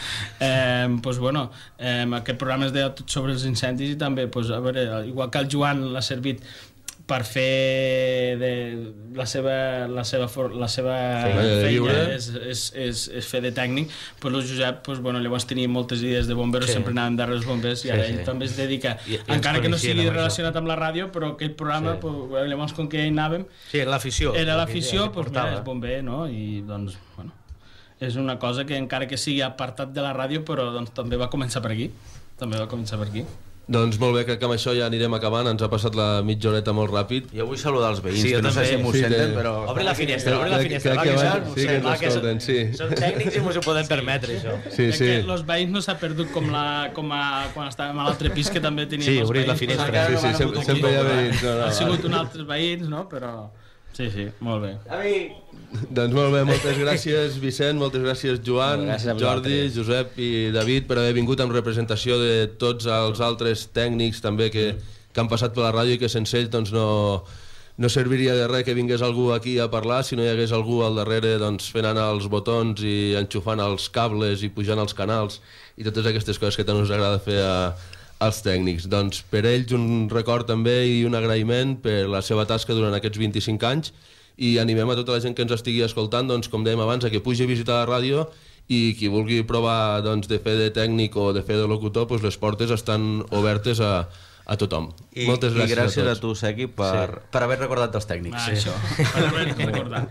eh, pues, bueno, eh, aquest programa es deia tot sobre els incendis i també, pues, a veure, igual que el Joan l'ha servit per fer de la seva, la seva, la seva sí, feina és, és, és, és fer de tècnic, pues el Josep pues, bueno, llavors tenia moltes idees de bomberos, sí. sempre anàvem darrere els bombers i ara sí, ell sí. també es dedica, I, encara que no sigui relacionat amb la ràdio, però aquell programa sí. pues, llavors com que hi anàvem sí, l'afició era l'afició, pues, mira, és bomber, no? I doncs, bueno, és una cosa que encara que sigui apartat de la ràdio, però doncs, també va començar per aquí també va començar per aquí. Doncs molt bé, crec que amb això ja anirem acabant, ens ha passat la mitja horeta molt ràpid. Jo vull saludar els veïns, Sí, jo que no sé també. si m'ho Sí, senten, que- però... Obri la finestra, obri la Crec- finestra. crec va, que que va- això, sí que ens va, que escolten, són- sí. Són tècnics i mos ho podem permetre, això. Sí, Crec sí. que los veïns no s'ha perdut com, la, com a, quan estàvem a l'altre pis, que també teníem Sí, els obrir la veïns. finestra. Sí, sí, sempre, sempre hi ha veïns. No, no, Ha sigut vale. un altres veïns, no? Però... Sí, sí, molt bé. Doncs molt bé, moltes gràcies Vicent, moltes gràcies Joan, Gràcies a Jordi, vosaltres. Josep i David per haver vingut en representació de tots els altres tècnics també que, que han passat per la ràdio i que sense ells doncs, no, no serviria de res que vingués algú aquí a parlar si no hi hagués algú al darrere doncs, fent anar els botons i enxufant els cables i pujant els canals i totes aquestes coses que tant us agrada fer a, als tècnics. Doncs per ells un record també i un agraïment per la seva tasca durant aquests vint-i-cinc anys i animem a tota la gent que ens estigui escoltant, doncs, com dèiem abans, a que pugi a visitar la ràdio i qui vulgui provar doncs, de fer de tècnic o de fer de locutor, doncs les portes estan obertes a, a tothom. I, Moltes gràcies, i gràcies a a, tots. tu, Sequi, per, Sí. per haver recordat els tècnics. Ah, això, per haver recordat.